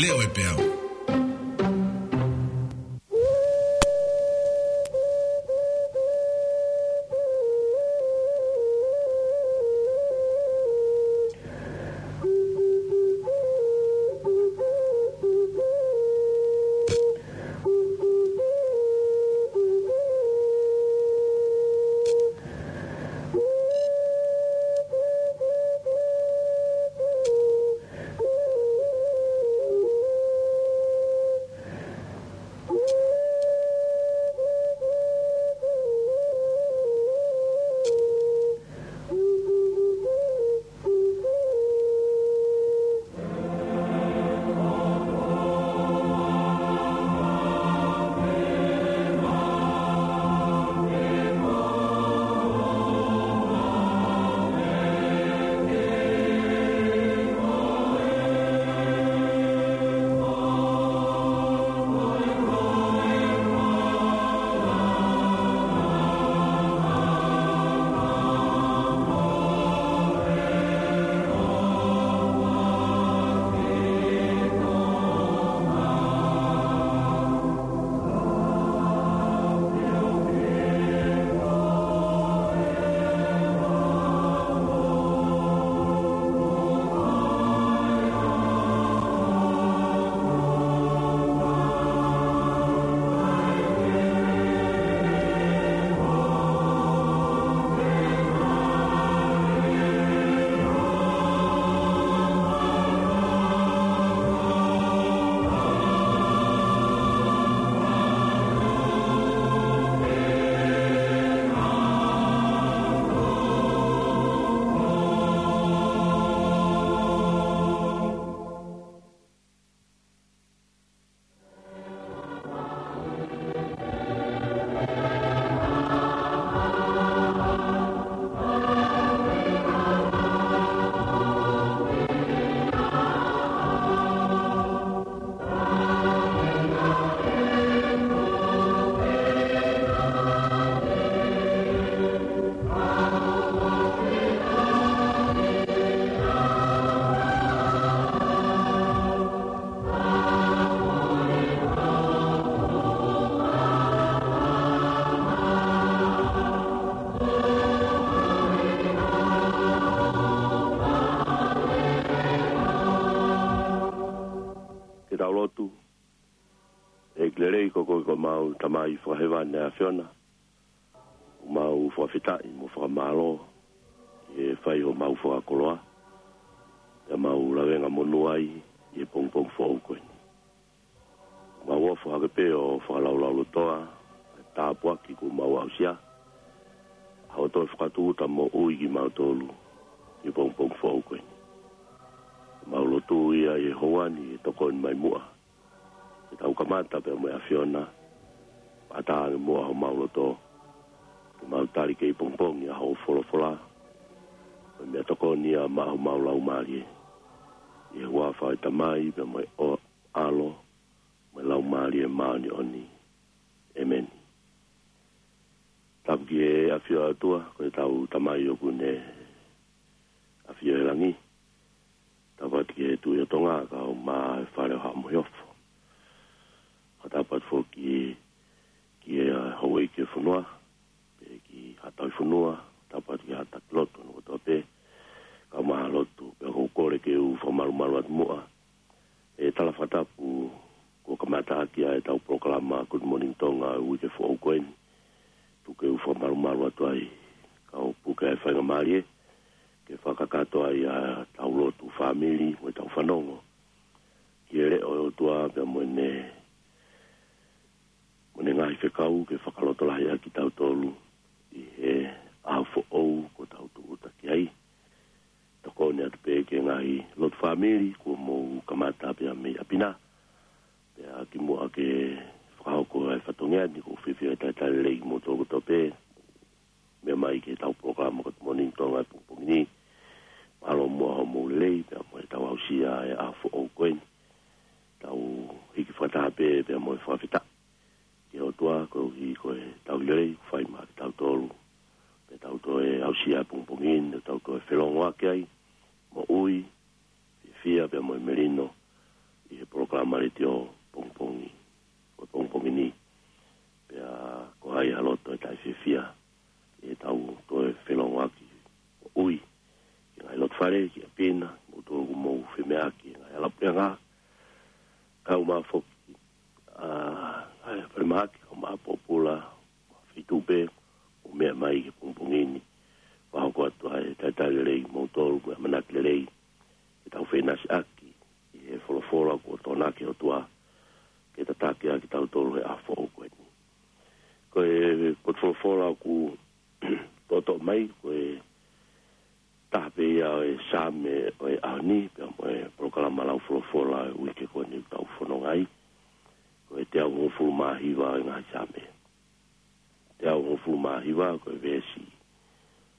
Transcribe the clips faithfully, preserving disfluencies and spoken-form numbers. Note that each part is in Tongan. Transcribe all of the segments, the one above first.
Leo e peau. Ke tau lotu. ʻEiki lelei, ko koe ko homau Tamai fakahēvani ʻa e ʻAfiona. ʻOku mau fakafetaʻi mo fakamālō ʻi he fai homau fakakoloa, ʻi heʻemau lavengamonū ai ʻi he pongipongi foʻou ko eni. ʻOku mau ofo hake pē ʻo fakalaulaulotoa ʻa e tāpuaki kuo mau aʻusia, ʻa hoʻo toe fakatūʻuta moʻui kimautolu ʻi he pongipongi foʻou ko eni. ʻOku mau lotua ia ʻi he houa ni ʻe tokoni mai muʻa, ke tau kamata pea mo e ʻAfiona, pea ʻatā ange muʻa homau loto, ke mau tali kei pongipongi ʻa hoʻo folofola, ko e meʻatokoni ia maʻa homau laumālie. ʻI he huafa ʻo e Tamai, pea mo e ʻAlo, mo e Laumālie Māʻoniʻoni. ʻĒmeni. Tapu ki he ʻAfio ʻa e ʻOtua, ko ʻetau Tamai ʻoku ne ʻafio ʻi he langi. Tapu atu ki he Tuʻi ʻo Tonga, kae ʻumaʻā e Fale ʻo Haʻa Moheofo. Ka tapu atu foki ki he houʻeiki ʻo e fonua, pea ki Haʻa Tauhi Fonua, tapu atu ki he Haʻa Taki Lotu hono kotoa pē, kae ʻumaʻā e lotu, pea ʻoku ou kole ke u fakamalumalu atu muʻa. ʻE tala fakatapu, kuo kamata ʻaki ʻa ʻetau polokalama Good Morning Tonga ʻo e uike foʻou ko eni. Tuku ke u fakamalumalu atu ai, kae puke ʻa e faingamālie, ke fakakakato ai ʻa ʻetau lotu fāmili, mo ʻetau fanongo ki he leʻo ʻo e ʻOtua, pea mo ʻene, mo ʻene ngaahi fekau ke fakalotolahiʻaki kitautolu ʻi he ʻaho foʻou kuo tau tūʻuta ki ai. Tokoni atu pē ki he ngaahi lotu fāmili kuo mou kamata pea mei ʻapi na. Pea kimuʻa ke fakahoko ʻa e fatongia ni, ʻoku ou fiefia ke talitali lelei kimoutolu kotoa pē, meʻa mai ki heʻetau polokalama Good Morning Tonga ʻo e pongipongi ni. Mālō muʻa hoʻomou lelei, pea mo ʻetau aʻusia ʻa e ʻaho foʻou ko eni. Tau hiki fakataha pē, pea mo e fakafetaʻi ki he ʻOtua, koeʻuhi ko e tauhi lelei kuo fai maʻa kitautolu. Pea tau toe aʻusia ʻa e pongipongi ni, tau toe felōngoaki ai, moʻui, fiefia pea mo e melino, ʻi he polokalama Maleitio pongipongi, ko e pongipongi ni, pea ko hai ha loto ʻe taʻefiefia ʻi heʻetau toe felongoaki ʻo ui ki he ngaahi loto fale, ki ʻapi na, moutolu ʻoku mou femeʻaʻaki he ngaahi hala puleʻanga, kaeʻumaʻā foki ʻa e ngaahi falemahaki, kaeʻumaʻā pōpula, feituʻu pē ʻoku mou meʻa mai ki he pongipongi ni. Fakahoko atu ʻa e talitali lelei kimoutolu mo e ʻamanaki lelei ke tau feʻinasiʻaki ʻi he folofola kuo toʻonaki ʻe he ʻOtua ke tataki ʻa kitautolu he ʻaho foʻou ko eni. Ko e potu folofola ʻoku toʻotoʻo mai, ko e taha pē ia ʻo e Saame ʻo e ʻaho ni, pea mo e polokalama lau folofola ʻo e uike ko eni ʻoku tau fononga ai. Ko e teau hongofulu mā hiva ʻo e ngaahi Saame. Teau hongofulu mā hiva, ko e veesi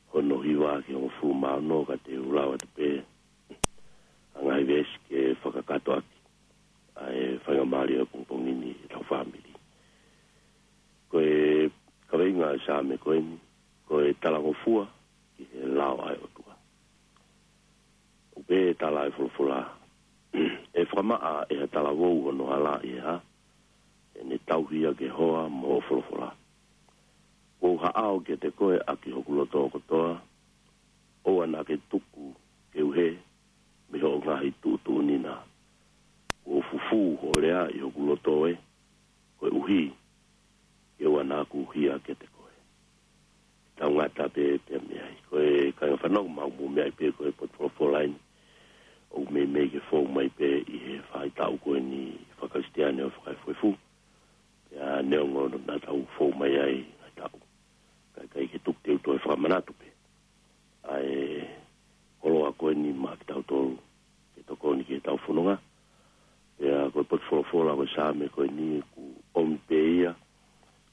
hono hiva ki he hongofulu mā ono, ka te u lau atu pē ʻa e ngaahi veesi ke fakakakato ʻaki ʻa e faingamālie ʻo e pongipongi ni ʻi heʻetau fāmili. Ko e kaveinga ʻo e Saame ko eni, ko e talangofua ki he lao ʻa e ʻOtua. ʻOku pehē ʻe he tala ʻa e folofola: ʻE fakamaʻa ʻe ha talavou hono hala ʻi he hā? ʻE ne tauhi ia ke hoa mo hoʻo folofola. Kuo u haʻao kiate koe ʻaki hoku loto kotoa, ʻoua naʻa ke tuku ke u hē mei hoʻo ngaahi tuʻutuʻuni na. Kuo fufū hoʻo lea ʻi hoku loto ē, koeʻuhi ke ʻoua naʻa ku hia kiate koe. Tau ngata pē pea mei ai. Ko e kāinga fanongo, ʻoku mou meaʻi pē ko e potu folofola eni ʻoku meimei ke fou mai pē ʻi he faʻahitaʻu ko eni fakakalisitiane ʻo e fakaefuefu. Pea neongo naʻa tau fou mai ai ngaahi taʻu, ka ʻikai ke tuku te u toe fakamanatu pē ʻa e koloa ko eni maʻa kitautolu ke tokoni ki heʻetau fononga. Pea ko e potu folofola ko e Saame ko eni ʻoku ʻomi pē ia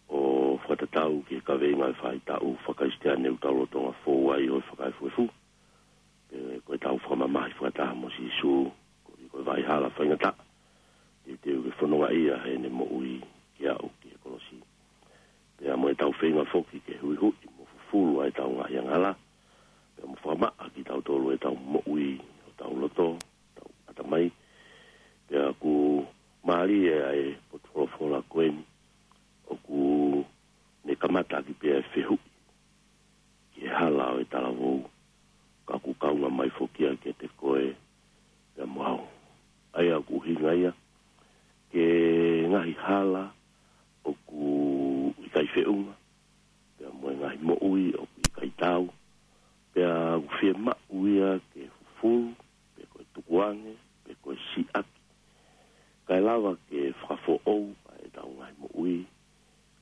ʻo fakatatau ki he kaveinga ʻo e faʻahitaʻu fakakalisitiane ʻoku tau lolotonga fou ai ʻo e fakaefuefu. Pea ko ʻetau fakamamahi fakataha mo Sīsū, koeʻuhi ko e vaʻa hala faingataʻa, teuteu ke fonongaʻia heʻene moʻui ke aʻu ki he kolosi. Pea mo ʻetau feinga foki ke huʻihuʻi mo fufulu ʻa ʻetau ngaahi angahala, pea mo fakamaʻa kitautolu ʻetau moʻui, hotau loto, hotau ʻatamai. Pea ʻoku mālie ʻa e potu folofola ko eni, ʻoku ne kamata ʻaki pē ʻa e fehuʻi ki he hala ʻo e talavou, ka ʻoku kaunga mai foki ia kiate koe pea mo au. ʻA ia ʻoku ʻuhinga ia ki he ngaahi hala ʻoku ʻikai feʻunga, pea mo e ngaahi moʻui ʻoku ʻikai taau, pea ʻoku fiemaʻu ia ke fufulu, pe ko e tukuange, pe ko e siʻaki, kae lava ke fakafoʻou ʻa ʻetau ngaahi moʻui,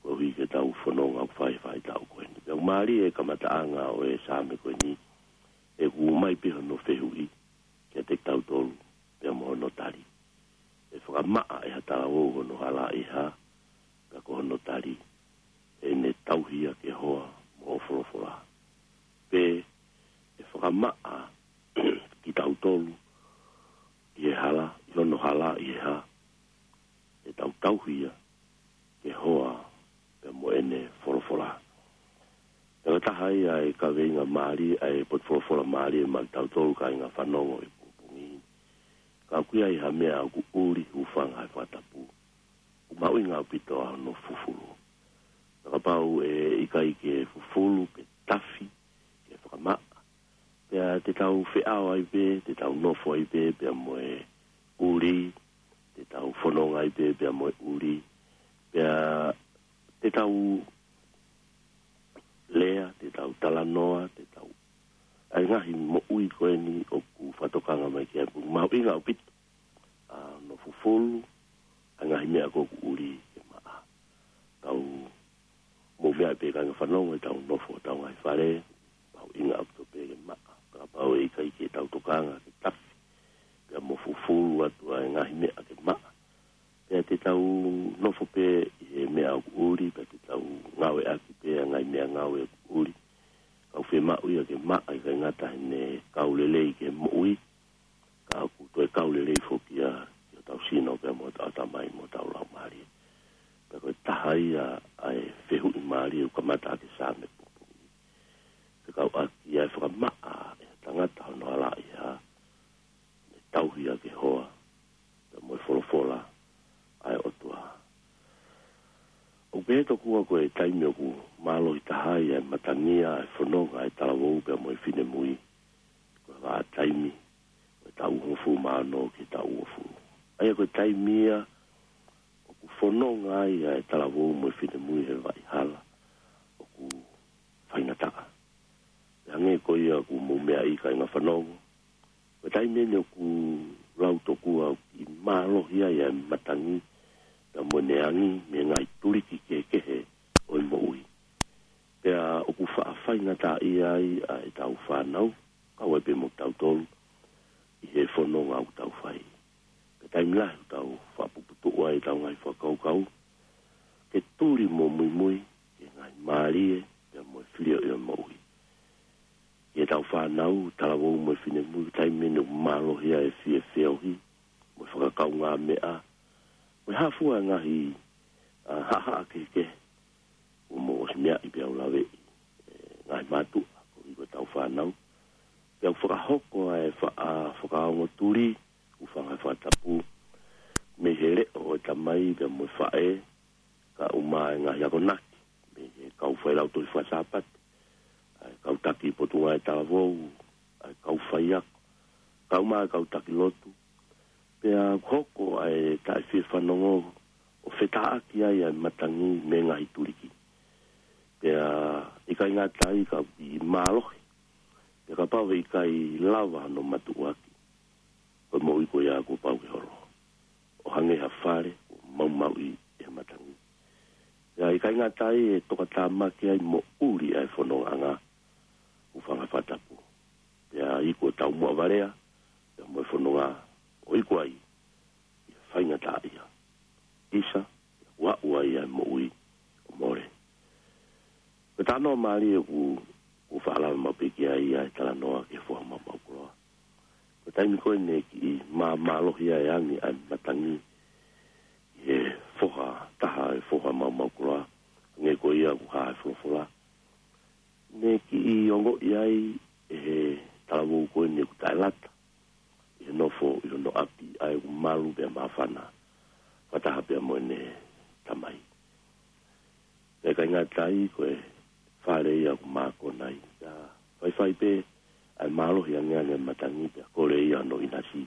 koeʻuhi ke tau fononga ʻoku fai he faʻahitaʻu ko eni. Pea ʻoku mālie e kamataʻanga ʻo e Saame ko eni, he ʻoku ʻomai pē hono fehuʻi kiate kitautolu, pea mo hono tali. ʻE fakamaʻa ʻe ha talavou hono hala ʻi he hā? Pea ko hono tali, ʻe ne tauhi ia ke hoa mo hoʻo folofola. Pe ʻe fakamaʻa kitautolu ʻi he hala, ʻi hono hala ʻi he hā? ʻE tau tauhi ia ke hoa pea mo ʻene folofola. Pea ko e taha ia e kaveinga mālie, ʻa e potu folofola mālie maʻa kitautolu kāinga fanongo ʻi he pongipongi ni. Ka ʻoku ʻi ai ha meʻa ʻoku ʻuli, hūfanga he fakatapu, ʻoku mahuʻinga ʻaupito ʻa hono fufulu. Pea kapau ʻe ʻikai ke fufulu pe tafi ke fakamaʻa, pea te tau feʻao ai pē, te tau nofo ai pē pea mo e ʻuli, te tau fononga ai pē pea mo e ʻuli, pea te tau lea, te tau talanoa, te tau, ʻa e ngaahi moʻui ko eni ʻoku fakatokanga mai ki ai, ʻoku mahuʻinga ʻaupito ʻa hono fufulu ʻa e ngaahi meʻa ko ē ʻoku ʻuli ke maʻa. Tau mou meaʻi pē kāinga fanongo, ʻetau nofo hotau ngaahi fale, mahuʻinga ʻaupito pē ke maʻa. Kapau ʻe ʻikai ke tau tokanga ke tafi pea mo fufulu atu ʻa e ngaahi meʻa ke maʻa, pea te tau nofo pē ʻi he meʻa ʻoku ʻuli, pea te tau ngāueʻaki pē ʻa e ngaahi meʻangāue ʻoku ʻuli. Ka ʻoku fiemaʻu ia ke maʻa, ʻikai ngata heʻene kau lelei ki he moʻui, ka ʻoku toe kau lelei foki ia ki hotau sino pea mo hotau ʻatamai mo hotau laumālie. Pea ko e taha ia ʻa e fehuʻi mālie ʻoku kamata ʻaki e Saame pongipongi ni. Fekauʻaki ʻa e fakamaʻa ʻe ha tangata hono hala ʻi he hā? Ne tauhi ia ke hoa pea mo e He tokua ko e taimi ʻoku mālohi taha ai ʻa e matangi ʻa e fononga ʻa e talavou pea mo e finemui, ko e vahaʻa taimi ʻo e taʻu hongofulu mā ono ki he taʻu uofulu. ʻA ia ko e taimi ia ʻoku fononga ai ʻa e talavou mo e finemui he vaʻihala ʻoku faingataʻa. Pea hangē ko ia ʻoku mou meaʻi, kāinga fanongo, ko e taimi eni ʻoku lau tokua ʻoku mālohi ai ʻa e matangi pea mo ʻene angi mei he ngaahi tuliki kehekehe ʻo e moʻui. Pea ʻoku faʻa faingataʻaʻia ai ʻa ʻetau fānau, kau ai pē mo kitautolu, ʻi he fononga ʻoku tau fai. Pea taimi lahi ʻoku tau faʻa puputuʻu ai ʻetau ngaahi fakakaukau ke tuli mo muimui ki he ngaahi mālie pea mo e filioʻi ʻo e moʻui. Ki heʻetau fānau, talavou mo e finemui, taimi eni ʻoku mālohi ai e fie feohi mo e fakakaungāmeʻa mo e hā fua e ngaahi, ʻa, haʻahaʻa kehekehe. ʻOku mou ʻosi meaʻi pea u laveʻi, e, ngaahi mātuʻa koeʻuhi ko ʻetau fānau. Pea ʻoku fakahoko ʻa e faʻa, ʻa, fakaongo tuli, ʻoku fanga fakatapu mei he leʻo ʻo e tamai pea mo e faʻē, kae ʻumaʻā e ngaahi akonaki mei he kau failautohi fakasāpate, ʻa e kau taki potungāue talavou, ʻa e kau faiako, kae ʻumaʻā e kau taki lotu. Pea hoko ʻa e taʻefiefanongo ʻo fetāʻaki ai ʻa e matangi mei he ngaahi tuliki. Pea ʻikai ngata ai, ka ʻoku mālohi. Pea kapau he ʻikai lava hono matuʻuaki, ko e moʻui ko ia kuo pau ke holo, ʻo hangē ha fale kuo maumauʻi ʻe he matangi. Pea ʻikai ngata ai, ʻe tokatāmaki ai moʻuli ʻa e fonongaʻanga, ʻoku fanga fakatapu. Pea iku ʻo taumuʻa valea pea mo e fononga, ʻo iku ai ʻi he faingataʻaʻia. ʻIsa, ʻoku aʻu ai ʻa e moʻui ʻo mole. Ko e talanoa mālie ʻoku, ʻoku faʻa lava maʻu pē ki ai ʻa e talanoa ki he foha maumau koloa. Ko e taimi ko ē naʻe kiʻi māmālohi ai e angi ʻa e matangi ʻi he foha taha ʻo e foha maumau koloa, hangē ko ia ʻoku hā he folofola, naʻe kiʻi ongoʻi ai ʻe he talavou ko eni ʻoku taʻelata ʻi he nofo ʻi hono ʻapi ʻa ē ʻoku malu pea māfana fakataha pea mo ʻene tamai. Pea ʻikai ngata ai, ko e fale ia ʻoku mākona ai. Pea faifai pē ʻa e mālohi angeange ʻa e matangi, pea kole ia hono ʻinasi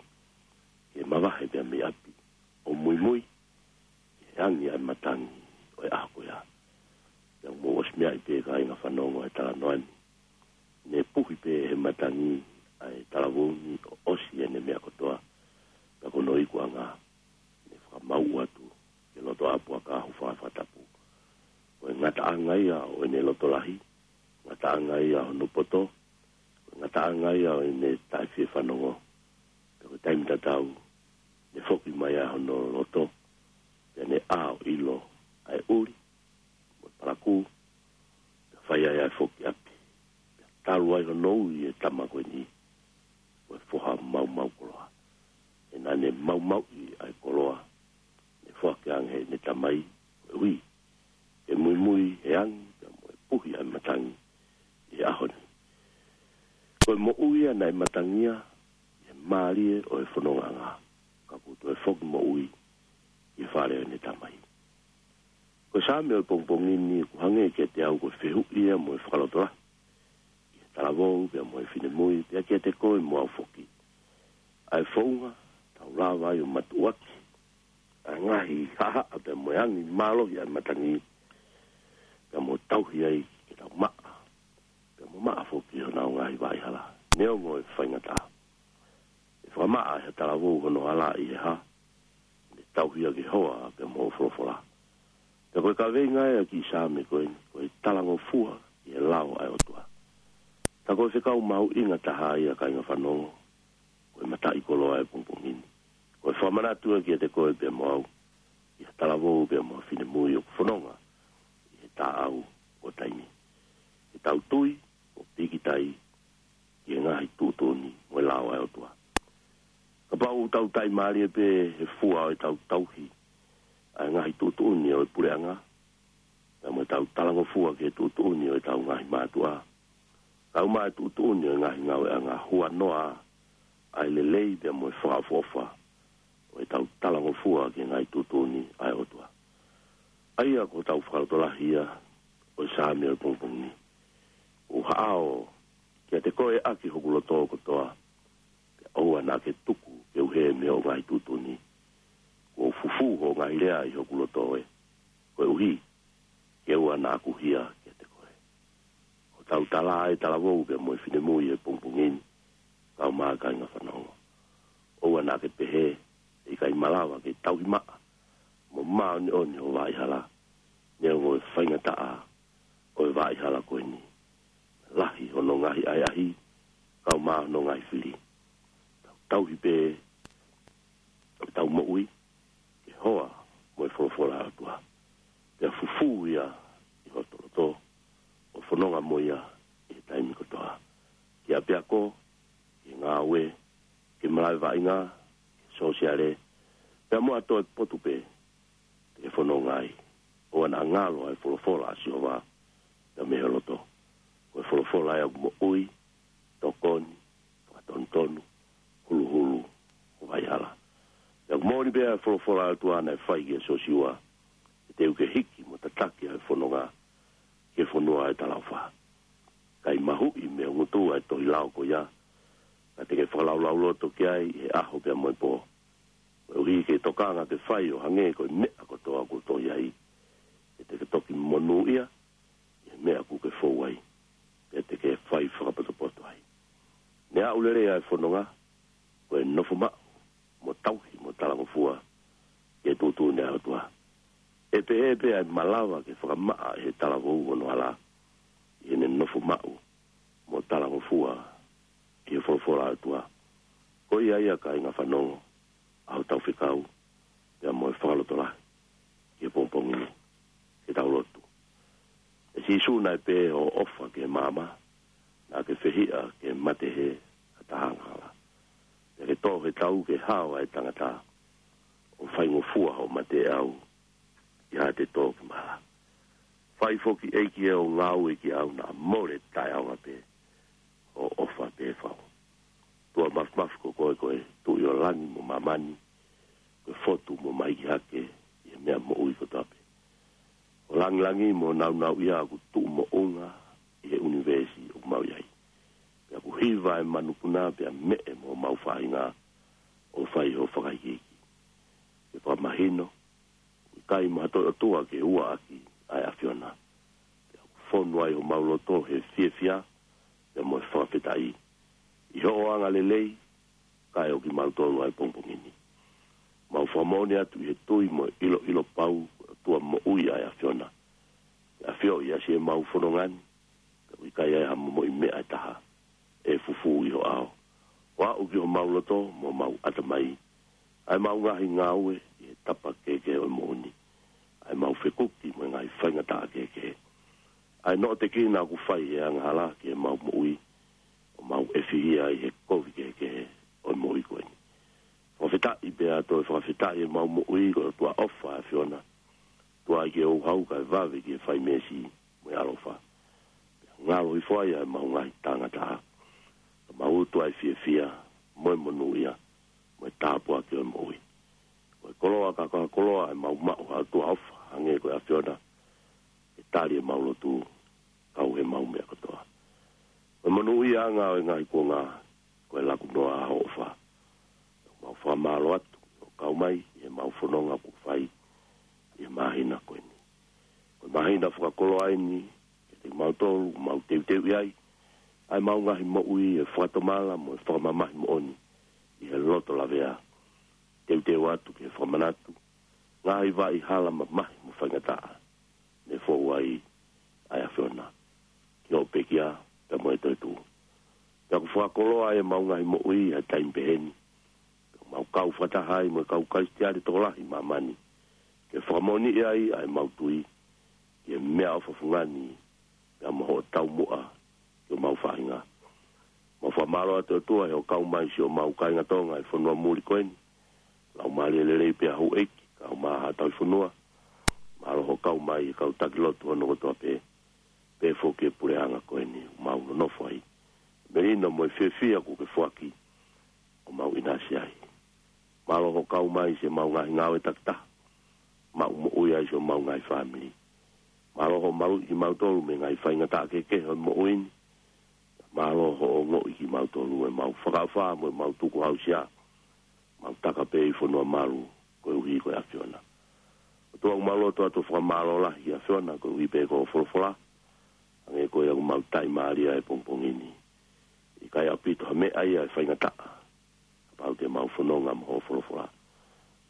ke mavahe pea mei ʻapi ʻo muimui ki he angi ʻa e matangi ʻo e ʻaho ko ia. Pea mou ʻosi meaʻi pē, kāinga fanongo, ʻa e talanoa ni. Naʻe puhi pē ʻe he matangi ʻa e talavou ni ʻo ʻosi ʻene meʻa kotoa. Pea ko hono ikuʻanga, naʻe fakamauʻu atu ki he lotoʻā puaka ʻo fanga fakatapu. Ko e ngataʻanga ia ʻo ʻene loto lahi, ngataʻanga ia hono poto, ko e ngataʻanga ia ʻo ʻene taʻefiefanongo. Pea ko e taimi tatau, naʻe foki mai ai hono loto, pea naʻe ʻā ʻo ʻilo ʻa e ʻuli mo e palakū, pea fai ai ʻa e foki ʻapi. Pea talu ai hono ui e tama ko eni ko e foha maumau koloa. He naʻa ne maumauʻi ʻa e koloa naʻe foaki ange ʻe heʻene tamai, koeʻuhi ke muimui he angi pea mo e puhi ʻa e matangi ʻi he ʻaho ni. Ko e moʻui ia naʻe matangia ʻi he mālie ʻo e fonongaʻanga, ka kuo toe foki moʻui ʻi he fale ʻo ʻene tamai. Ko e Saame ʻo e pongipongi ni ʻoku hangē kiate au ko e fehuʻi ia mo e fakalotolahi ki he talavou pea mo e finemui, pea kiate koe mo au foki. ʻA e founga te tau lava ai ʻo matuʻuaki ʻa e ngaahi haʻahaʻa pea mo e angi mālohi ʻa e matangi, pea mo tauhi ai ke tau maʻa, pea mo maʻa foki honau ngaahi vaʻihala, neongo e faingataʻa. ʻE fakamaʻa ʻe ha talavou hono hala ʻi he hā? Ne tauhi ʻaki e hoa pea mo hoʻo folofola. Pea ko e kaveinga ia ʻa e kiʻi Saame ko eni, ko e talangofua ki he lao ʻa e ʻOtua. Ka ko e fekau mahuʻinga taha ia, kāinga fanongo, ko e mataʻikoloa ʻo e pongipongi ni. Ko e fakamanatu ia kiate koe pea mo au, ki ha talavou pea mo ha finemui ʻoku fononga ʻi he taʻau ʻo e taimi. Ke tau tui ʻo pīkitai ki he ngaahi tuʻutuʻuni mo e lao ʻa e ʻOtua. Kapau ʻoku tau taʻimālie pē he fua ʻo ʻetau tauhi ʻa e ngaahi tuʻutuʻuni ʻo e puleʻanga, pea mo ʻetau talangofua ki he tuʻutuʻuni ʻo ʻetau ngaahi mātuʻa, kae ʻumaʻā e tuʻutuʻuni ʻo e ngaahi ngāueʻanga, huanoa ʻa e lelei pea mo e fakaʻofoʻofa ʻo ʻetau talangofua ki he ngaahi tuʻutuʻuni ʻa e ʻOtua. ʻA ia ko hotau fakalotolahi ia ʻo e Saame ʻo e pongipongi ni. ʻOku haʻao kiate koe ʻaki hoku loto kotoa, pea ʻoua naʻa ke tuku ke u hē mei hoʻo ngaahi tuʻutuʻuni. Kuo u fufū hoʻo ngaahi lea ʻi hoku loto ē, koeʻuhi ke ʻoua naʻa ku hia kiate koe. Ko hotau tala ʻa e talavou pea mo e finemui he pongipongi ni, kae ʻumaʻā kāinga fanongo. ʻOua naʻa ke pehē ʻe ʻikai malava ke tauhi maʻa mo māʻoniʻoni ho vaʻa hala, neongo e faingataʻa ʻo e vaʻa hala ko eni. Lahi hono ngaahi ʻahiʻahi, kae ʻumaʻā hono ngaahi fili. Tau tauhi pē ʻetau moʻui ki he hoa mo e folofola ʻa e ʻOtua. Pea fufū ia ʻi hoto loto, ʻo fononga mo ia ʻi he taimi kotoa. Ki ʻapiako, ki he ngāue, ki he malaʻe vaʻinga, ki he sōsiale, pea mo ha toe potu pē te ke fononga ai. ʻOua naʻa ngalo ʻa e folofola ʻa Sihova ia mei ho loto. Ko e folofola ia ʻoku moʻui, tokoni, fakatonutonu, huluhulu ho vaʻa hala. Pea ʻoku moʻoni pē ʻa e folofola ʻa e ʻOtua naʻe fai kia Siosiua, he te u ke hiki mo tataki ʻa e fononga ki he fonua ʻo e talaʻofa. ʻIkai mahuʻi mei ho ngutu ʻa e tohi lao ko ia, ka te ke fakalaulauloto ki ai ʻi he ʻaho pea mo e pō, koeʻuhi ke tokanga ke fai ʻo hangē ko e meʻa kotoa kuo tohi ai. He te ke toki monūʻia ʻi he meʻa kuo ke fou ai, pea te ke fai fakapotopoto ai. Ne aʻu lelei ʻa e fononga, ko e nofo maʻu mo tauhi mo talangofua ki he tuʻutuʻuni ʻa e ʻOtua. ʻE pehē pē ʻa e malava ke fakamaʻa ʻe he talavou hono hala, ʻi heʻene nofo maʻu mo talangofua ki he folofola ʻa e ʻOtua. Ko ia ia, kāinga fanongo, ʻa hotau fekau pea mo e fakalotolahi ki he pongipongi ni. Ke tau lotu. ʻE Sīsū, naʻe pehē hoʻo ʻofa ki he maama, naʻa ke fehiʻa ki he mate hē ʻa e taha angahala. Pea ke tō he tau ki he hao ʻa e tangata, ʻo faingofua hoʻo mate ʻe au, ʻi haʻate tō ki mala. Fai foki, ʻEiki ē, ʻo ngāue kiate au, naʻa mole taʻeʻaonga pē hoʻo ʻofa pē fau. ʻOtua Māfimafi, ko koe ko e Tuʻi ʻo langi mo māmani, ko e fotu mo mahiki hake ʻi he meʻa moʻui kotoa pē. Ko e langilangi mo e nāunauʻia ʻoku tuʻu moʻunga ʻi he ʻunivēsi ʻoku mau ʻi ai. Pea ʻoku hiva ʻa e manupuna pea meʻe mo homau faʻahinga ʻo fai ho fakahikihikiʻi. Ke fakamahino ʻoku ʻikai mo ha toe ʻOtua ke ua ʻaki ʻa e ʻAfiona. Pea ʻoku fonu ai homau loto he fiefia pea mo e fakafetaʻi ʻi hoʻo angalelei, kae ʻo kimautolu ʻa e pongipongi ni. Mau fakamoʻoni atu ʻi he tui mo e ʻiloʻilo pau, ʻOtua moʻui ʻa e ʻAfiona. ʻE ʻafioʻi ʻa siʻemau fononga ni, pea ʻoku ʻikai ai ha momoʻi meʻa ʻe taha ʻe fufū ʻi ho ʻao. ʻO aʻu ki homau loto mo homau ʻatamai, ʻa ʻemau ngaahi ngāue ʻi he tapa kehekehe ʻo e moʻui ni, ʻa ʻemau fekuki mo e ngaahi faingataʻa kehekehe, ʻa e noʻotekina ʻoku fai ʻe he angahala ki heʻemau moʻui, ʻo mau ʻefihia ai he kovi kehekehe ʻo e moʻui ko eni. Fakafetaʻi pea toe fakafetaʻi ʻemau moʻui, ko e ʻOtua ʻofa ʻa e ʻAfiona, ʻOtua ʻikai ke ouhau kae vave ki he fai meesi mo e ʻaloʻofa. Pea ngalo hifo ai ʻa ʻemau ngaahi tangata, ka mau tuʻu ʻi he fiefia mo e monūʻia mo e tāpuaki ʻo e moʻui. Ko e koloa ka ko e koloa ʻemau maʻu, ʻa e ʻOtua ʻofa hangē ko e ʻAfiona, ke tali ʻemau lotu, kau heʻemau meʻa kotoa. Ko e monūʻiaʻanga ʻo e ngaahi kuonga, ko e laku noa ʻa hoʻo ʻofa. Mau fakamālō atu ʻo kau mai ʻi heʻemau fononga kuo fai ʻi he māhina ko eni. Ko e māhina fakakoloa eni kiate kimautolu, mau teuteuʻi ai ʻa ʻemau ngaahi moʻui ʻi he fakatomala mo e fakamamahi moʻoni ʻi he loto lavea. Teuteu atu ke fakamanatu ngaahi vaʻa hala mamahi mo faingataʻa ne fou ai ʻa e ʻAfiona ki hoʻo pekia pea mo e toetuʻu. Pea ʻoku fakakoloa ʻemau ngaahi moʻui ʻi he taimi pehē ni. Pea mau kau fakataha ai mo e kau Kalisitiane tokolahi ʻi māmani, ke fakamoʻoniʻi ai ʻa ʻemau tui ki he meʻaʻofa fungani pea mo hoʻo taumuʻa ki homau faʻahinga. Mau fakamālō atu, ʻOtua, ʻi hoʻo kau mai siʻomau kāinga Tonga ʻi he fonua muli ko eni. Laumālie lelei pea houʻeiki, kau mai ʻa e tauhi fonua. Mālō hoʻo kau mai ʻi he kau taki lotu hono kotoa pē, pehē foki ki he puleʻanga ko eni ʻoku mau nonofo ai. Melino mo e fiefia kuo ke foaki ʻo mau ʻinasi ai. Mālō hoʻo kau mai siʻemau ngaahi ngāue takitaha. maʻu moʻui ai siʻomau ngaahi fāmili. Mālō hoʻo maluʻi kimautolu mei he ngaahi faingataʻa kehekehe ʻo e moʻui ni. Mālō hoʻo ongoʻi kimautolu ʻi heʻemau fakaʻofa mo ʻemau tukuhausia. Mau taka pē ʻi he fonua malu koeʻuhi ko e ʻAfiona. ʻOtua, ʻoku mau lotu atu ʻo fakamālō lahi ki he ʻAfiona koeʻuhi pē ko hoʻo folofola. Hangē ko ia ʻoku mau taʻimālie ai he pongipongi ni. ʻIkai ʻaupito ha meʻa ia ʻe faingataʻa kapau te mau fononga mo hoʻo folofola.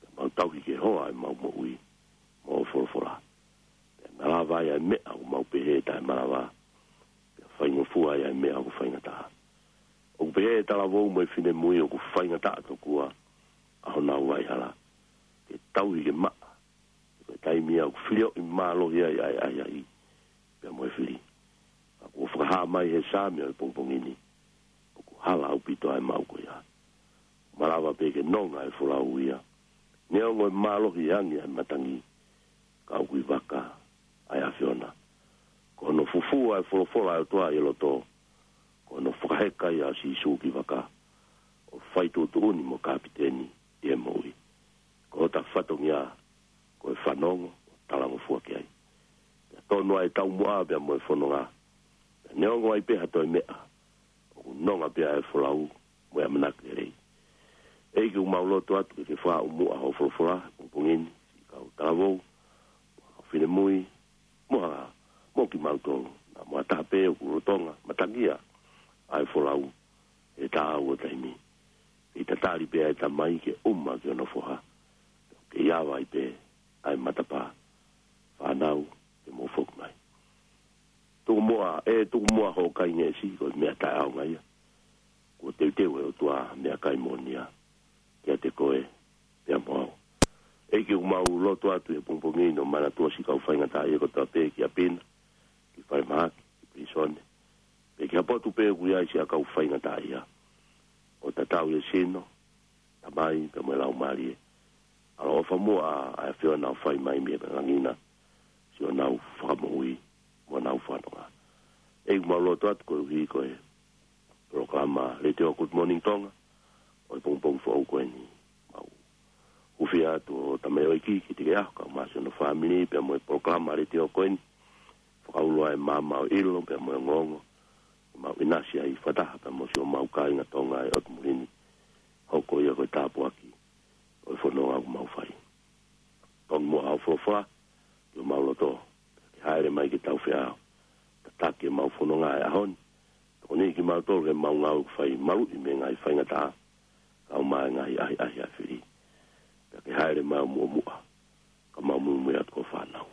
Pea mau tauhi ke hoa ʻemau moʻui mo hoʻo folofola. Pea malava ai ʻa e meʻa ʻoku mau pehē taʻemalava. Pea faingofua ai ʻa e meʻa ʻoku faingataʻa. ʻOku pehē ʻe he talavou mo e finemui ʻoku faingataʻa tokua ʻa honau vaʻihala. Ke tauhi ke maʻa. Ko e taimi ia ʻoku filioʻi mālohi ai ʻa e ʻahiʻahi pea mo e fili. Ka kuo fakahā mai he Saame ʻo e pongipongi ni, ʻoku hala ʻaupito ʻa e maʻu ko ia. Malava pē ke nonga e folau ia. Neongo e mālohi angi ʻa e matangi, ka ʻoku ʻi vaka ʻa e ʻAfiona. Ko hono fufū ʻa e folofola ʻa e ʻOtua ʻi loto. Ko hono fakaheka ia ʻa Sīsū ki vaka ʻo fai tuʻutuʻuni mo kapiteni ʻi he moʻui. Ko hota fatongia ko e fanongo ʻo talangofua ki ai. Pea tonu ʻa e taumuʻa pea mo e fononga. Pea neongo ai pē ha toe meʻa, ʻoku nonga pē ʻa e folau mo e ʻamanaki lelei. ʻEiki, ʻoku mau lotu atu ke ke fakaʻamu ʻa hoʻo folofola he pongipongi ni, siʻi kau talavou, mo e kau finemui, mo ha, mo kimautolu, naʻa mo ha taha pē ʻoku lolotonga matangia ʻa e folau he taʻu ʻo e taimi. Ke tatali pē ʻa e tamai ke ʻuma ki hono foha. Ke ʻi ai pē ʻa e matapā. Fānau, ke mou foki mai. Tukumoa, ʻe tukumoa hoʻo kai ngeʻesi, ko e meʻa taʻeʻaonga ia. Kuo teuteu ʻe he ʻOtua meʻakai moʻonia kiate koe pea mo au. ʻEiki, ʻoku mau lotu atu he pongipongi ni ʻo manatua siʻi kau faingataʻaʻia kotoa pē ki ʻapi na, ki falemahaki, ki pilīsone, pe ki ha potu pē ʻoku ʻi ai siʻa kau faingataʻaʻia. ʻO tatau ʻi he sino, tamai, pea mo e laumālie. ʻAloʻofa muʻa ʻa e ʻAfiona ʻo fai mai mei langi na siʻonau fakamoʻui mo ʻenau fanonga. ʻEiki, mau lotu atu koeʻuhi ko e polokalama Letiō Good Morning Tonga ʻo e pongipongi foʻou ko eni. Mau hūfia atu ʻo tamaioʻeiki ki te ke aho ka masi hono fāmili pea mo e polokalama Letiō ko eni. Fakaulo ʻa e maama ʻo e ʻilo pea mo e ongoongo. Mau ʻinasi ai fakataha pea mo siʻomau kāinga Tonga ʻi ʻotu muli ni. Hoko ia ko e tāpuaki ʻo e fononga ʻoku mau fai. Tonu muʻa hoʻo folofola ki homau loto, ke hāʻele mai ke tau feʻao. Tataki ʻemau fononga he ʻaho ni. Tokoniʻi kimautolu ke mau ngāue ʻoku fai maluʻi mei he ngaahi faingataʻa, kae ʻumaʻā e ngaahi ʻahiʻahi ʻa e fili. Pea ke hāʻele mai ʻo muʻomuʻa, ka mau muimui atu ko e fānau.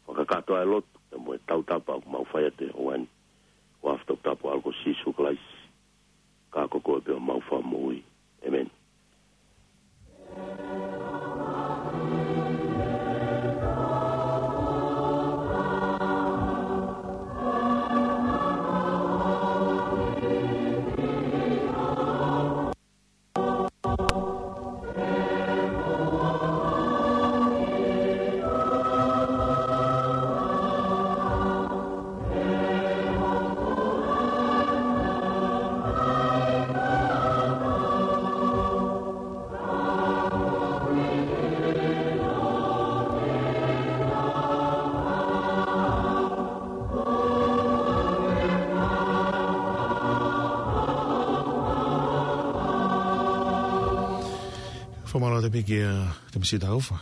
Fakakakato ʻa e lotu pea mo e tautapa ʻoku mau fai atu he houa ni, ʻi he huafa toputapu ʻo e ʻAlo ko Sīsū Kalaisi, ka ko koe pē homau Fakamoʻui. ʻĒmeni. Fakamālō atu pē kia Temisi Taufa.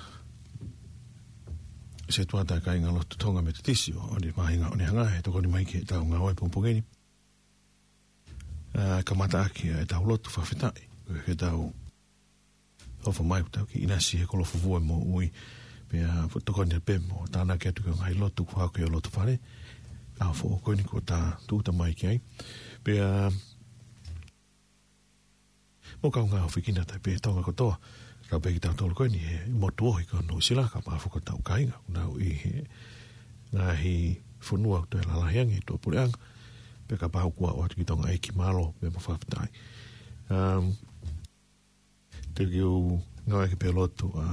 Setuata Kāingalotu Tonga Metotisi ʻo ʻOni Māhinga ʻOnehanga he tokoni mai ki heʻetau ngāue pongipongi ni. ʻA, kamataʻaki ʻetau lotu fakafetaʻi. Ke tau ʻofa mai ʻoku tau kiʻi ʻinasi he kolo fufū ʻa e moʻui. Pea ʻoku tokoni pē mo tānaki atu ki he ngaahi lotu kuo hoko ʻi loto fale. ʻA, foʻou ko eni kuo tau tūʻuta mai ki ai. Pea mo e kaungā ʻofefine ʻa e Tonga kotoa. Kau pē kitautolu ko eni he motu ohi ko Nuʻusila, ka ʻoku mafola ʻetau kāinga ʻoku nau ʻi he ngaahi fonua ʻoku toe lalahi ange ʻi tuʻapuleʻanga. Pea kapau kuo ʻoatu ki Tonga ʻEiki, mālō pea mo e fakafetaʻi. Um, te u kiʻi ngāueʻaki pē lotu ʻa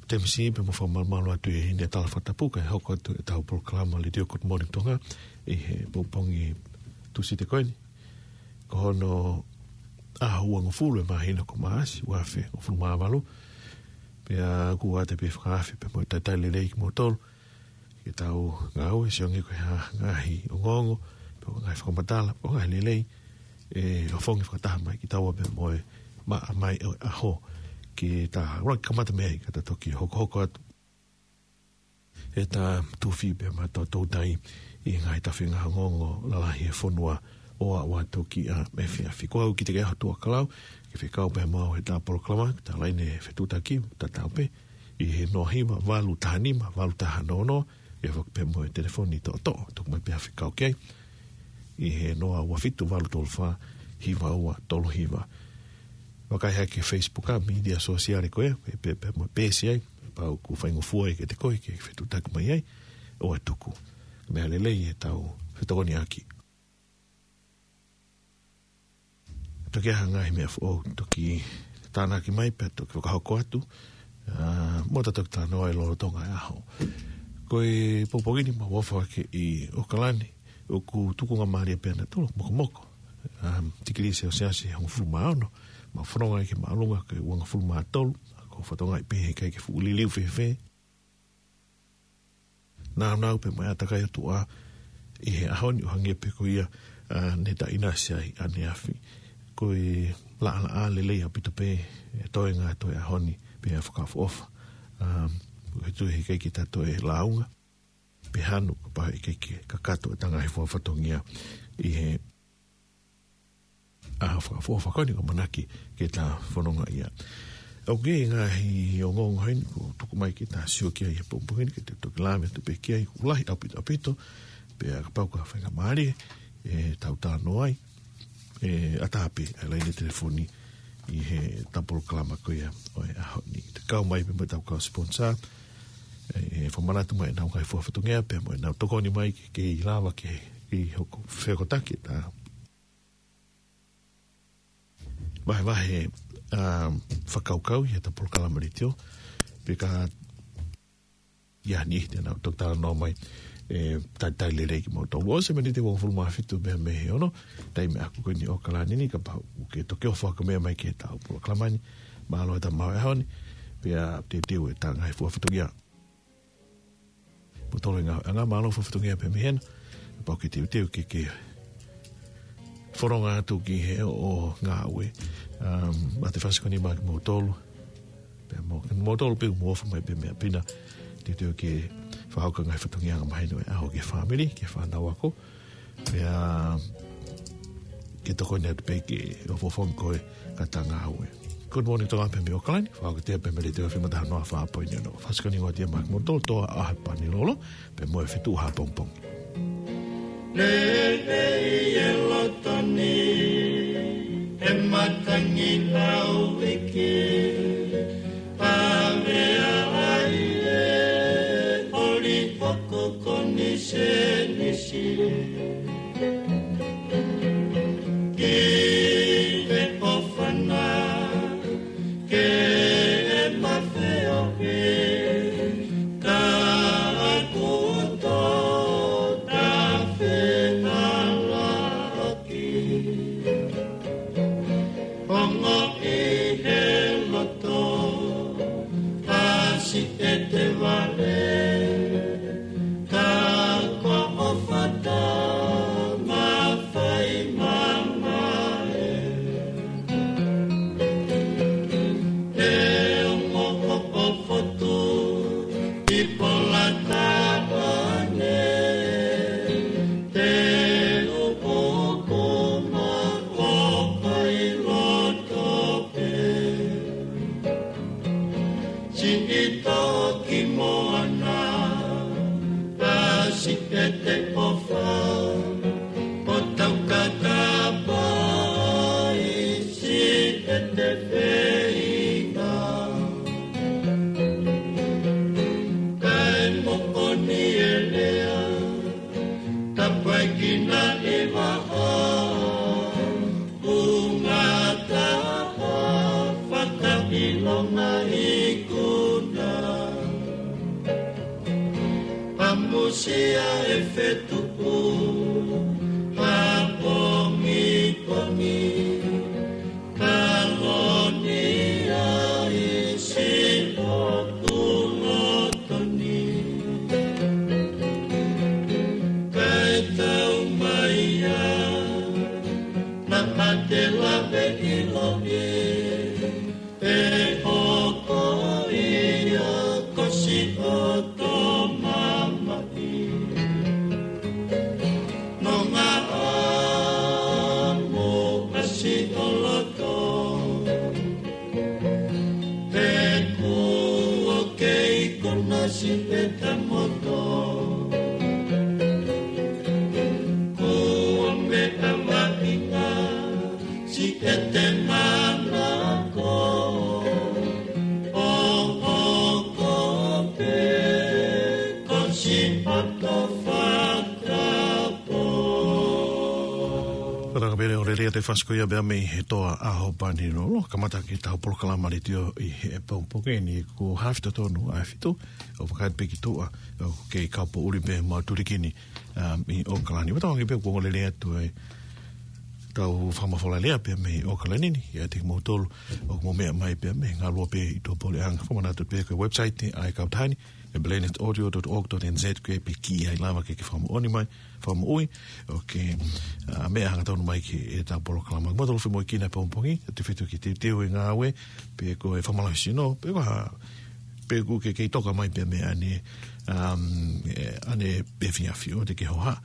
Temisi pea mo fakamalumalu atu ʻi heʻene tala fakatapu kae hoko atu ʻetau polokalama Letiō Good Morning Tonga ʻi he pongipongi Tūsite ko eni. Ko hono ʻaho uangofulu ʻo e māhina ko Maʻasi, ua afe uofulu mā valu. Pea ʻoku ʻoatu pē fakaafe pea mo e talitali lelei kimoutolu ke tau ngāue, sio ange ko e hā ngaahi ongoongo, pe ko e ngaahi fakamatala, pe ko e ngaahi lelei ʻe ʻofongi fakataha mai kitaua pea mo e maʻa mai ʻo e ʻaho, ke ta ʻuluaki kamata mei ai ka ta toki hokohoko atu ʻeta tufi pea mo ʻeta toutai ʻi he ngaahi tafe ngaahi ongoongo lalahi ʻo e fonua ʻo aʻu atu ki ʻapi efiafi. Ko au Kitikeʻaho Tuʻakalau, ke fekau pea mo au heʻeta polokalama, ta laine fetuʻutaki, tatau pē, ʻi he noa hiva valu taha nima valu taha noa noa, ʻe foki pea mo e telefoni toʻotoʻo, tuku mai pea fekau ki ai ʻi he noa ua fitu valu tolu fā hiva ua tolu hiva. Vakai hake Facebook ʻa e mītia sōsiale ko ē, pe, pe, pea mo e peesi ai, pau ʻoku faingofua ai kiate koe ke fetuʻutaki mai ai, ʻoua ʻe tuku. Meʻa lelei ʻetau fetokoniʻaki. Toki ʻi ai ha ngaahi meʻa foʻou, toki tānaki mai pea toki fakahoko atu, ʻa, mo ta toki talanoa ai lolotonga e ʻaho. Ko e pongipongi ni mau ʻofa hake ʻi ʻAokalani, ʻoku tukungamālie pē ʻa nautolu, mokomoko. ʻA, tikilī selesiasi ʻe hongofulu mā ono, mau fononga ai ki māʻolunga ko e uangofulu mā tolu, ʻa ko e fatongia pē he ʻikai ke fuʻu liliu fēfē. Nāunau pē mo e ʻātakai ʻo e ʻOtua ʻi he ʻaho ni ʻo hangē pē ko ia, ʻa, ne ta ʻinasi ai ʻaneafi. Ko e laʻalaʻā lelei ʻaupito pē ʻa e toenga ʻo e ʻaho ni pea fakaʻofoʻofa. ʻA, ko e tui he ʻikai ke ta toe lāunga pe hanu kapau ʻe ʻikai ke kakato ʻeta ngaahi fua fatongia ʻi he ʻaho fakaʻofoʻofa ko eni ʻoku ʻamanaki ke ta fononga ai. ʻOku ʻi ai e ngaahi ongoongo heni kuo tuku mai ke ta sio ki ai he pongipongi ni, ke ta toki lave atu pē ki ai, ʻoku lahi ʻaupito ʻaupito, pea kapau ʻoku faingamālie ʻetau talanoa ai, ʻe ʻatā pē ʻa e laine telefoni ʻi heʻeta polokalama ko ia ʻo e ʻaho ni. Te kau mai pē mo ʻetau kau sponsor, ʻe, ʻe fakamanatu mai ʻenau ngaahi fua fatongia pea mo ʻenau tokoni mai ke, ke lava ke, ke hoko fekotaki ʻeta vahevahe, ʻa, fakakaukau ʻi heʻeta polokalama letiō, pea ka ʻi ai ha niʻihi te nau toki talanoa mai, ʻe talitali lelei kimoutolu. ʻOsi e miniti ʻe uofulu mā fitu mei he ono, taimi ʻaku ko eni ʻi ʻAokalani ni, kapau ʻoku ke toki ʻofa hake mai ki heʻetau polokalama ni, mālō e tau maʻu e ʻaho ni, pea teuteu ʻeta ngaahi fua fatongia. Mo tolo e ngā, ngā mālō fua fatongia pē mei hena, pau ke teuteu ke, ke fononga atu ki he ʻaho ngāue. Um, ʻa e fasi ko eni maʻa kimoutolu. Pea mo, kimoutolu pē ʻoku mou ʻofa mai pē meʻa pina. Teuteu ke fakahoko e ngaahi fatongia angamaheni ʻo e ʻaho ki he fāmili, ki he fānau ako. Pea ke tokoni atu pē ke ʻofoʻofa ange koe ka ta ngāue. Good morning, Tonga pē mei ʻAokalani, fakahoko atu pē mei he Letiō F M taha noa fā poini ono. Fasi ko eni ʻoku ʻoatu ia maʻa kimoutolu, Toa ʻa Hapanilolo, pea mo e fetuʻu hā pongipongi. Lelei e loto ni, ʻe matangi lau iki, pavea ai e ʻoli hoku konisēnisi. Ki he ʻofa na, ke mafeohi, ka ʻoku ou tō ta fenala ʻaki. Ongoʻi he loto, ʻasi ʻete vale, ka ko ʻofa ta mafai mamae. Te u ʻofoʻofa atu ʻi Polataone, te u ʻoku ma ʻofa ʻi loto pē. Siʻi toki moana, ʻasi ʻete ʻofa, ʻo tau kakapa ʻi siʻete feinga. Kae moʻoni e lea, tapaikina e vaha, ʻunga taha fakaʻilonga ikuna. ʻAmusia e fetuʻu hā pongipongi, ka loni ai siʻo ʻOku loto ni, kae tau mai ia, naʻa te lave ʻiloʻi, ʻe hoko ia ko siʻoto mamahi. Nonga amo ʻa siʻo loto, he kuo kei konā siʻete moto. Kuo meʻa maʻinga siʻete manako, ʻo hoko pē ko siʻoto fakapō. Fakataka pē ʻo lelei atu e fasi ko ia pea mei he Toa ʻAho Panilolo, kamata ki heʻetau polokalama letiō ʻi he pongipongi ni. Ko Hafito Tonu ʻa e fitu, ʻo fakahā pē ki tuʻa, ʻoku kei kau poʻuli pē mo Tulikini, um, ʻi ʻOkalani. Ua tau ange pē kuo lelei atu ʻetau fakamafola lea pea mei ʻOkalani ni, ʻiate kimoutolu ʻoku mou meʻa mai pea mei he ngaluope ʻi tuʻapuleʻanga. Fakamanatu pē ko e website ʻa e kautaha ni, ʻe planet audio dot org dot N Z, ko e pē ki ai lava ke ke fakamoʻoni mai, fakamoʻui, ʻo ke, a, meʻa hangatonu mai ki heʻetau polokalama. Mou toe fai mo e kina pongipongi, ʻe tefito ke teuteu e ngāue, pe ko e fakamālohisino, pe ko ha, pe ʻoku ke kei toka mai pē mei ʻanenai, um, ē, ʻanenai efiafi ʻoua te ke hohaʻa.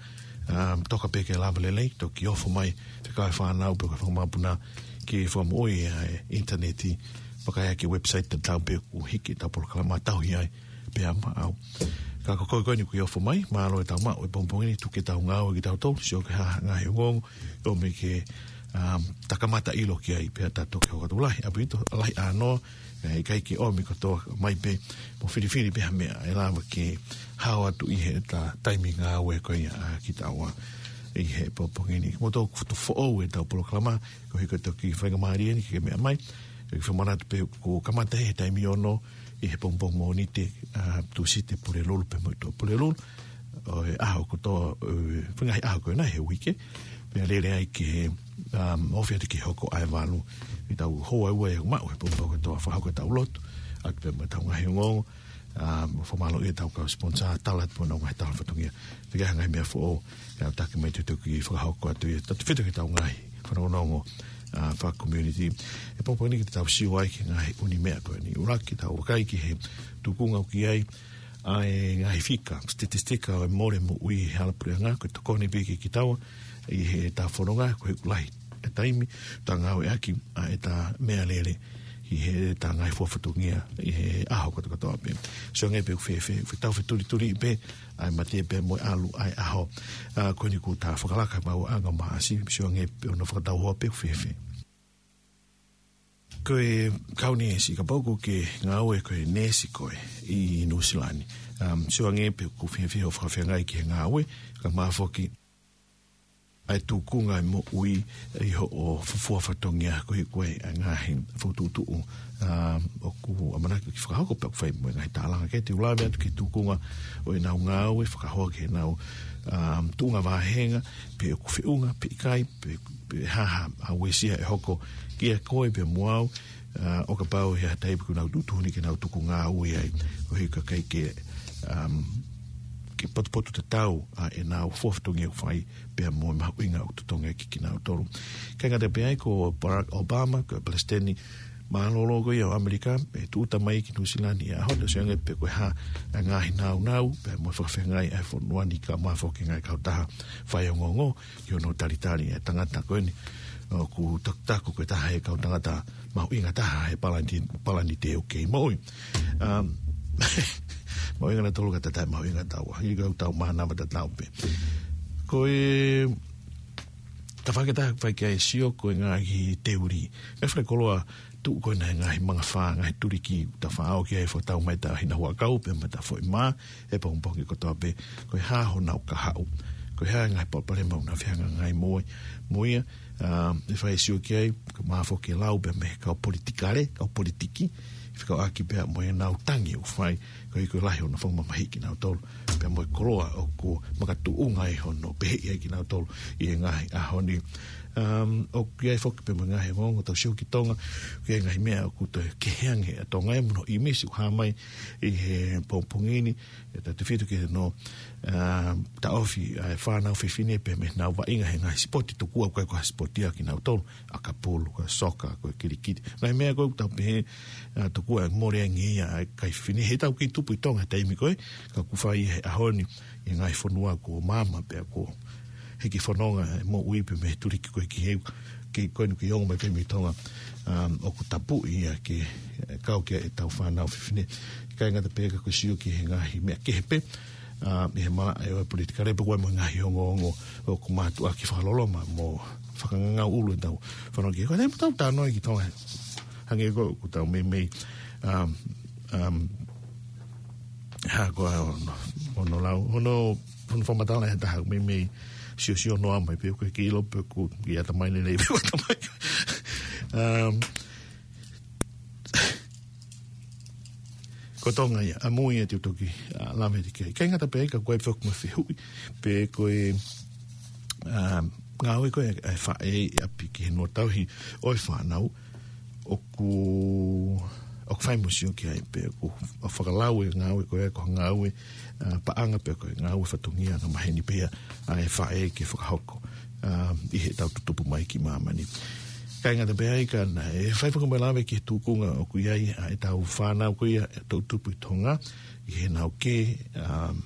Um, toka pē ke lava lelei, toki ofo mai, fekau e fānau, pe ko e fakamāpuna, ke fakamoʻui ʻa e ʻinitaneti, pea ʻi ai ʻa e website tatau pē ʻoku hiki ʻetau polokalama tauhi ai, pea maʻau. Ka ko koe ko eni kuo ke ofo mai, mālō e tau maʻu e pongipongi ni, tuku ke tau ngāue kitautolu, sio ki he ngaahi ongoongo, ʻomi ke, um, ta kamata ʻilo ki ai, pea ta toki hoko atu. Lahi ʻaupito, lahi ʻānoa, ē, ʻikai ke ʻomi kotoa mai pē, mo filifili pē ha meʻa, ʻe lava ke hao atu ʻi heʻeta taimi ngāue ko ia ʻa kitaua ʻi he pongipongi ni. Mou toe foʻou ʻetau polokalama, koeʻuhi ko e toki faingamālie ni ke meʻa mai, ʻe fakamanatu pē kuo kamata he taimi ono ʻi he pongipongi Mōnite, a, Tūsite Pulelulu pea mo e Tuʻapulelulu. ʻO e ʻaho kotoa, ʻo e faʻahinga ʻaho ko ena he uike. Pea lele ai ki he, um, ofi atu ki he hoko ʻa e valu. ʻI heʻetau houa ʻe ua ʻe maʻu he pongipongi kotoa fakahoko ʻetau lotu. Atu pē mo ʻetau ngaahi ongoongo. Um, fakamālō ʻi heʻetau kau sponsor, tala atu pē honau ngaahi tala fatongia. Te ke ha ngaahi meʻa foʻou, ʻe aʻutaki mai te u toki fakahoko atu ia. Tau tefito ki heʻetau ngaahi fanongonongo, a, faka-community. ʻI he pongipongi ni ke tau sio ai ki he ngaahi ʻū meʻa ko eni. ʻUluaki tau vakai ki he tuʻunga ʻoku ʻi ai ʻa e ngaahi fika, statistika ʻo e mole moʻui he hala puleʻanga, ko e tokoni pē ia kiate kitaua ʻi heʻeta fononga, koeʻuhi ʻoku lahi e taimi ta ngāueʻaki ʻa ʻeta meʻalele ʻi heʻeta ngaahi fua fatongia ʻi he ʻaho kotokotoa pē. Sio ange pē ʻoku fēfē, ʻoku tau fetulituliʻi pē ʻa e mate pea mo e ʻalu ʻa e ʻaho. A, ko eni kuo ta fakalaka maʻu ʻa e ʻaho Maʻasi, sio ange pē hono fakatauhoa pē ʻoku fēfē. Ko e kau neesi, kapau ʻoku ke ngāue ko e neesi koe ʻi Nuʻusila ni. Um, sio ange pē ʻoku fēfē hoʻo fakafeangai ki he ngāue, kae ʻumaʻā foki ʻa e tuʻunga ʻo e moʻui ʻi hoʻo fuofua fatongia koeʻuhi ko e ngaahi fokotuʻutuʻu, um, ʻoku ʻamanaki ke fakahoko pea ʻoku fai mo e ngaahi tālanga. Ke te u lave atu ki he tuʻunga ʻo ʻenau ngāue, fakahoa ki heʻenau, um, tuʻunga vāhenga, pe ʻoku feʻunga, pe ʻikai, pe, pe hā ha uesia ʻe hoko kiate koe pea mo au, a, ʻo kapau ʻe ʻi ai ha taimi ʻoku nau tuʻutuʻuni ke nau tuku ngāue ai, koeʻuhi ka ʻikai ke, um, ke potupotutatau ʻa ʻenau fua fatongia ʻoku fai pea mo e mahuʻinga ʻoku totongi kiate kinautolu. ʻIkai ngata pē ai, ko Barack Obama, ko e palesiteni mālōlō ko ia ʻo ʻAmelika, ʻe tūʻuta mai ki Nuʻusila ni he ʻaho ni, sio ange pē ko e hā ʻa e ngaahi nāunau pea mo e fakafeangai ʻa e fonua ni kae ʻumaʻā foki e ngaahi kautaha faiongoongo, ʻi hono talitali e tangata ko eni ʻoku takutaku ko e taha e kau tangata mahuʻinga taha he palani-, palanite ʻoku kei moʻui. Um, mahuʻinga nautolu ka ta taʻe mahuʻinga taua. ʻIkai ke tau mānava tatau pē. Ko e tafaʻaki ʻe taha ʻoku fai ki ai e sio ko e ngaahi teuli. ʻE fai koloa tuʻu ko ena he ngaahi mangafā, ngaahi tuliki, ta faʻao ki ai, fakatau mai ʻeta hina huʻakau pea mo ʻeta foʻi mā he pongipongi kotoa pē, ko e hā honau kahaʻu, ko e hā e ngaahi palopalema ʻoku nau fehangahangai mo ia, mo ia, a, ʻe fai e sio ki ai, kae ʻumaʻā foki e lau pea mei he kau politikale, kau politiki, fekauʻaki pea mo ʻenau tangi ʻoku fai, koeʻuhi ko e lahi hono fakamamahiʻi kinautolu pea mo e koloa ʻoku makatuʻunga ai hono peheʻi ai kinautolu ʻi he ngaahi ʻaho ni. Um, ʻoku ʻi ai foki pē mo e ngaahi ongoongo tau sio ki Tonga, ʻoku ʻi ai e ngaahi meʻa ʻoku toe kehe ange ʻa Tonga ia mo hono ʻīmisi ʻoku hā mai ʻi he pongipongi ni, ʻe tautefito ki hono, um, taʻofi ʻa e fānau fefine pē mei heʻenau vaʻinga he ngaahi sipoti tokua ʻoku ʻikai ko ha sipoti ia kinautolu, ʻakapulu, ko e soka, ko e kilikiti. Ngaahi meʻa ko ē ʻoku tau pehē, uh, tokua ʻe mole ange ia ʻa e kakai fefine. He tau kei tupu ʻi Tonga he taimi ko ē, ka ʻoku fai he ʻaho ni ʻi he ngaahi fonua kuo maama pea kuo hiki fononga e moʻui pē mei he tuliki ko ē ki he, ki ko eni ki ongo mai pē mei Tonga, um, ʻoku tapuʻi ia ke, eh, kau ki ai ʻetau fānau fefine. ʻIkai ngata pē ka ko e sio ki he ngaahi meʻa kehe pē, um, ʻi he malaʻe ʻo e politikale pea ko e mo e ngaahi ongoongo ʻoku mātuʻaki fakaloloma mo fakangangau ʻulu ʻetau fononga ki he, ko e taimi tau talanoa ki Tonga. Hangē ko ē ʻoku tau meimei, um, um, ha ko ā hono, hono lau, hono, hono fakamatala ʻe he taha meimei siosio noa mai pē ʻoku ʻikai ke ʻilo pe ʻoku ʻi ai ha ʻatamai lelei pe ʻoku ʻikai ha ʻatamai. Um, ko Tonga ia, ʻamui ia te u toki, uh, lave atu ki ai. ʻIkai ngata pē ai ka ko e foki mo e fehuʻi, pe ko e, um, ngāue ko ē ʻa e faʻē ʻi ʻapi ki he nō tauhi ʻo e fānau, ʻoku, ʻoku fai mo sio ki ai pē ʻoku fakalau e ngāue ko ē ko e ngāue, uh, paʻanga pe ko e ngāue fatongia angamaheni pē ia ʻa e faʻē ke fakahoko, um, ʻi heʻetau tutupu mai ki māmani. ʻIkai ngata pē ai ka naʻe fai foki mo e lave ki he tūkunga ʻoku ʻi ai ʻa ʻetau fānau ko ia ʻoku tupu ʻi Tonga, ʻi heʻenau kē, um,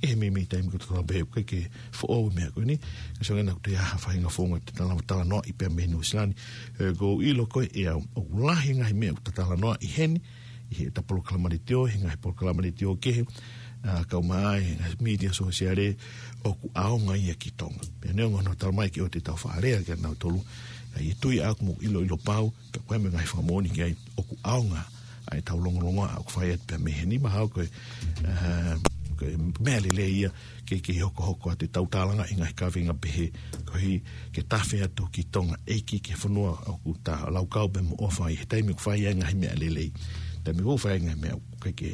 ʻi he meimei taimi ko ē tau pehē ʻoku ʻikai ke foʻou e meʻa ko eni. Ka sio ange naʻa ʻoku toe ʻi ai ha faʻahinga founga te tau talanoaʻi pea mei Nuʻu Sila ni. He ʻoku ou ʻilo ko ē ʻe au, ʻoku lahi e ngaahi meʻa ʻoku tau talanoaʻi heni, ʻi heʻetau polokalama letiō, he ngaahi polokalama letiō kehe, uh, kae ʻumaʻā e ngaahi mītia sōsiale ʻoku ʻaonga ia ki Tonga. Pea neongo hono talamai ke ʻoua te tau fakalea kia nautolu, ka ʻi he tui ʻaʻaku mo e ʻiloʻilo pau, pea ko e meʻa ngaahi fakamoʻoni ki ai ʻoku ʻaonga ʻa ʻetau longolongoaʻa ʻoku fai atu pea mei heni mahalo ko e, uh, ko e meʻa lelei ia ke, ke hokohoko atu ʻetau tālanga ʻi he ngaahi kaveinga pehē, koeʻuhi ke tafe atu ki Tonga ʻeiki ki he fonua ʻoku ta laukau pea mo ʻofa ʻi he taimi ʻoku fai ai e ngaahi meʻa lelei. Taimi ʻoku fai ai e ngaahi meʻa ʻoku ʻikai ke,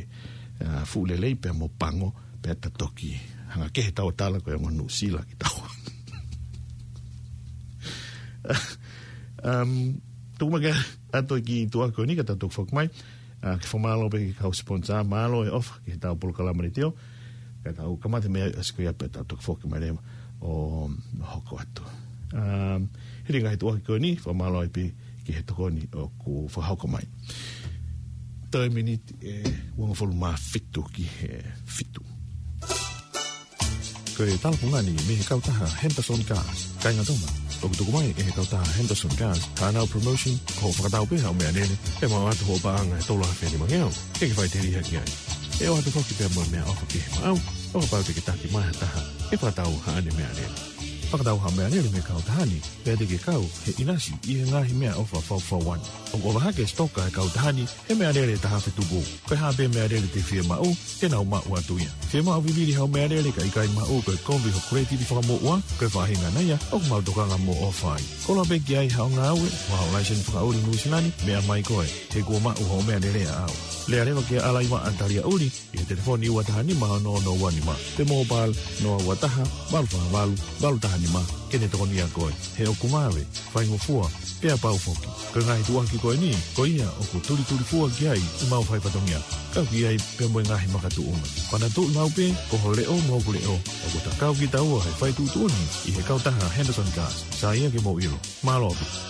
uh, fuʻu lelei pea mo pango, pea ta toki hanga kehe ʻetau tala ko e ongo Nuʻu Sila ki taua. Um, tuku mai ke ʻoatu e kiʻi tuʻuaki ko eni ka tau toki foki mai. Uh, ke fakamālō pē ki he kau sponsor, mālō e ʻofa ki heʻetau polokalama letiō. Ka tau kamata mei ai ʻaho ko ia pea tau toki foki mai leva ʻo hoko atu. Um, hili e ngaahi tuʻuaki ko eni, fakamālō ai pē ki he tokoni ʻoku fakahoko mai. Toe miniti ʻe uangofulu mā fitu ki he fitu. Ko e talafungani mei he kautaha Henderson Cars. Kāinga Tonga, ʻoku tuku mai ʻe he kautaha Henderson Cars haʻanau promotion, ko hoʻo fakatau pē haʻo meʻalele, ʻe maʻu atu hoʻo paʻanga ʻe tolu afe nima ngeau, ʻikai ke faʻiteliha ki ai. ʻE ʻoatu foki pea mo e meʻaʻofa kehe maʻau, ʻo kapau te ke taki mai ha taha ʻe fakatau haʻane meʻalele. Fakatau haʻo meʻalele mei he kautaha ni, pea te ke kau he ʻinasi ʻi he ngaahi meʻaʻofa faufaua ni. ʻOku ʻofa hake e sitoka ʻa e kautaha ni he meʻalele ʻe taha afe tupu. Ko e hā pē meʻalele te ke fiemaʻu, te nau maʻu atu ia. Fiemaʻu vivili haʻo meʻalele ka ʻikai maʻu, ko e kovi hoʻo kuletiti fakamoʻua, ko e faʻahinga ia ʻoku mau tokanga mo ʻofa ai. Koloa pē ki ai haʻo ngāue, mo haʻo laiseni fakaʻuli Nuʻu Sila ni, meʻa mai koe, he kuo maʻu hoʻo meʻalele ʻaʻau. Lea leva kia Alaiva ʻa Talia ʻUli, ʻi he telefoni ua taha nima ono ono ua nima, pe mobile noa ua taha, valu fā valu, valu taha nima, ke ne tokonia koe. He ʻoku vave, faingofua, pea pau foki. Ko e ngaahi tuʻuaki ko eni, ko ia ʻoku tulitulifua ki ai ʻemau fai fatongia. Kau ki ai pea mo e ngaahi makatuʻunga. Fanatuʻi maʻu pē, ko ho leʻo mo hoku leʻo, ʻoku ta kau kitaua he fai tuʻutuʻuni ʻi he kautaha Henderson Cars. Sai ia ke mou ʻilo. Mālō ʻaupito.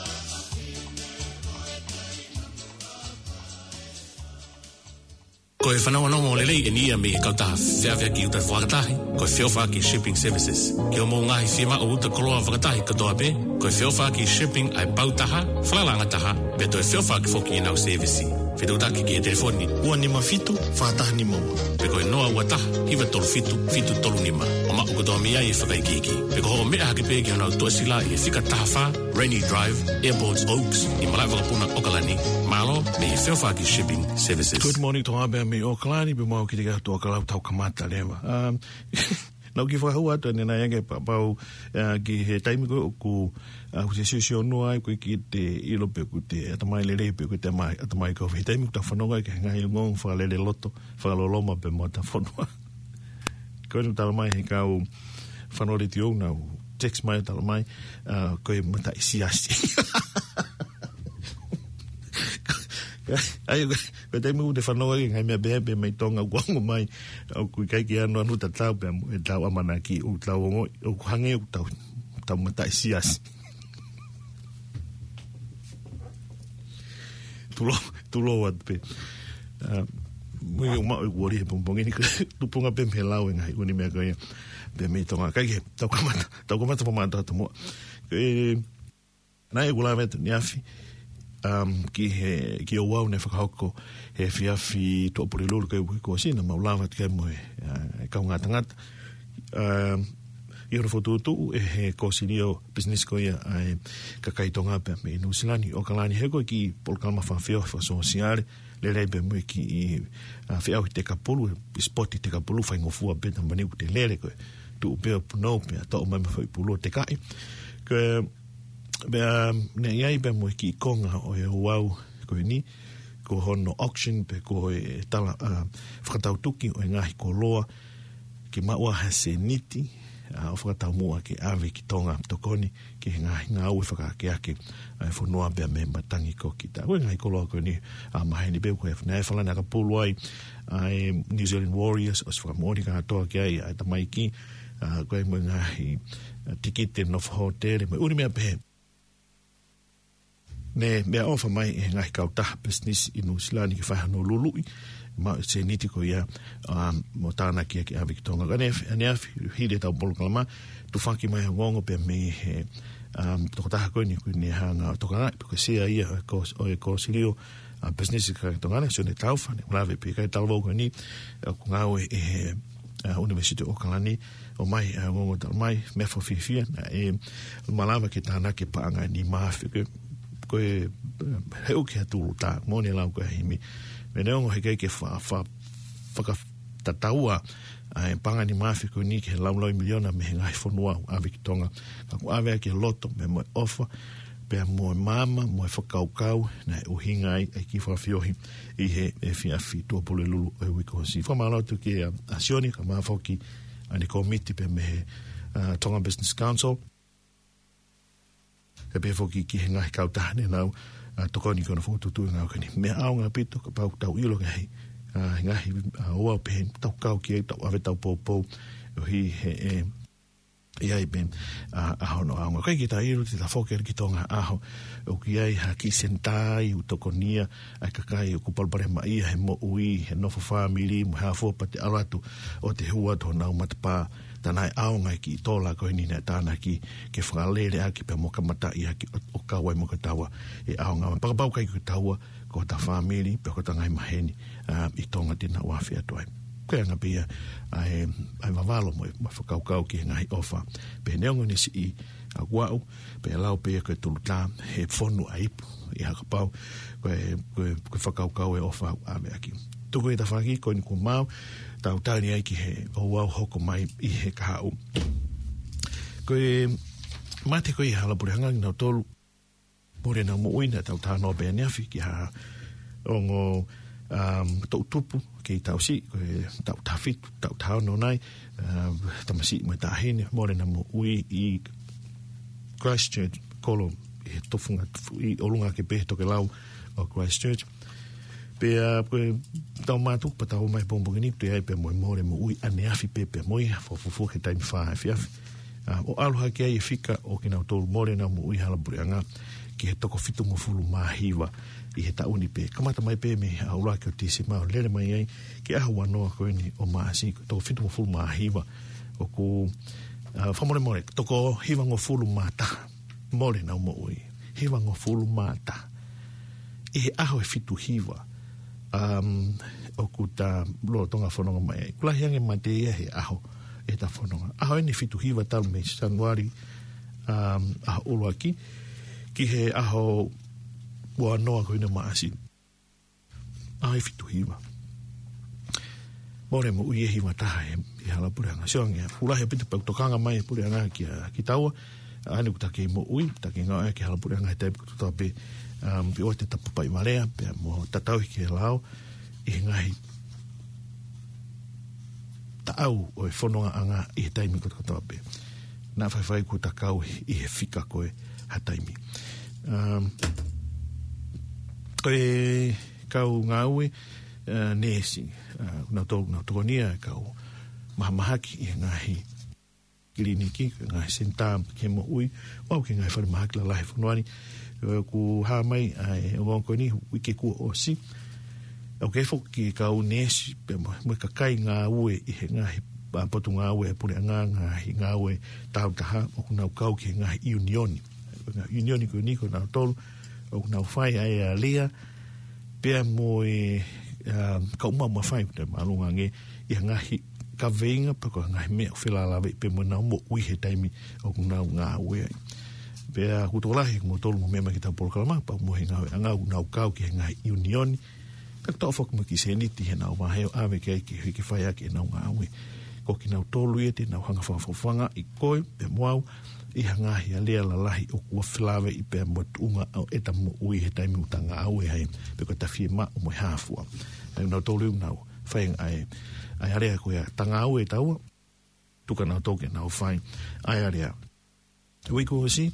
Ko e fanongonongo lelei eni ia mei he kautaha feʻaveʻaki uta fakatahi, ko e Feʻofaʻaki Shipping Services. Ki hoʻomou ngaahi fiemaʻu uta koloa fakatahi kotoa pē, ko e Feʻofaʻaki Shipping ʻa e pau taha, falala angataha, pea toe feʻofaʻaki foki ʻenau sēvisi. Fetuʻutaki ki he telefoni ua nima fitu, fā taha nima ua. Pe ko e noa ua taha, hiva tolu fitu, fitu tolu nima. ʻO maʻu kotoa mei ai e fakaikiiki. Pe ko hoʻo meʻa hake pē ki honau tuʻasila ʻi he fika taha fā, Rainy Drive, Airport Oaks, ʻi malaʻe vakapuna ʻAokalani, mālō mei he Feʻofaʻaki Shipping Services. Good morning, Tonga pea mei ʻAokalani, pea mau kiate kitautolu ʻAokalani tau kamata leva. Um, naʻá ku kiʻi fakahua atu ʻanenai ange pea pau, uh, ki he taimi ko ē ʻoku, uh, ʻoku te siosio noa ai, ʻoku ʻikai te ʻilo pe ʻoku te ʻatamai lelei pe ʻoku te ʻatamai, ʻatamai kovi. He taimi ʻoku ta fanongo ai ki he ngaahi ongoongo fakalele loto, fakaloloma pea mo ʻeta fonua. Ko eni ʻoku talamai ʻe he kau fanongo letiō naʻa nau text mai, tala mai, ā, ko e mataʻi siasi. ʻAi, ko, ko e taimi ʻoku te fanongo ki he ngaahi meʻa pehē pē mei Tonga ʻoku ongo mai, ʻoku ʻikai ke ʻanuʻanu tatau pē mo ʻetau ʻamanaki ʻoku tau ongoʻi, ʻoku hangē ʻoku tau, tau mataʻi siasi. Tulou, tulou atu pē. Ā, mui uma ʻo kuori he pongipongi ni, tupunga pē mei he lau e ngaahi ʻū meʻa ko ia. Pea mei Tonga, ʻikai ke, tau kamata, tau kamata pē mata atu muʻa. Ko e, naʻe ʻoku lave atu ʻaneafi, um, ki he, ki he ouau naʻe fakahoko he efiafi Tuʻapulelulu ko ē kuo ʻosi, naʻa mau lava atu ki ai mo e, ā, e kaungā tangata. Um, ʻi hono fokotuʻutuʻu ʻe he Kōsilio Pisinisi ko ia ʻa e kakai Tonga pea mei Nuʻusila ni, ʻOkalani, he ko e kiʻi polokalama fakafiefia fakasōsiale, lele ai pē mo e kiʻi, ā, feʻauhi tekapulu, sipoti tekapulu, faingofua pē, talamai ʻoku te lele koe, tuʻu pē ʻo punou pē, ʻo toʻo mai mo e foʻi pulu ʻo tekaʻi. Ko e, pea, naʻe ʻi ai pē mo e kiʻi konga ʻo e ouau ko eni, ko hono auction pe ko e tala, ā, fakatautuki ʻo e ngaahi koloa, ke maʻu ha sēniti, ā, ʻo fakataumuʻa ke ʻave ki Tonga, tokoni ki he ngaahi ngāue fakaakeake ʻa e fonua pea mei he matangi ko kita. Ko e ngaahi koloa ko eni, ā, maheni pē ko e naʻe falani ʻakapulu ai ʻa e New Zealand Warriors, ʻosi fakamoʻoni kātoa ki ai ʻa e tamaiki, ā, ko e mo e ngaahi, ā, tikite nofo hōtele, mo e ʻū meʻa pehē. Naʻe meʻaʻofa mai e ngaahi kautaha pisinisi ʻi Nuʻusila ni ke fai hano luluʻi, maʻu e sēniti ko ia, um, mo tānaki ia ke ʻave ki Tonga. Ka ʻaneafi, ʻaneafi, hili ʻetau polokalama, tufaki mai ha ongoongo pea mei he, um, tokotaha ko eni, ko eni hanga ʻo tokangaʻi, pe ko e sea ia ʻo e kōs-, ʻo e Kōsilio, ā, Pisinisi ki Tonga ni, Sione Taufa, naʻe lave pē ki ai talavou ko eni, ā, ʻoku ngāue ʻi he, ā, ʻUnivēsiti ʻo ʻOkalani, ʻomai, ā, ongoongo, talamai, meʻa fakafiefia, naʻe malava ke tānaki e paʻanga ʻe nima afe, ko e, ko e, ē, he ʻuki ha tulutā, moʻoni e lau ko ē ʻa Himi. Meʻa neongo he ʻikai ke fa-, fa-, fakatataua ʻa e paʻanga ʻe nima afe ko eni ki he laulaui miliona mei he ngaahi fonua ʻoku ʻave ki Tonga. Ka kuo ʻave ʻaki e loto pea mo e ʻofa, pea mo e maama, mo e fakakaukau, naʻe ʻuhinga ai ʻa e kiʻi fakafeohi ʻi he efiafi Tuʻapulelulu ʻo e uike kuo ʻosi. Fakamālō atu kia, ā, Sione, kae ʻumaʻā foki ʻa e kōmiti pea mei he, ā, Tonga Business Council. Pea pehē foki ki he ngaahi kautaha ne nau, ā, tokoni ki hono fokotuʻutuʻu e ngāue ko eni. Meʻa ʻaonga ʻaupito, kapau ʻoku tau ʻilo ngaahi, ā, ngaahi, ā, ouau pehē, tau kau ki ai, tau ʻave ʻetau poupou, ʻoku ʻi he, ē, ʻi ai pē, ā, ʻa hono ʻaonga. ʻIkai ke ta ʻilo, te ta foki ki Tonga ʻaho ʻoku ʻi ai ha kiʻi senitā ʻoku tokonia ʻa e kakai ʻoku palopalemaʻia he moʻui, he nofo fāmili, mo e hā fua, pea te ʻalu atu ʻo te hū atu honau matapā, tā naʻe ʻaonga e kiʻi tola ko eni naʻe tānaki ke fakalele ʻaki pea mo kamataʻi ʻaki ʻo, ʻo kau ai mo kitaua ʻi he ʻaonga. Pea kapau ʻikai ko kitaua, ko hota fāmili, pe ko hota ngaahi maheni, ā, ʻi Tonga te nau afe atu ai. Ko e anga pē ia ʻa e, ʻa e vavalo mo e, mo e fakakaukau ki he ngaahi ʻofa. Pea neongo ʻene siʻi, ā, kuaʻu, pea lau pē ia ko e tulutā, he fonu ʻa e ipu, ʻi he kapau, ko e, ko e, ko e fakakaukau e ʻofa ʻoku ʻave ʻaki. Tuku e tafaʻaki ko eni kuo maau, tau tali ai ki he ouau hoko mai ʻi he kahaʻu. Ko e mate ko ē ʻi Halapuleʻanga kinautolu, mole ʻenau moʻui, naʻa tau talanoa pē ʻaneafi ki ha ongo, um, toʻu tupu kei tausi, ko e taʻu taha fitu, taʻu taha ono nai, um, tamasiʻi mo e taʻahine, mole ʻenau moʻui ʻi Christchurch, kolo ʻi he tofunga, ʻi ʻolunga ake pē he tokelau ʻo Christchurch. Pea, ko e tau mātuku pea tau mai pongipongi ni, toe ʻi ai pē mo e mole moʻui ʻaneafi pē, pea mo ia, fakafuofua ki he taimi fā efiafi. Ā, ʻo ʻalu hake ai e fika ʻo kinautolu mole ʻenau moʻui Halapuleʻanga ki he toko fitungofulu mā hiva ʻi he taʻu ni pē. Kamata mai pē mei he ʻaho ʻuluaki ʻo Tīsema ʻo lele mai ai ki he ʻaho ua noa ko eni ʻo Maʻasi, toko fitungofulu mā hiva. ʻOku, ā, fakamolemole, toko hivangofulu mā taha mole ʻenau moʻui. Hivangofulu mā taha. ʻI he ʻaho ʻe fitu hiva, um, ʻoku ta lolotonga fononga mai ai. ʻOku lahi ange mate ia he ʻaho ʻe ta fononga. ʻAho ʻeni ʻe fitu hiva talu mei Sānuali, um, ʻaho ʻuluaki, ki he ʻaho ua noa ko eni ʻo Maʻasi. ʻAho ʻe fitu hiva. Mole moʻui ʻe hiva taha ʻi, ʻi Halapuleʻanga. Sio ange, fuʻu lahi ʻaupito pea ʻoku tokanga mai e puleʻanga kia, kitaua, ʻa eni ʻoku ta kei moʻui, ta kei ngāue ki Halapuleʻanga he taimi kotoa pē, um, pea ʻoua te ta papaivalea, pea mo tatau ki he lao, ʻi he ngaahi taʻau ʻo e fonongaʻanga ʻi he taimi kotoa pē. naʻa faifai kuo ta kau ʻi he fika ko ē ha taimi. Um, ko e kau ngāue, uh, neesi, uh, nau tō, nau tokoni ia e kau mahamahaki ʻi he ngaahi kiliniki, ngaahi senitā ki he moʻui, ʻo aʻu ki he ngaahi fale mahaki lalahi fonua ni. Eh, kuo hā mai ʻa e ongoongo ko eni, uike kuo ʻosi. ʻOku ʻi ai foki e kau neesi, pea mo, mo e kakai ngāue ʻi he ngaahi, ʻa, potungāue ʻa e puleʻanga, ngaahi ngāue tāutaha, ʻoku nau kau ki he ngaahi ʻiunioni. Ngaahi ʻiunioni ko eni ko nautolu, ʻoku nau fai ʻa e alea, pea mo e, um, kau maʻu mafai, te māʻolunga ange, ʻi he ngaahi kaveinga, pe ko e ngaahi meʻa ʻoku felālāveʻi pea mo ʻenau moʻui he taimi ʻoku nau ngāue ai. Pea ʻoku tokolahi ʻa kimoutolu ʻoku meʻa mai ki heʻetau polokalama, pea mo e ngāueʻanga ʻoku nau kau ki he ngaahi ʻiunioni, pea ʻoku toʻo foki mo e kiʻi sēniti heʻenau vahe ʻo ʻave ki ai ke, ke fai ʻaki ʻenau ngāue. Ko kinautolu ia te nau hanga ʻo fakafofongaʻi koe, pea mo au, ʻi ha ngaahi alea lalahi ʻoku felāveʻi pea mo e tuʻunga ʻo ʻeta moʻui he taimi ʻoku ta ngāue ai, pe ko ʻeta fiemaʻu mo e hā fua. Pea nautolu ia ʻoku nau fai ʻa e, ʻa e alea ko ia, ta ngāue taua, tuku ā nautolu ke nau fai ʻa e alea. Uike kuo ʻosi,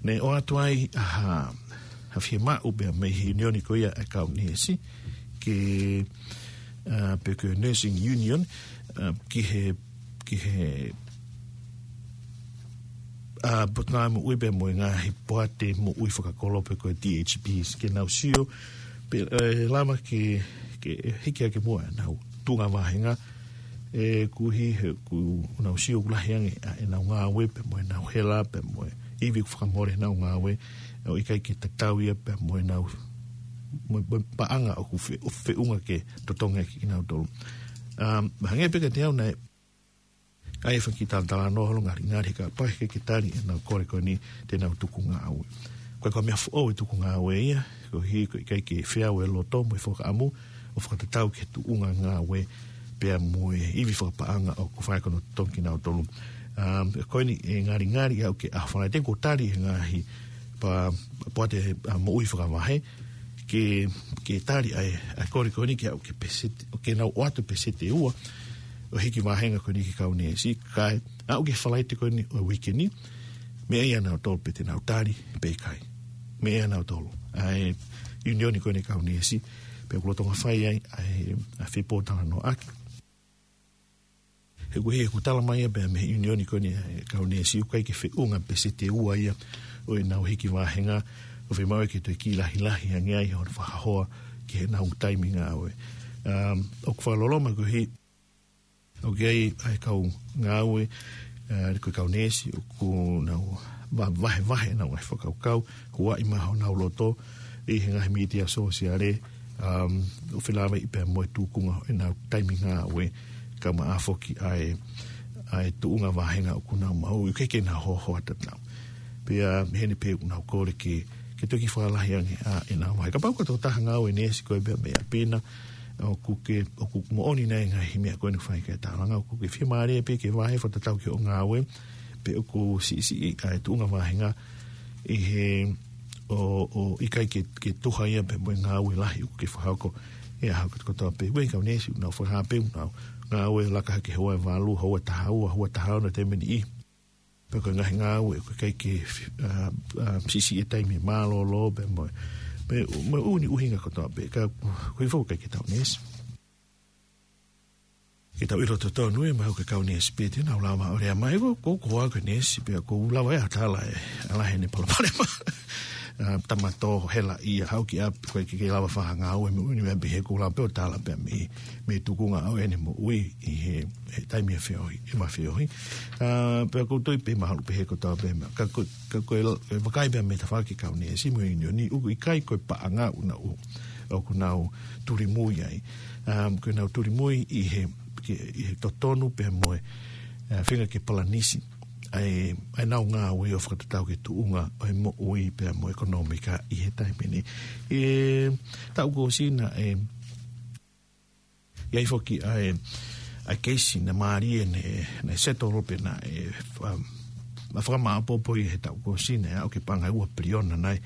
naʻe ʻoatu ai ʻa ha, ha fiemaʻu pea mei he ʻiunioni ko ia ʻa e kau neesi, ke, uh, pe ko e Nursing Union, uh, ki he, ki he, uh, potungāue moʻui pea mo e ngaahi poate moʻui fakakolo pe ko e D H Ps, ke nau sio, pe, uh, lava ke, ke hiki hake muʻa ʻenau tuʻunga vāhenga, ʻe koeʻuhi he ʻoku nau sio ʻoku lahi ange ʻa ʻenau ngāue pea mo ʻenau hela pea mo e ivi ʻoku fakamole ʻenau ngāue, ʻo ʻikai ke tatau ia pea mo ʻenau, mo, mo e paʻanga ʻoku fe-, ʻo feʻunga ke totongi ʻaki kinautolu. Um, hangē pē kiate au naʻe ʻi ai e fanga kiʻi talatalanoa holo ngalingali he kapau ʻe ʻikai ke tali ʻenau kole ko eni te nau tuku ngāue. Ko e, ko e meʻa foʻou e tuku ngāue ia, koeʻuhi ko e ʻikai ke feau e loto mo e fakaʻamu ʻo fakatatau ki he tuʻunga ngāue pea mo e ivi fakapaʻanga ʻoku fai ko ē ʻo totongi kinautolu. Um, ko eni ʻe ngalingali ʻaʻau ki he ʻaho Falaite kuo tali ʻe he ngaahi pa-, poate, uh, moʻui fakavahe, ke, ke tali ʻa e, ʻa e kole ko eni ke aʻu ki he peseti, ʻo ke nau ʻoatu peseti ʻe ua ʻo e hiki vāhenga ko eni ki he kau neesi, kae aʻu ki he Falaite ko eni ʻo e uike ni, meʻa ia ʻanautolu pe te nau tali pe ʻikai. Meʻa ia ʻanautolu ʻa e ʻiunioni ko eni kau neesi, pea ʻoku lolotonga fai ai ʻa e, ʻa e fepōtalanoaʻaki. He ʻoku, he ʻoku tala mai ia pea mei he ʻiunioni ko eni ʻa e kau neesi ʻoku ʻikai ke feʻunga peseti ʻe ua ia ʻo ʻenau hiki vāhenga, ʻoku fiemaʻu ke toe kiʻi lahilahi ange ai hono fakahoa ki heʻenau taimi ngāue. Um, ʻoku fakaloloma koeʻuhi ʻoku ʻi ai ʻa e kau ngāue, uh, ko e kau neesi ʻoku nau va-, vahevahe ʻenau ngaahi fakakaukau, huaʻi mai honau loto ʻi he ngaahi mītia sōsiale, um, ʻo felāveʻi pea mo e tukunga ʻenau taimi ngāue, kae ʻumaʻā foki ʻa e, ʻa e tuʻunga vāhenga ʻoku nau maʻu, ʻoku ʻikai ke nau hohoa tatau. Pea mei heni pē ʻoku nau kole ke, ke toki fakalahi ange ʻa ʻenau vahe. Kapau ko e tokotaha ngāue neesi koe pea mei ʻapi na, ʻoku ke, ʻoku moʻoni nai e ngaahi meʻa ko eni ʻoku fai ki ai e tālanga, ʻoku ke fiemālie pē ke vahe fakatatau ki hoʻo ngāue, pe ʻoku siʻisiʻi ʻa e tuʻunga vāhenga ʻi he ʻo, ʻo ʻikai ke, ke tuha ia pea mo e ngāue lahi ʻoku ke fakahoko he ʻaho kotoa pē. Uei kau neesi ʻoku nau fakahā pē ʻoku nau ngāue laka hake houa ʻe valu, houa ʻe taha ua, houa ʻe taha ono taimi ʻe niʻihi. Pea ko e ngaahi ngāue ʻoku ʻikai ke, uh, uh, siʻisiʻi e taimi mālōlō pea mo e, mo e, mo e ʻū ʻuhinga kotoa pē, ka ko e foʻi ʻikai ke tau neesi. Ke tau ʻilo totonu ē, mahalo ko e kau neesi pē te nau lava ʻo lea mai, ko, ko, ko au ko e neesi, pea ʻoku ou lava ʻe tala ē, ʻa e lahi ʻene palopalema. Uh, tamato, hela ia, haʻu ki ʻapi, ʻoku ʻikai ke lava fakangāue mo e ʻū meʻa pehē, ʻoku ou lava pē ʻo tala pē mei, mei he tukunga ʻo ʻene moʻui ʻi he, he taimi ʻe feohi, ʻe feohi. Uh, pea ʻoku ou tui pē mahalo pehē kotoa pē meʻa. Ka ko, ka ko e, e vakai pē mei he tafaʻaki kau neesi mo e ʻiunioni, ʻoku ʻikai ko e paʻanga ʻoku nau, ʻoku nau tulimui ai. Um, ko ʻenau tulimui ʻi he, ke, ʻi he totonu pea mo e, uh, feinga ke palanisi ʻa e, ʻa ʻenau ngāue ʻo fakatatau ki he tuʻunga ʻo e moʻui pea mo e ʻekonōmika ʻi he taimi ni. ʻI he taʻu kuo ʻosi naʻe, ʻi ai foki ʻa e, ʻa e keisi naʻe mālie naʻe, naʻe settle pe naʻe, um, naʻe fakamāʻopoʻopo ʻi he taʻu kuo ʻosi naʻe aʻu ki he paʻanga ʻe ua piliona nai,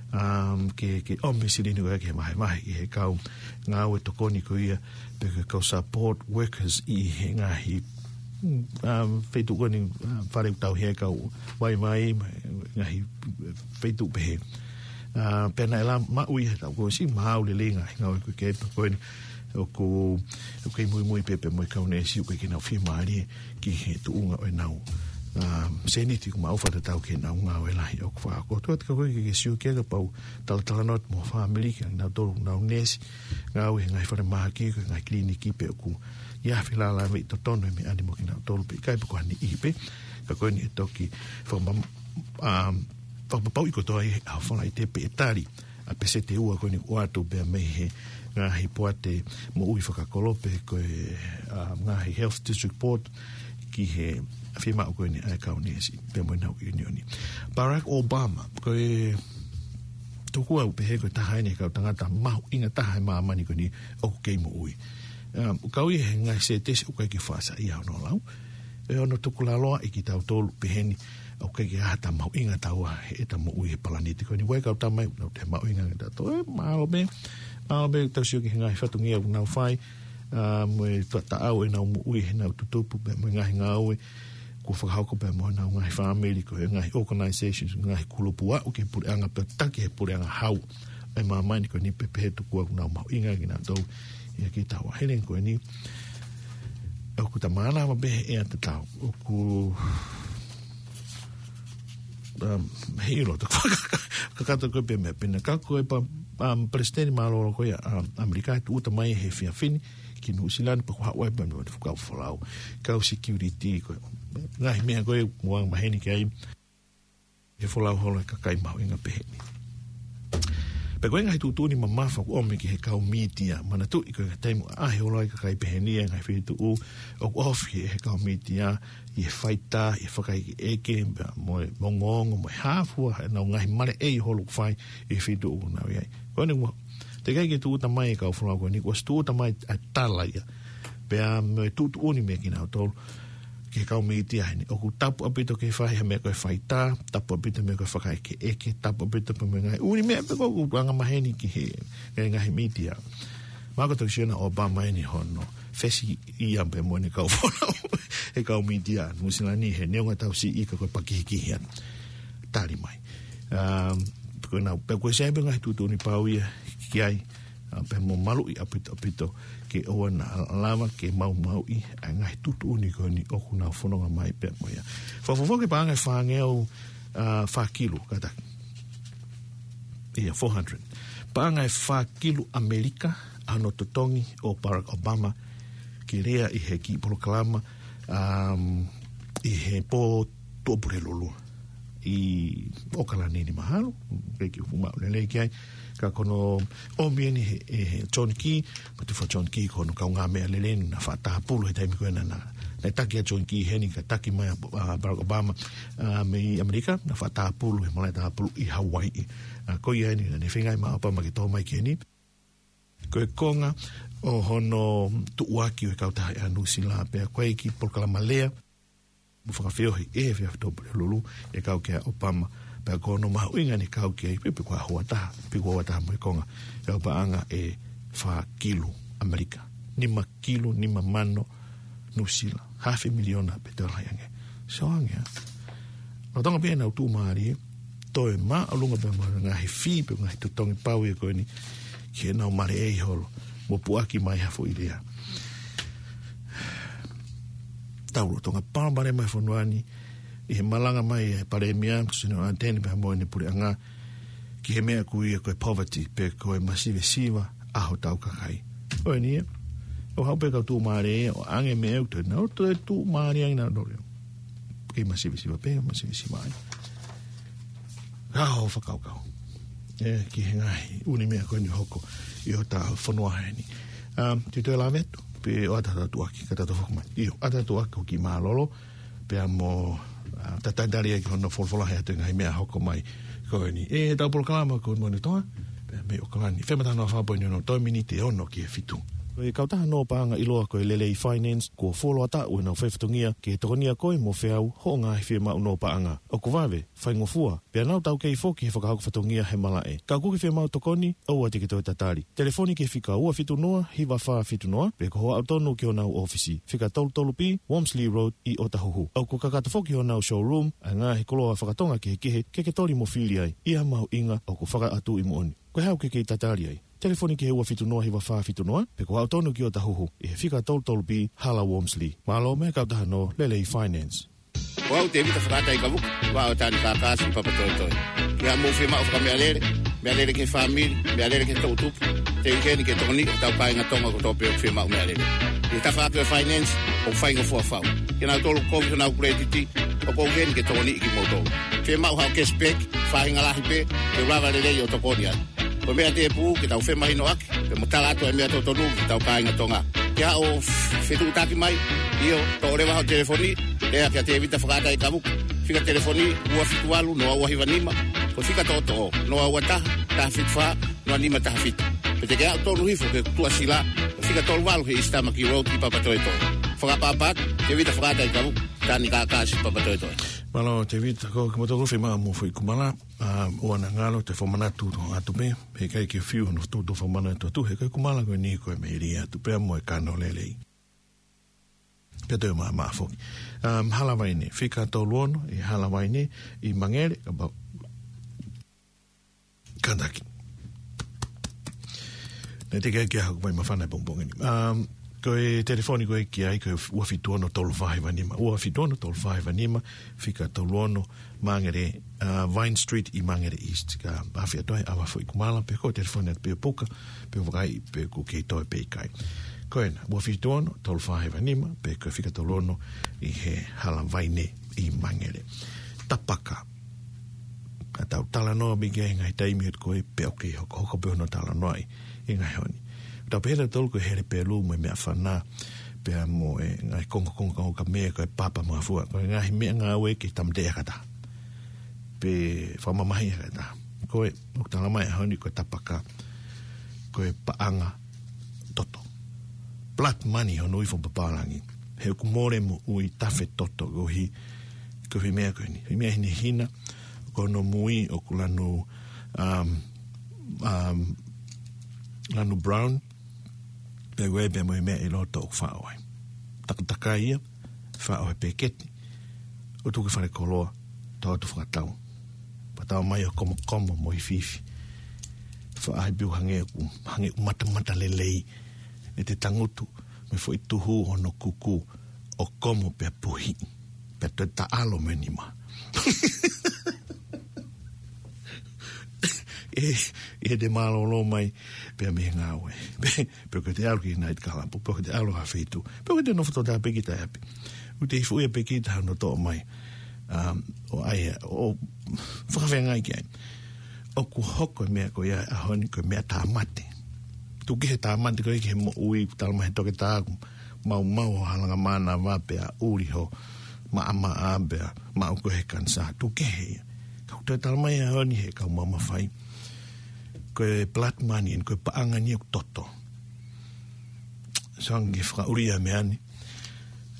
um, ke, ke ʻomi e silini ko ia ke vahevahe ʻi he kau ngāue tokoni ko ia, pe ko e kau support workers ʻi he ngaahi ʻa, feituʻu ko eni, ʻa, fale ʻoku tauhi ai e kau vaivai, mo e ngaahi feituʻu pehē. ʻA, pea naʻe lava maʻu ia ʻe he taʻu kuo ʻosi, maʻu lelei ngaahi ngāue ko ē, pea ko eni ʻoku, ʻoku kei muimui pē pea mo e kau neesi ʻoku ʻikai ke nau fiemālie ki he tuʻunga ʻo ʻenau, ʻa, sēniti ʻoku maʻu fakatatau ki heʻenau ngāue lahi ʻoku fai. Ko e tuʻu atu ka ko ē ke ke sio ki ai kapau talatalanoa atu mo e fāmili, kinautolu ʻoku nau neesi, ngāue he ngaahi falemahaki, ko e ngaahi kiliniki pē ʻoku ʻi ai ha felāveʻi totonu he meʻa ni mo kinautolu pe ʻikai pe ko ha niʻihi pē. Ka ko eni ʻe toki fakama-, ʻa, fakapapauʻi kotoa ʻi he ʻaho Falaite pe ʻe tali ʻa e peseti ʻe ua ko eni ʻoku ʻoatu pea mei he ngaahi poate moʻui fakakolo pe ko e, ʻa, ngaahi Health District Board ki he fiemaʻu ko eni ʻa e kau neesi pea mo ʻenau ʻiunioni. Barack Obama, ko e tuku au pehē ko e taha eni e kau tangata mahuʻinga taha he māmani ko eni ʻoku kei moʻui. ʻA, ʻoku kau ia he ngaahi sētesi ʻoku ʻikai ke faʻa saiʻia hono lau. ʻE ono tukulaloa ʻi kitautolu pehē ni, ʻoku ʻikai ke ʻi ai ha taha mahuʻinga taua he ʻeta moʻui he palaniti ko eni. ʻOku ʻi ai e kau tama ʻoku nau toe mahuʻinga ange kitautolu. ʻE, mālō pē, mālō pē tau sio ki he ngaahi fatongia ʻoku nau fai, ʻa, mo e taʻau ʻenau moʻui heʻenau tutupu pea mo e ngaahi ngāue kuo fakahoko pea mo ʻenau ngaahi fāmili, ko e ngaahi organizations, ngaahi kulupu aʻu ki he puleʻanga pea taki he puleʻanga hau. ʻE māmani ko eni pē pehē tuku au ʻoku nau mahuʻinga kinautolu ia ki taua. Helen ko eni, ʻoku ta mānava pē he ʻea tatau. ʻOku, um, he ʻilo, ta kakato ko ē pē meʻa pena. Ka ko e pa, um, palesiteni mālōlō ko ia, um, ʻAmelika, tūʻuta mai he efiafi ni ki Nuʻusila ni pea ko e haʻu ai pē mo e fuakava folau. Kau security ko e ngaahi meʻa ko ē ʻoku ou maheni ki ai. He folau holo e kakai mahuʻinga pehē ni. Pea ko e ngaahi tuʻutuʻuni mamafa ʻoku ʻomi ki he kau mītia. Manatuʻi ko e taimi ʻoku ʻaʻahi holo ai e kakai pehē ni ʻi he ngaahi feituʻu ʻoku ofi he kau mītia, ʻi he faitā, ʻi he fakaʻekeʻeke, pea mo e ongoongo, mo e hā fua ʻenau ngaahi maleʻei holo ʻoku fai ʻi he feituʻu ʻoku nau ʻi ai. Ko eni ʻoku teʻeki ai ke tūʻuta mai e kau folau ko eni, kuo ʻosi tūʻuta mai ʻa e tala ia. Pea mo e tuʻutuʻuni mei kinautolu ki he kau mītia heni. ʻOku tapu ʻaupito ke fai ha meʻa ko e faitā, tapu ʻaupito meʻa ko e fakaʻekeʻeke, tapu ʻaupito pē mo e ngaahi ʻū meʻa pē ko ē ʻoku angamaheni ki he ngaahi, ngaahi mītia. Mahalo ko e tokisiona ʻo Obama eni hono fesi ia pea mo ʻene kau folau he kau mītia Nuʻusila ni he neongo ʻetau siʻi ka ko e pakihikihi atu. Tali mai. Um, ko ena, pea ko e sai pē ngaahi tuʻutuʻuni pau ia ki ai, ʻa, pea mo maluʻi ʻaupito, ʻaupito ke ʻoua naʻa lava ke maumauʻi ʻa e ngaahi tuʻutuʻuni ko eni ʻoku nau fononga mai pea mo ia. Fakafofonga ki he paʻanga ʻe fāngeau, ʻa, fā kilu kātaki. ʻIa, four hundred. Paʻanga ʻe fā kilu ʻAmelika, ʻa hono totongi ʻo Barack Obama ke lea ʻi he kiʻi polokalama, um, ʻi he pō Tuʻapulelulu ʻi ʻOkalani ni mahalo, ʻikai ke u fuʻu maʻu lelei ki ai, ka ko hono ʻomi eni he, ʻe he John Key, Matufa John Key ko hono kaungāmeʻa lelei naʻe faʻa tāpulu he taimi ko ē naʻa, naʻe taki ʻa John Key heni ka taki mai ʻa, ʻa Barack Obama, ʻa, mei ʻAmelika, naʻe faʻa tāpulu he malaʻe tāpulu ʻi Hawaiʻi. ʻA, ko ia eni naʻa ne feinga ai ʻa Obama ke tō mai ki heni. Ko e konga ʻo hono tuʻuaki ʻo e kautaha ʻa Nuʻusila pea ko e kiʻi polokalama lea mo fakafeohi ʻi he efiafi Tuʻapulelulu ʻe kau ki ai ʻa Obama. Pea ko hono mahuʻinga ʻene kau ki ai, pe, pe ko e ʻaho ua taha, pe ko e ʻaho ua taha mo e konga, ʻa e paʻanga ʻe fā kilu ʻAmelika. Nima kilu, nima mano Nuʻusila. Hafe miliona pē tola ange. So ange, ʻa. Lolotonga pē ʻenau tuʻumālie, toe māʻolunga pē mo e ngaahi fī pe ngaahi totongi pau ia ko eni ki heʻenau maleʻei holo mo puʻaki mai ha foʻi lea. Tau lolotonga palopalema e fonua ni, ʻi he malanga mai e Palēmia, Sino Anteni pea mo ʻene puleʻanga, ki he meʻa ʻoku ui ko e poverty, pe ko e masivesiva ʻa hotau kakai. ʻOku eni ia, ʻoku haʻu pē kau tuʻumālie, ʻo ʻange meʻa ʻoku toe nau toe tuʻumālie ange nautolu. Kei masivesiva pē, masivesiva ai. Ka hoʻo fakakaukau ē ki he ngaahi ʻū meʻa ko eni ʻoku hoko ʻi hotau fonua heni. Um, te u toe lave atu, pe ʻoatu ha tuʻuaki, ka ta toe foki mai. ʻIo, ʻoatu ha tuʻuaki ʻoku kiʻi mālōlō, pea mo, ʻa, ta tatali ai ki hono folofola he ʻoatu e ngaahi meʻa hoko mai ko eni. ʻE, ʻetau polokalama ko Moʻoni Toa, pea mei ʻOkalani. Fema tano a fā poini ono, toe miniti ʻe ono ki he fitu. Ko e kautaha nō paʻanga ʻiloa ko e Lelei Finance, kuo fuoloa taʻu ʻenau fai fatongia ke tokonia koe mo feau hoʻo ngaahi fiemaʻu nō paʻanga. ʻOku vave, faingofua, pea nau taukei foki he fakahoko fatongia he malaʻe. Ka ʻoku ke fiemaʻu tokoni, ʻoua te ke toe tatali. Telefoni ki he fika ua fitu noa, hiva fā fitu noa, pe ko hoʻo aʻu tonu ki honau ʻōfisi, fika tolu tolu B, Wormsley Road, ʻi ʻŌtahuhu. ʻOku kakato foki honau showroom ʻa e ngaahi koloa fakatonga kehekehe ke ke toli mo fili ai. ʻI ha mahuʻinga ʻoku fakaʻatu ʻi moʻoni. Ko e hā ʻoku ke kei tatali ai? Telefoni ki he ua fitu noa hiva fā fitu noa, pe ko hoʻo aʻu tonu ki ʻŌtahuhu, ʻi he fika tolu tolu B, Hala Wormsley. Mālō mei he kautaha nō Lelei Finance. Ko au Tevita Fakaʻataikavuka, ʻo aʻu ʻo Tanikākā, Papatoetoe. Ki haʻamou fiemaʻu fakameʻalele, meʻalele ki he fāmili, meʻalele ki he toʻutupu, te u ʻi heni ke tokoniʻi hotau kāinga Tonga kotoa pē ʻoku fiemaʻu meʻalele. ʻI he tafaʻaki ʻo e finance, ʻoku faingofua fau. Ke nau tolu kovi honau kuletiti, ʻoku ou ʻi heni ke tokoniʻi kimoutolu. Fiemaʻu haʻo cashback, faʻahinga lahi pē, te u lava lelei ʻo tokoni atu. Ko e meʻa tēpū ke tau femahinoʻaki, pea mo tala atu e meʻa totonu ki hotau kāinga Tonga. Ke haʻo fetuʻutaki mai, ʻio, toʻo leva hoʻo telefoni, lea kia Tevita Fakaʻataikavuka. Fika telefoni ua fitu valu noa ua hiva nima, ko e fika toʻotoʻo, noa ua taha, taha fitu fā, noa nima taha fitu. Pe te ke aʻu tonu hifo ki he tuʻasila, ko e fika tolu valu he East Tamaki Road ʻi Papatoetoe. Fakaʻapaʻapa atu, Tevita Fakaʻataikavuka, Tanikākā, Papatoetoe. Mālō, Tevita, ko kimoutolu fiemaʻu mo Foʻi Kumala. ʻA, ʻoua naʻa ngalo, te u fakamanatu atu pē, he ʻikai ke fiu hono tuʻutuʻuni fakamanatu atu, he ko e Kumala ko eni ko e meili atu pē mo e kano lelei. Pea toe maʻamaʻa foki. Um, Hala Vaine, fika tolu ono, ʻi Hala Vaine, ʻi Mangere, about Kentucky. Naʻe teʻeki ai ke haʻaku mai māfana he pongipongi ni. Um, ko e telefoni ko ē ki ai, ko e ua fitu ono tolu fā hiva nima. Ua fitu ono tolu fā hiva nima, fika tolu ono, Mangere, uh, Vine Street ʻi Mangere East. Ka ʻafio atu ai ʻa Foʻi Kumala, pe ko e telefoni atu pē ʻo puka, pe ʻo vakai, pe ʻoku kei toe pe ʻikai. Ko ena, ua fitu ono tolu fā hiva nima, pe ko e fika tolu ono ʻi he Hala Vaine ʻi Mangere. Tapaka. Ka tau talanoa mai ki ai he ngaahi taimi ʻo e ko ē pea ʻoku kei hokohoko pē hono talanoaʻi he ngaahi ʻaho ni. Tau pehē ʻe tautolu ko e hele pelu mo e meʻafana, pea mo e ngaahi kongokonga ka mea ko e papa mo e fua. Ko e ngaahi meʻangāue ki he tāmateʻi ʻa e kakai. Pe fakamamahiʻi ʻa e kakai. Ko e, ʻoku talamai he ʻaho ni ko e tapaka, ko e paʻanga toto. Blood money hono ui fakapapālangi. He ʻoku mole moʻui tafe toto koeʻuhi, koeʻuhi meʻa ko eni. He meʻa hinehina, ko hono mui ʻoku lanu, um, um, lanu brown, pea ʻoku ʻi ai pē mo e meʻa ʻi loto ʻoku faʻo ai. Takatakai ia, faʻo he peketi, ʻo tuku ki falekoloa, tau atu fakatau. Fakatau mai ʻo komokomo mo ifiifi. Faʻahi pē ʻo hangē ʻoku, hangē ʻoku matamata lelei ʻete tangutu, mo e foʻi tuhu ʻo hono kuku, ʻo komo pea puhi. Pea toe taʻalo mo e nima. ʻE, ʻe te mālōlō mai, pea mei he ngāue. Pe, pe ʻoku te ʻalu ki he night club, pe ʻoku te ʻalu ha feituʻu, pe ʻoku te nofo tōtā pē kita ʻi ʻapi. ʻOku te ifu ia pē kita hono toʻo mai. Um, ʻo ʻai, ʻo fakafeangai ki ai. ʻOku hoko e meʻa ko ia he ʻaho ni ko e meʻa tāmate. Tuku kehe tāmate ko ē ki he moʻui, talamai he toketā ʻoku maumau hoʻo halanga mānava pea ʻuli hoʻo maʻamaʻa pea maʻu koe he kanisā. Tuku kehe ia. Ka ʻoku toe talamai he ʻaho ni he kau maʻu mafai, ko e blood money, ko e paʻanga ni ʻoku toto. Sai ange ke fakaʻuli ʻa e meʻa ni.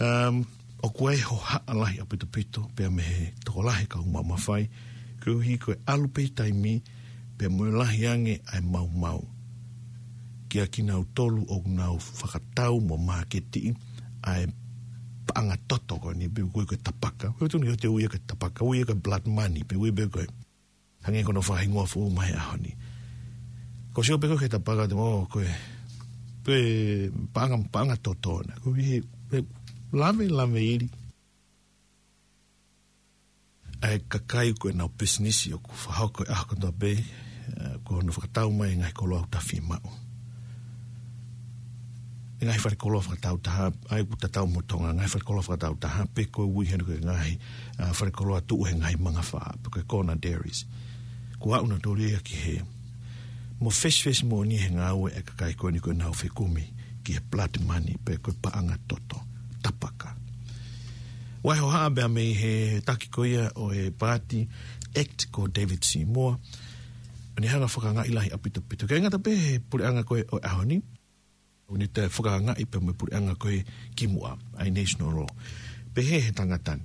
Um, ʻoku ʻi ai e hohaʻa lahi ʻaupito pea mei he tokolahi kau maʻu mafai, koeʻuhi ko e ʻalu pē taimi, pea mo e lahi ange ʻa e maumau. Kia kinautolu ʻoku nau fakatau mo māketiʻi ʻa e paʻanga toto ko eni, pe ʻoku ui ko e tapaka. Ko e tonu ke te ui ia ko e tapaka, ui ia ko e blood money, pe ui pē ko e hangē ko hono fakahingoa foʻou mai he ʻaho ni. Ko e sio pē ko ē ki he tapaka te mo, ko e, ko e paʻanga, paʻanga toto na. Ko e, ko e lave, lave ili ʻa e kakai ko ē ʻenau pisinisi ʻoku fakahoko he ʻaho kotoa pē, eh, ko hono fakatau mai e ngaahi koloa ʻoku ta fiemaʻu. E ngaahi falekoloa fakatau taha, ʻa ia ʻoku tatau mo Tonga, ngaahi falekoloa fakatau taha, pe ko e ui heni ko e ngaahi, ah, falekoloa tuʻu he ngaahi mangafā, pe ko e corner dairies. Kuo aʻu nautolu ia ki hē. Mo fesifesi moʻoni he ngāue e kakai ko eni ko ʻenau fekumi ki he blood money, pe ko e paʻanga toto, tapaka. Ua hohaʻa pea mei he taki ko ia ʻo e paati ACT ko David Seymour, ʻo ne hanga ʻo fakaangaʻi lahi ʻaupito pito. ʻIkai ngata pē he puleʻanga ko ē ʻo e ʻaho ni, ʻOku ne toe fakaangaʻi pē mo e puleʻanga ko ē kimuʻa, ʻa e national law. Pehē he tangata ni,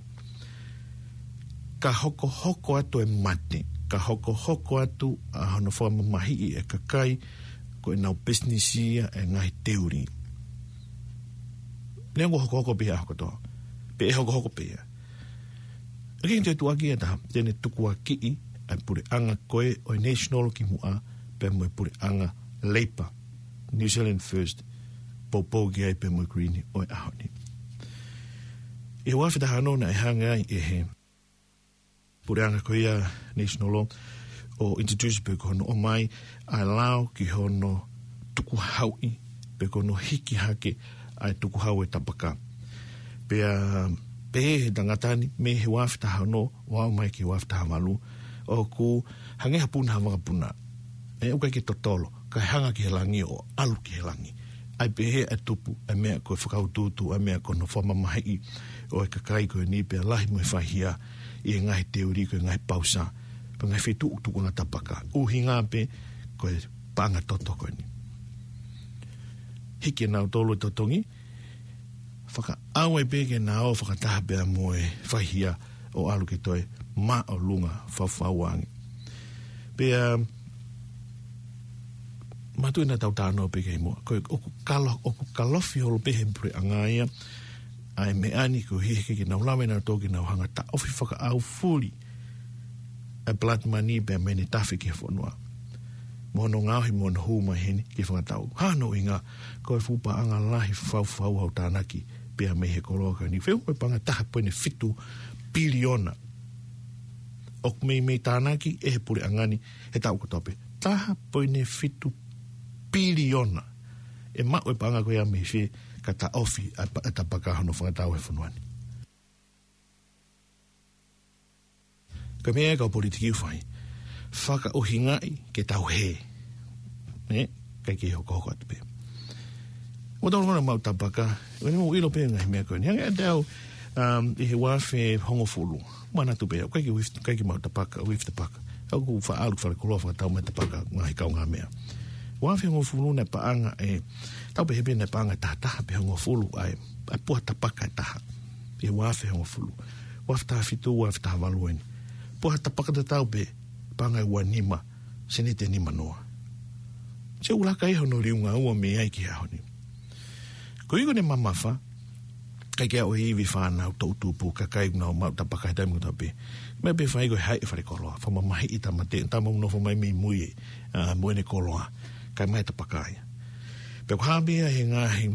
ka hokohoko atu e mate, ka hokohoko atu ʻa hono fakamamahiʻi e kakai, ko ʻenau pisinisi ia e ngaahi teuli. Neongo hokohoko pē ia kotoa. Pe ʻe hokohoko pē ia. ʻOku ʻikai ke tuʻuaki ʻe taha, te ne tukuakiʻi ʻa e puleʻanga ko ē ʻo e national kimuʻa, pea mo e puleʻanga Labour, New Zealand First, poupou ki ai pea mo e Green ʻo e ʻaho ni. ʻI he ua afe taha ono naʻe hanga ai ʻe he puleʻanga ko ia national law ʻo introduce pe ko hono ʻomai ʻa e lao ki hono tukuhauʻi pe ko hono hiki hake ʻa e tukuhau e tapaka. Pea pehē he tangata ni, mei he ua afe taha ono ʻo aʻu mai ki he ua afe taha valu, ʻoku hangē ha puna ha vakapuna. ʻE, ʻoku ʻikai ke totolo, kae hanga ki he langi ʻo ʻalu ki he langi. ʻA ia pehē ʻa e tupu ʻa e meʻa ko e fakautuutu, ʻa e meʻa ko hono fakamamahiʻi ʻo e kakai ko eni, pea lahi mo e faihia ʻi he ngaahi teuli ko e ngaahi pausa, pe ngaahi feituʻu tukuʻanga tapaka. ʻUhinga pē ko e paʻanga toto ko eni. Hiki ʻe nautolu e totongi, fakaʻau ai pē ke nau ō fakataha pea mo e faihia ʻo ʻalu ke toe māʻolunga faufau ange. Pea mātuʻaki naʻa tau talanoa pē ki ai muʻa. Ko e ʻoku kalo-, ʻoku kalofi holo pē he puleʻanga ia ʻa e meʻa ni, koeʻuhi he ʻikai ke nau lava ʻe nautolu ke nau hanga ʻo taʻofi fakaʻaufuli ʻa e blood money pea mei heʻene tafe ki he fonua. Mo hono ngaohi mo hono hū mai heni ki he fakatatau. Hā hono ʻuhinga? Ko e fuʻu paʻanga lahi faufau ʻoku tānaki pea mei he koloa ko eni. Feʻunga ko e paʻanga taha poini fitu piliona ʻoku meimei tānaki ʻe he puleʻanga ni he taʻu kotoa pē. Taha poini fitu piliona. ʻE maʻu e paʻanga ko ia mei fē ka taʻofi ʻa e pa-, ʻa e tapaka hono fakatatau he fonua ni? Ko e meʻa ia ʻa e kau politiki ʻoku fai, fakaʻuhingaʻi ke tau hē. Ē? ʻIkai ke hokohoko atu pē. ʻOku tau lava ʻo maʻu tapaka, ʻoku ne mau ʻilo pē ngaahi meʻa ko eni. Hangē ʻe au, um, ʻi he ua afe hongofulu. Manatu pē au, ʻikai ke uifi, ʻikai ke maʻu tapaka, uifi tapaka. ʻOku faʻa ʻalu ki falekoloa fakatau mai tapaka, ngaahi kaungāmeʻa. Ua afe hongofulu naʻe paʻanga ʻe, tau pehē pē naʻe paʻanga ʻe taha taha pe hongofulu ʻa e, ʻa e puha tapaka ʻe taha. ʻI he ua afe hongofulu. Ua afe taha fitu, ua afe taha valu eni. Puha tapaka tatau pē, paʻanga ʻe ua nima, seniti ʻe nima noa. Sio ʻoku laka ia hono liunga ua mei ai ki he ʻaho ni. Ko ia ʻoku ne mamafa, ʻikai ke ʻi ai ha ivi fānau toʻutupu, kakai ʻoku nau maʻu tapaka he taimi kotoa pē. Meʻa pē fai ko e haʻi e falekoloa, fakamamahiʻi e tama te-, tama ʻoku nofo mai mei mui ē, ʻa, mo ʻene koloa, kae ʻomai e tapaka ia. Pea ko e hā pē ia he ngaahi,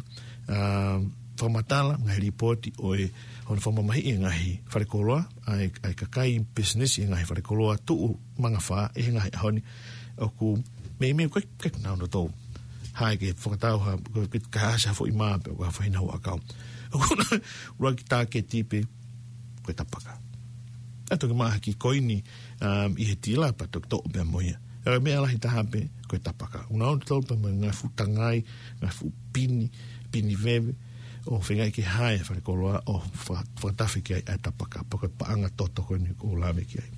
ʻa, fakamatala, ngaahi lipooti ʻo e, hono fakamamahiʻi e ngaahi falekoloa, ʻa e, ʻa e kakai pisinisi e ngaahi falekoloa tuʻu mangafā ʻi he ngaahi ʻaho ni, ʻoku meimei ʻikai, ʻikai ke nau nofo tau. Haʻi ke fakatau ha, ko e ke kae ʻasi ha foʻi mā pe ko ha foʻi hina ʻakau. ʻOku nau ʻuluaki tāketi pē ko e tapaka. ʻA e toki maʻu ha kiʻi koini, um, ʻi he tila pea toki toʻo pē mo ia. ʻA e meʻa lahi taha pē ko e tapaka. ʻOku nau nofo tau pē mo e ngaahi fuʻu tangai, ngaahi fuʻu pini, pini veve, ʻo feingaʻi ke haʻi e falekoloa ʻo fa-, fakatafe ki ai ʻa e tapaka, pea ko e paʻanga toto ko eni ʻoku ou lave ki ai.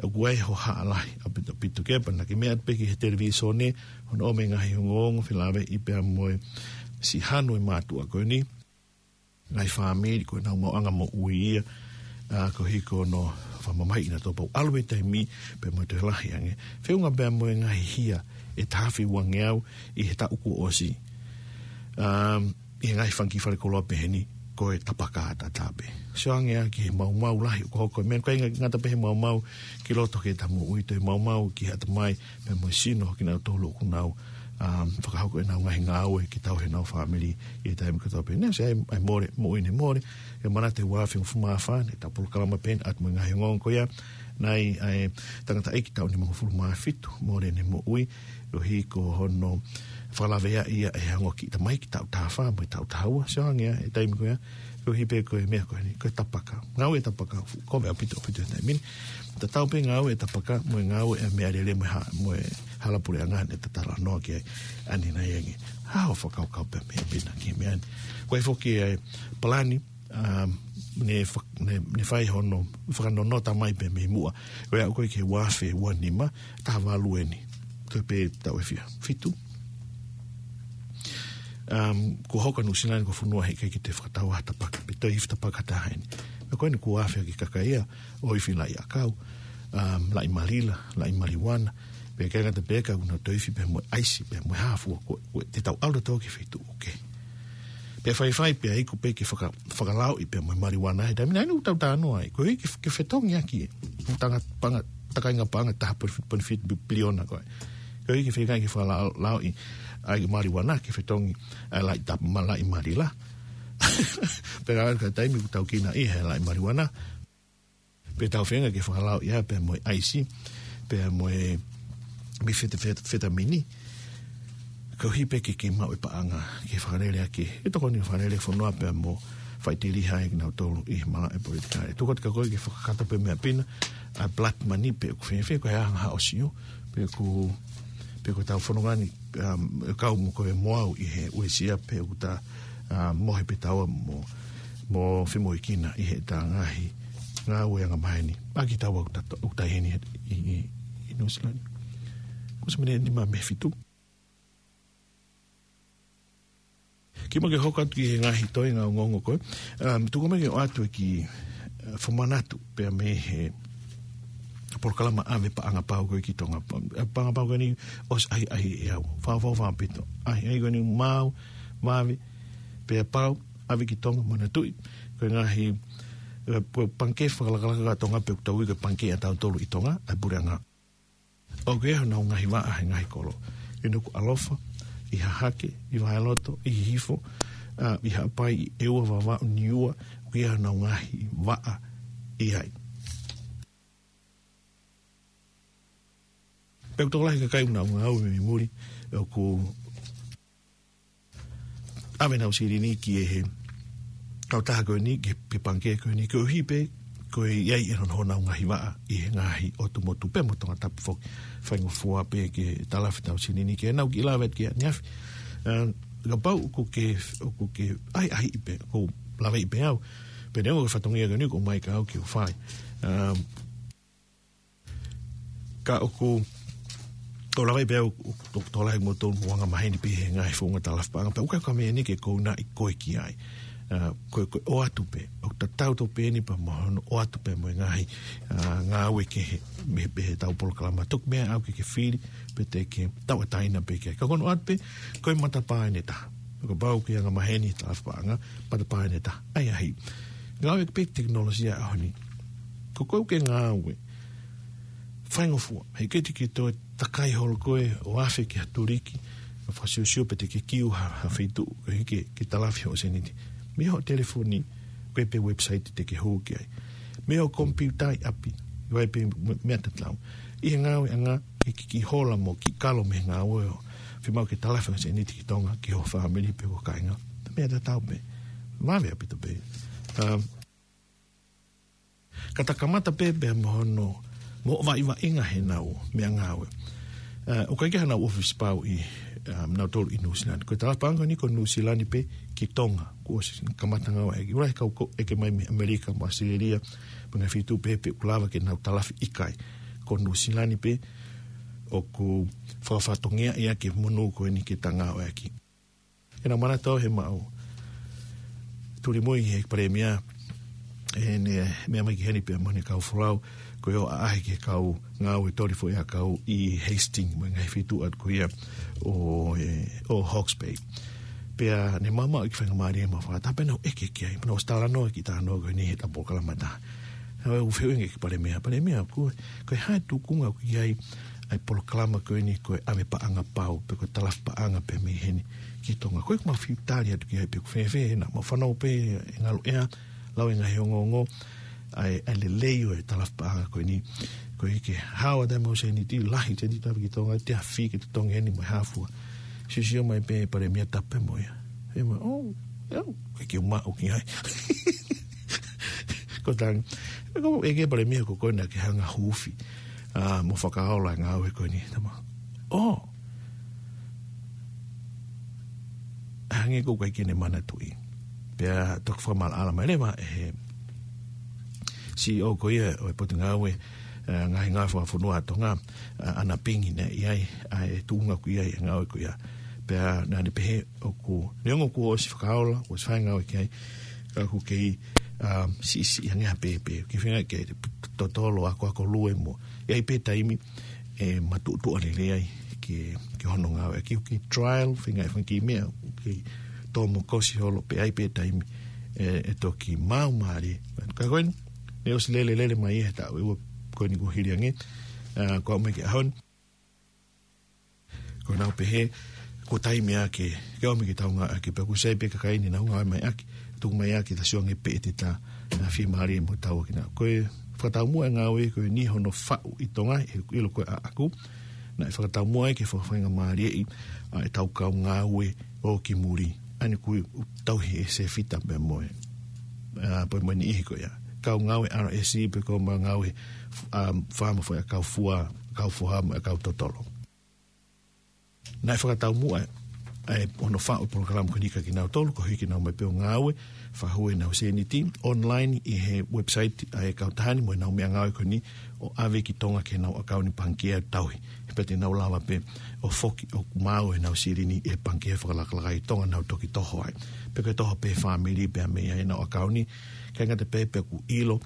ʻOku ʻi ai e hohaʻa lahi ʻaupito, ʻaupito ke pehē naʻa ke meʻa pē ki he televīsone, hono ʻomai e ngaahi ongoongo felāveʻi pea mo e siʻi hanu e mātuʻa ko eni, ngaahi fāmili ko ʻenau maʻuʻanga moʻui ia, ʻa, koeʻuhi ko hono fakamamahiʻi nautolu pau ʻalu e taimi, pea mo e toe lahi ange. Feʻunga pea mo e ngaahi hia ʻe taha afe uangeau ʻi he taʻu kuo ʻosi. Um, ʻi he ngaahi fanga kiʻi falekoloa pehē ni, ko e tapaka ʻataʻatā pē. Sio ange ā ki he maumau lahi ʻoku hoko, meʻa ʻikai ngata pē he maumau ki loto ki heʻeta moʻui, toe maumau ki he ʻatamai, pea mo e sino kinautolu ʻoku nau, um, fakahoko ʻenau ngaahi ngāue ke tauhi ʻenau fāmili ʻi he taimi kotoa pē. Naʻe ʻosi ʻa e, ʻa e mole, moʻui ne mole, ʻe manatu he ua afe hongofulu mā fā, naʻe ʻi ai ʻetau polokalama pē ʻeni ʻa e ngaahi ongoongo ko ia, naʻe ʻi ai e tangataʻeiki taʻu nimangofulu mā fitu, mole ʻene moʻui, koeʻuhi ko hono fakalaveaʻi ia ʻe he ongo kiʻi tamaiki taʻu taha fā mo e taʻu taha ua, sio ange ā he taimi ko ia, koeʻuhi pē ko e meʻa ko eni, ko e tapaka. Ngāue e tapaka, fu-, kovi ʻaupito, ʻaupito he taimi ni. Tatau pē ngāue e tapaka mo e ngāue e meʻalele mo e ha-, mo e hala puleʻanga naʻa ta talanoa ki ai ʻanenai ange. Hā hoʻo fakakaukau pea mei hena ki he meʻa ni? ʻOku ʻi ai foki e palani, um, ne fa-, ne, ne fai hono fakanonota mai pea mei muʻa. ʻOku ʻi ai ko ē ki he ua afe ua nima, taha valu eni. Ko e pē taʻu ʻe fiha? Fitu. Um, kuo hoko ʻa Nuʻusila ni ko e fonua heʻikai ke toe fakatau ha tapaka, pe toe ifi tapaka ha taha ʻeni. Pea ko eni kuo afe ʻa e kakai ia ʻo ifi laʻi ʻakau, um, laʻi malila, laʻi maliuana, pea ʻikai ngata pē ka ʻoku nau toe ifi pea mo e ʻaisi, pea mo e hā fua, ko, ko e te tau ʻalu atu ki he feituʻu ʻoku kehe. Pea faifai pea iku pē ke faka-, fakalaoʻi pea mo e maliuana he taimi naʻe ʻi ai ʻeku tau talanoa ai. Ko e ke, ke fetongi ʻaki e. Tanga, paʻanga, takainga paʻanga taha poini fitu, poini fitu piliona ko ē. Ko e ke feinga ke fakalaoʻi ʻa e maliuana ke fetongi ʻa e laʻi tap-, ma-, laʻi malila. Pea ka taimi ʻoku tau kina ʻi he laʻi maliuana. Pea tau feinga ke fakalaoʻi ia pea mo e ʻaisi, pea mo e mefete-, fet-, fetamini. Koeʻuhi pē ke, ke maʻu e paʻanga, ke fakalele ʻaki, e tokoni fakalele fonua pea mo faʻiteliha ʻa kinautolu ʻi he malaʻe politikale. Tuku atu kia koe ke fakakakato pē meʻa pē ena, ʻa e blood money pe ʻoku fēfē, ko e hā haʻo sio, pe ʻoku, pe ko e tau fononga ni, um, kau mo koe mo au ʻi he uesia pe ʻoku ta, um, mohe pē taua mo, mo femoʻuekina ʻi he ta ngaahi, ngāue angamaheni. ʻA kitaua ʻoku ta, ʻoku ta ʻi heni ʻi, ʻi, ʻi Nuʻusila ni. Kuo ʻosi mei he nima mei he fitu. Kimuʻa ke hoko atu ki he ngaahi toenga ongoongo ko ē. Um, tuku mai ke ʻoatu e kiʻi, uh, fakamanatu pea mei he polokalama ʻave paʻanga pau ko ē ki Tonga. Uh, paʻanga pau ko eni ʻosi ʻahiʻahiʻi ʻe au. Fau, fau, fau pito. ʻAhiʻahiʻi ko eni maʻu, vave, pea pau, ʻave ki Tonga, manatuʻi. Ko e ngaahi, uh, ko e pangikē fakalakalaka ʻa Tonga pe ʻoku tau ui ko e pangikē ʻatautolu ʻi Tonga, ʻa e puleʻanga. ʻOku ʻi ai honau ngaahi vaʻa he ngaahi kolo. ʻI Nukuʻalofa, ʻi Hahake, ʻi Vaheloto, ʻi Hihifo, ʻa, ʻi Haʻapai, ʻi ʻEua, Vavaʻu, Niua, ʻoku ʻi ai honau ngaahi vaʻa ʻi ai. Pea ʻoku tokolahi e kakai ʻoku nau ngāue mei muli, ʻoku ʻave ʻenau silini ki he kautaha ko eni, ki he pangikē ko eni, koeʻuhi pē, ko e ʻi ai ʻenau, honau ngaahi vaʻa ʻi he ngaahi ʻotu motu pea mo Tongatapu foki. Faingofua pē ke talafi ʻetau silini ke nau kiʻi lave atu ki ai ʻaneafi. Um, kapau ʻoku ke, ʻoku ke ʻahiʻahiʻi pē, ʻoku laveʻi pē au. Pea neongo ko e fatongia ko eni ʻoku ʻomai kia au ke u fai. Um, Ka ʻoku, ʻoku laveʻi pē au, ʻoku, ʻoku tokolahi mo tō mo angamaheni pē he ngaahi founga talafi paʻanga. Pea ʻoku ʻikai ko e meʻa eni ke kounaʻi koe ki ai. ʻA, ko e, ko e ʻoatu pē, ʻoku tatau tofu pē eni pea mo hono ʻoatu pē mo e ngaahi, ʻa, ngāue kehe mei he pehē ʻetau polokalama. Tuku meʻa au ke ke fili, pe te ke tauʻatāina pē ki ai. Ka ko hono ʻoatu pē, ko e matapā ʻe taha. Kapau ʻoku ke angamaheni talafi paʻanga, matapā ʻe taha. ʻAhiʻahiʻi. Ngāue pē tekinolosia ʻaho ni. Ko koe ʻoku ke ngāue. Faingofua. Heʻikai te ke toe takai holo koe ʻo afe ki ha tuliki. ʻO fakasiosio pe te ke kiu ha, ha feituʻu. Koeʻuhi ke, ke talafi hoʻo sēniti. Mei hoʻo telefoni, ʻoku ʻi ai pē website te ke hū ki ai. Mei hoʻo komipiuta ʻi ʻapi. ʻOku ʻi ai pē me-, meʻa tatau. ʻI he ngāueʻanga, ke kiʻi hola mo kiʻi kalo mei he ngāue ʻo fiemaʻu ke talafi hoʻo sēniti ki Tonga, ki ho fāmili pe ko ho kāinga. Meʻa tatau pē. Vave ʻaupito pē. Um, Ka ta kamata pē pea mo hono, mo e vaʻinga he ʻenau meʻangāue. ʻA, ʻoku ʻikai ke ʻi ai hanau ʻōfisi pau ʻi, um, nautolu ʻi Nuʻusila ni. Ko e talafi paʻanga ni ko Nuʻusila ni pē ki Tonga. Kuo ʻosi kamata ngāueʻaki. ʻOku lahi e kau ʻoku ʻeke mai mei ʻAmelika mo ʻAositelēlia, mo e ngaahi feituʻu pehē pe ʻoku lava ke nau talafi, ʻikai. Ko Nuʻusila ni pē ʻoku fakafatongiaʻi ʻaki e monū ko eni ke ta ngāueʻaki. ʻEna manatu he maʻu tuli mo e he Palēmia, ʻene meʻa mai ki heni pea mo ʻene kau folau, ko e ʻaʻahi ki he kau ngāue toli foʻiʻakau ʻi Hastings, mo e ngaahi feituʻu atu ko ia ʻo, ē, ʻo Hawke's Bay. Pea ne mamaʻo e kiʻi faingamālie mo e fakataha pea nau ʻeke ki ai, pea nau ʻosi talanoa e kiʻi talanoa ko eni he ʻetau polokalama ʻe taha. Naʻa ku fehuʻi ange ki he Palēmia, Palēmia, ko, ko e hā e tūkunga ʻoku ʻi ai ʻa e polokalama ko eni ko e ʻave paʻanga pau, pe ko e talafi paʻanga pē mei heni ki Tonga. Ko e ʻoku mau fiu tali atu ki ai pe ʻoku fēfē, naʻa mau fanongo pē ʻi he ngaluʻea, lau e ngaahi ongoongo, ʻa e, ʻa e lelei ʻo e talafi paʻanga ko eni. Koeʻuhi ke hao atu ai mo e sēniti, lahi e sēniti ʻave ki Tonga, te afi ke totongi eni mo e hā fua. Siosio mai pē Palēmia, tapu pē mo ia. ʻE mo, ʻo, ʻio, ʻikai ke u maʻu ki ai. Ko e tangi. ʻE ko e ʻeke Palēmia ko koe naʻa ke hanga hufi. ʻA, mo fakaola e ngāue ko eni, tama. ʻO. Hangē ko e ʻikai ke ne manatuʻi. Pea toki fakamaʻalaʻala mai leva ʻe he CEO ko ia ʻo e Potungāue, ʻa, Ngaahi Ngāue Fakafonua ʻa Tonga, ʻa, ʻAna Pingi naʻe ʻi ai, ʻa, e tuʻunga ko ia, e ngāue ko ia. Pea naʻa ne pehē ʻoku, neongo kuo ʻosi fakaola, kuo ʻosi fai e ngāue ki ai, ka ʻoku kei, um, siʻisiʻi ange ha pēpē. Ke feinga ke totolo akoako lue mo. ʻE ʻi ai pē taimi ʻe matuʻotuʻa lelei ai ki, ki hono ngāueʻaki, ʻoku kei trial, feinga e fanga kiʻi meʻa, ʻoku kei tō mo kosi holo, pea ʻi ai pē taimi ʻe, ʻe toki maau mālie. Ka ko eni, ne ʻosi lele lele mai he taʻu ʻe ua ko eni kuo hili ange, ā, ko au mai ki he ʻaho ni. Ko ʻenau pehē, ko e taimi ʻa ke, ke ʻomi ke tau ngāueʻaki, pea ʻoku sai pē kakai ni nau ngāueʻaki, tuku mai ʻa ke ta sio ange pe ʻe te ta, ā, fiemālie mo tau ʻaki na. Ko e fakataumuʻa e ngāue ko eni hono faʻu ʻi Tonga, he ʻilo ko e ʻaʻaku, naʻe fakataumuʻa ai ke fakafaingamālieʻi ʻa e tau kau ngāue ʻo ki muli. ʻA eni ʻoku tauhi ʻe Sefita pea mo e, ā, pea mo e niʻihi ko ia. Kau ngāue R S E pe ko e ngāue, ā, faama foʻi ʻakau fua, ʻakau foha mo e ʻakau totolo. Naʻe fakataumuʻa ʻa e hono faʻu e polokalama ko eni kia kinautolu, koeʻuhi ke nau maʻu pē ʻo ngāue, fakahū ʻenau sēniti online ʻi he website ʻa e kautaha ni mo ʻenau meʻangāue ko eni ʻo ʻave ki Tonga ki heʻenau ʻakauni pangikē ʻo tauhi. He pea te nau lava pē ʻo foki ʻo maau ʻenau silini ʻi he pangikē fakalakalaka ʻi Tonga, nau toki toho ai. Pe ko e toho pē fāmili pea mei ai ʻenau ʻakauni, ʻikai ngata pē pea ʻoku ʻilo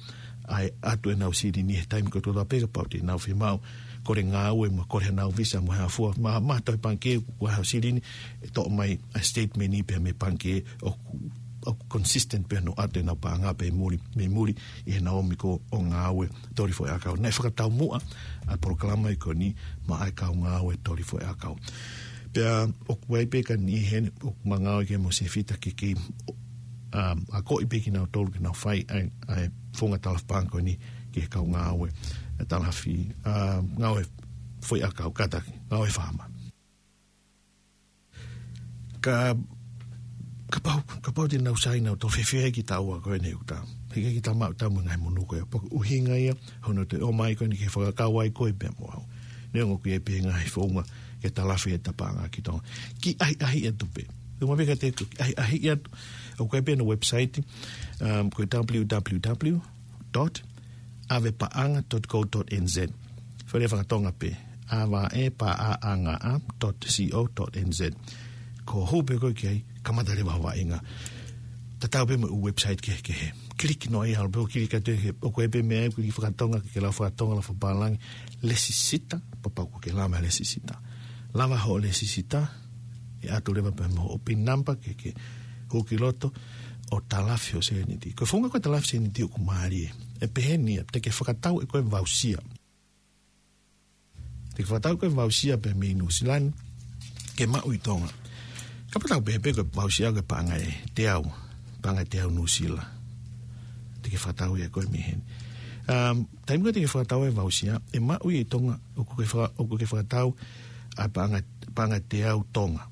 ʻa e ʻatu ʻenau silini he taimi kotoa pē kapau te nau fiemaʻu kole ngāue mo kole ʻenau visa mo e hā fua, maʻa, maʻa e pangikē ʻoku ʻi ai haʻo silini, ʻe toʻo mai ʻa e statement pea mei he pangikē ʻoku, ʻoku consistent pea ʻenau ʻatu ʻenau paʻanga pea mei muli, mei muli ʻi heʻenau ō mai ʻo ngāue toli foʻi ʻakau. Naʻe fakataumuʻa ʻa e polokalama ko eni maʻa e kau ngāue toli foʻi ʻakau. Pea ʻoku ʻi ai pē ka niʻihi heni ʻoku ma ngāue ki ai mo Sefita ke kei, um, akoʻi pē kinautolu ke nau fai ʻa e, ʻa e founga talafi paʻanga ko eni ki he kau ngāue, ʻa e talafi, um, ngāue foʻi ʻakau, kātaki, ngāue faama. Ka, kapau, kapau te nau sai nautolu, fēfē ai kitaua ko eni ʻoku ta. He ʻikai ke ta maʻu ʻetau mo e ngaahi monū ko ia. Pea ko e ʻuhinga ia hono toe ō mai ko eni ke fakakau ai koe pea mo au. Neongo ʻoku ʻi ai pē ngaahi founga ke talafi ʻeta paʻanga ki Tonga. Kiʻi ʻahiʻahiʻi atu pē. Tuku mai pē kiate koe, kiʻi ʻahiʻahiʻi atu. ʻOku ʻi ai pē hono website, um, ko e W W W dot ave paʻanga dot co dot N Z. Fale fakatonga pē, ave paʻanga dot co dot N Z. Ko e hū pē koe ki ai, kamata leva hoʻo vaʻinga. Tatau pē mo e website kehekehe. Click noa ia, ʻalu pē ʻo click atu he, ʻoku ʻi ai pē meʻa ʻoku ʻikai fakatonga, ke lau fakatonga, lau fakapālangi, lēsisita, kapau ʻoku ke lava e lēsisita. Lava hoʻo lēsisita, ʻe ʻatu leva pē mo hoʻo pin number ke, ke hū ki loto, ʻo talafi hoʻo sēniti. Ko e founga ko e talafi sēniti ʻoku mālie. ʻE pehē ni ia, te ke fakatau ʻe koe voucher. Te ke fakatau ʻe koe voucher pea mei Nuʻusila ni, ke maʻu ʻi Tonga. Kapau te u pehē pē ko e voucher ko e paʻanga ʻe teau, paʻanga ʻe teau Nuʻusila. Te ke fakatau ia ʻe koe mei heni. Um, taimi ko ē te ke fakatau e voucher, ʻe maʻu ia ʻi Tonga, ʻoku ke faka-, ʻoku ke fakatau ʻa e paʻanga, paʻanga ʻe teau Tonga.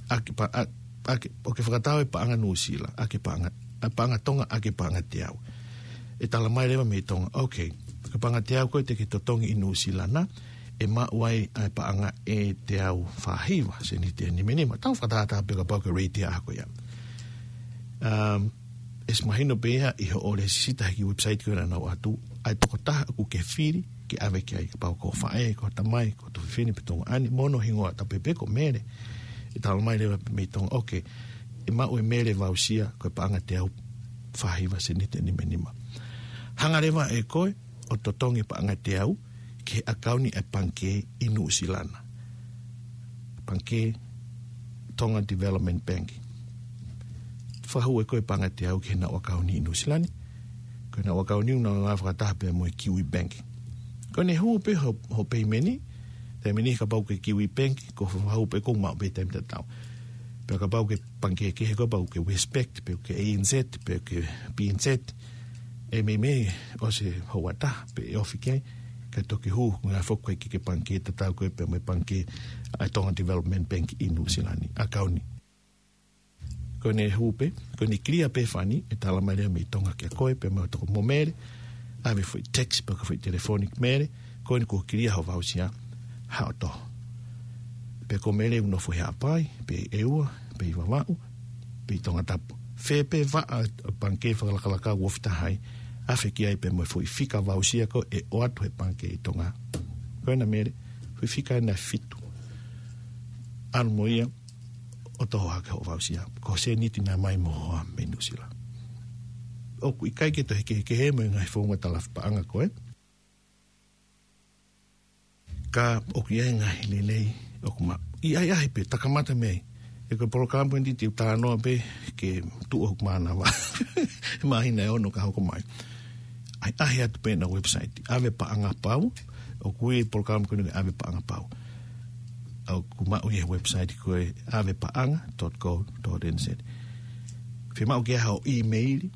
ʻAki pa-, ʻa, ʻaki, ʻoku ke fakatau e paʻanga Nuʻusila, ʻaki paʻanga, ʻa e paʻanga Tonga, ʻaki paʻanga ʻe teau. ʻE tala mai leva mei Tonga, okay, ko e paʻanga ʻe teau ko ē te ke totongi ʻi Nuʻusila na, ʻe maʻu ai ʻa e paʻanga ʻe teau fāhiva sēniti ʻe nimanima. Tau fakatātā pē kapau ko e rate ia ko ia. Um, ʻe ʻosi mahino pē ia ʻi hoʻo lēsisita he kiʻi website ko ē naʻa nau ʻatu, ʻa e tokotaha ʻoku ke fili ke ʻave ki ai, kapau ko ho faʻē, ko ho tamai, ko ho tuofefine pe tuongaʻane, mo hono hingoa, tatau pē pe ko Mele. ʻE tala mai leva mei Tonga, okay, ʻe maʻu ʻe Mele voucher ko e paʻanga ʻe teau fāhiva sēniti ʻe nimanima. Hanga leva ʻe koe ʻo totongi paʻanga ʻe teau ki he ʻakauni ʻa e pangikē ʻi Nuʻusila na. Pangikē Tonga Development Bank. Fakahū ʻe koe paʻanga ʻe teau ki heʻenau ʻakauni ʻi Nuʻusila ni. Ko ʻenau ʻakauni ʻoku nau ngāue fakataha pē mo e Kiwi Bank. Ko ʻene hū pē ho, ho payment, taimi ni kapau ko e Kiwi Bank, ko e fakahū pē ʻoku maʻu pē taimi tatau. Pea kapau ko e pangikē kehe ko ē, kapau ko e Westpac, pe ko e A N Z, pe ko e B N Z, ʻe meimei ʻosi houa ʻe taha pē ʻe ofi ki ai, kae toki hū, ngāue foki ki he pangikē tatau ko ē pea mo e pangikē ʻa e Tonga Development Bank ʻi Nuʻusila ni, ʻakauni. Ko ʻene hū pē, ko ʻene clear pē fani, ʻe tala mai leva mei Tonga kia koe, pea mo e toko mo Mele, ʻave foʻi text, pe ko e foʻi telefoni ki Mele, ko eni kuo clear ho voucher, haʻu ʻo toho. Pe ko Mele ʻoku nofo ʻi Haʻapai, pe ʻEua, pe ʻi Vavaʻu, pe ʻi Tongatapu. Fē pē vaʻa ʻo e pangikē fakalakalaka ʻoku ofi taha ai, ʻave ki ai pea mo e foʻi fika voucher ko ē ʻoatu ʻe he pangikē ʻi Tonga. Ko ena Mele, foʻi fika ena ʻe fitu. ʻAlu mo ia ʻo toho hake hoʻo voucher. Ko e sēniti naʻe ʻomai mo e hoa mei Nuʻusila. ʻOku ʻikai ke toe kehekehe mo e ngaahi founga talafi paʻanga ko ē. Ka ʻoku ʻi ai e ngaahi lelei ʻoku maʻu. ʻI ai ʻaʻahi pē, takamata mei ai. He ko e polokalama ko eni te u talanoa pē ke tuʻu hoku mānava. Māhina ʻe ono ka hoko mai. ʻAʻahi atu pē ʻena website. ʻAve Paʻanga Pau. ʻOku ui e polokalama ko eni ko e ʻAve Paʻanga Pau. ʻOku maʻu ʻi he website ko e ʻave paʻanga dot co dot N Z. Fiemaʻu ke ʻi ai haʻo email,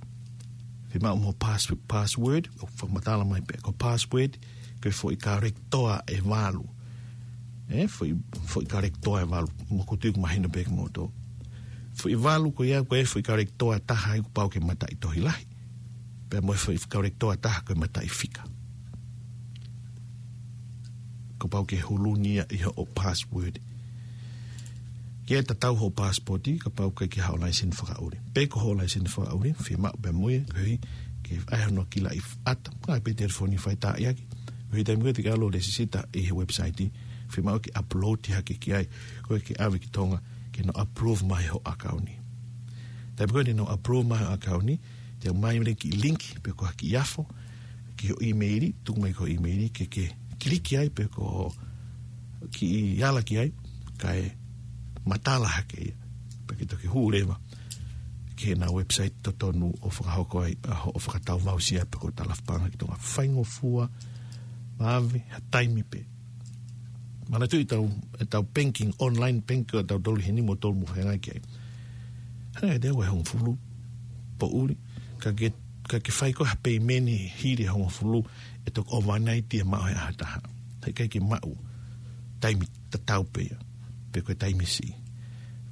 fiemaʻu mo e pass-, password, ʻoku fakamatala mai pē. Ko e password, ko e foʻi character ʻe valu. ʻE, foʻi, foʻi character ʻe valu. Mo ko tuku mahino pē ki moto. Foʻi valu ko ia, ko e foʻi character ʻe taha ʻoku pau ke mataʻitohi lahi. Pea mo e foʻi character ʻe taha ko e mataʻifika. Kuo pau ke huluʻi ia ʻi hoʻo password. Ke tatau hoʻo passport, kapau ʻoku ʻikai ke ʻi ai haʻo laiseni fakaʻuli. Pe ko hoʻo laiseni fakaʻuli, fiemaʻu pē mo ia, koeʻuhi ke ʻai hono kilaʻi ʻata. Ngaahi pē telefoni faitaaʻiʻaki. Ko e taimi ko ē te ke ʻalu ʻo lēsisita ʻi he website, fiemaʻu ke upload hake ki ai, ko ē ke ʻave ki Tonga, ke nau approve mai hoʻo ʻakauni. Taimi ko ē te nau approve mai hoʻo ʻakauni, te nau ʻomai leva e kiʻi link, pe ko ha kiʻi afo, ki hoʻo email, tuku mai ki hoʻo email, ke ke kiliki ai pe ko e kiʻi ala ki ai, kae matala hake ia. Pea ke toki hū leva ki heʻena website totonu ʻo fakahoko ai ʻa hoʻo fakatau voucher pe ko e talafi paʻanga ki Tonga. Faingofua, vave, ha taimi pē. Manatuʻi ʻetau, ʻetau banking, online banking ʻo tautolu heni mo tolu mo fengai ki ai. Hangē te au ʻe hongofulu poʻuli, ka ke, ka ke fai ko ha payment hili e hongofulu, ʻe toki overnight ia maʻu he ʻaho ʻe taha. Heʻikai ke maʻu taimi tatau pē ia, pe ko e taimi siʻi.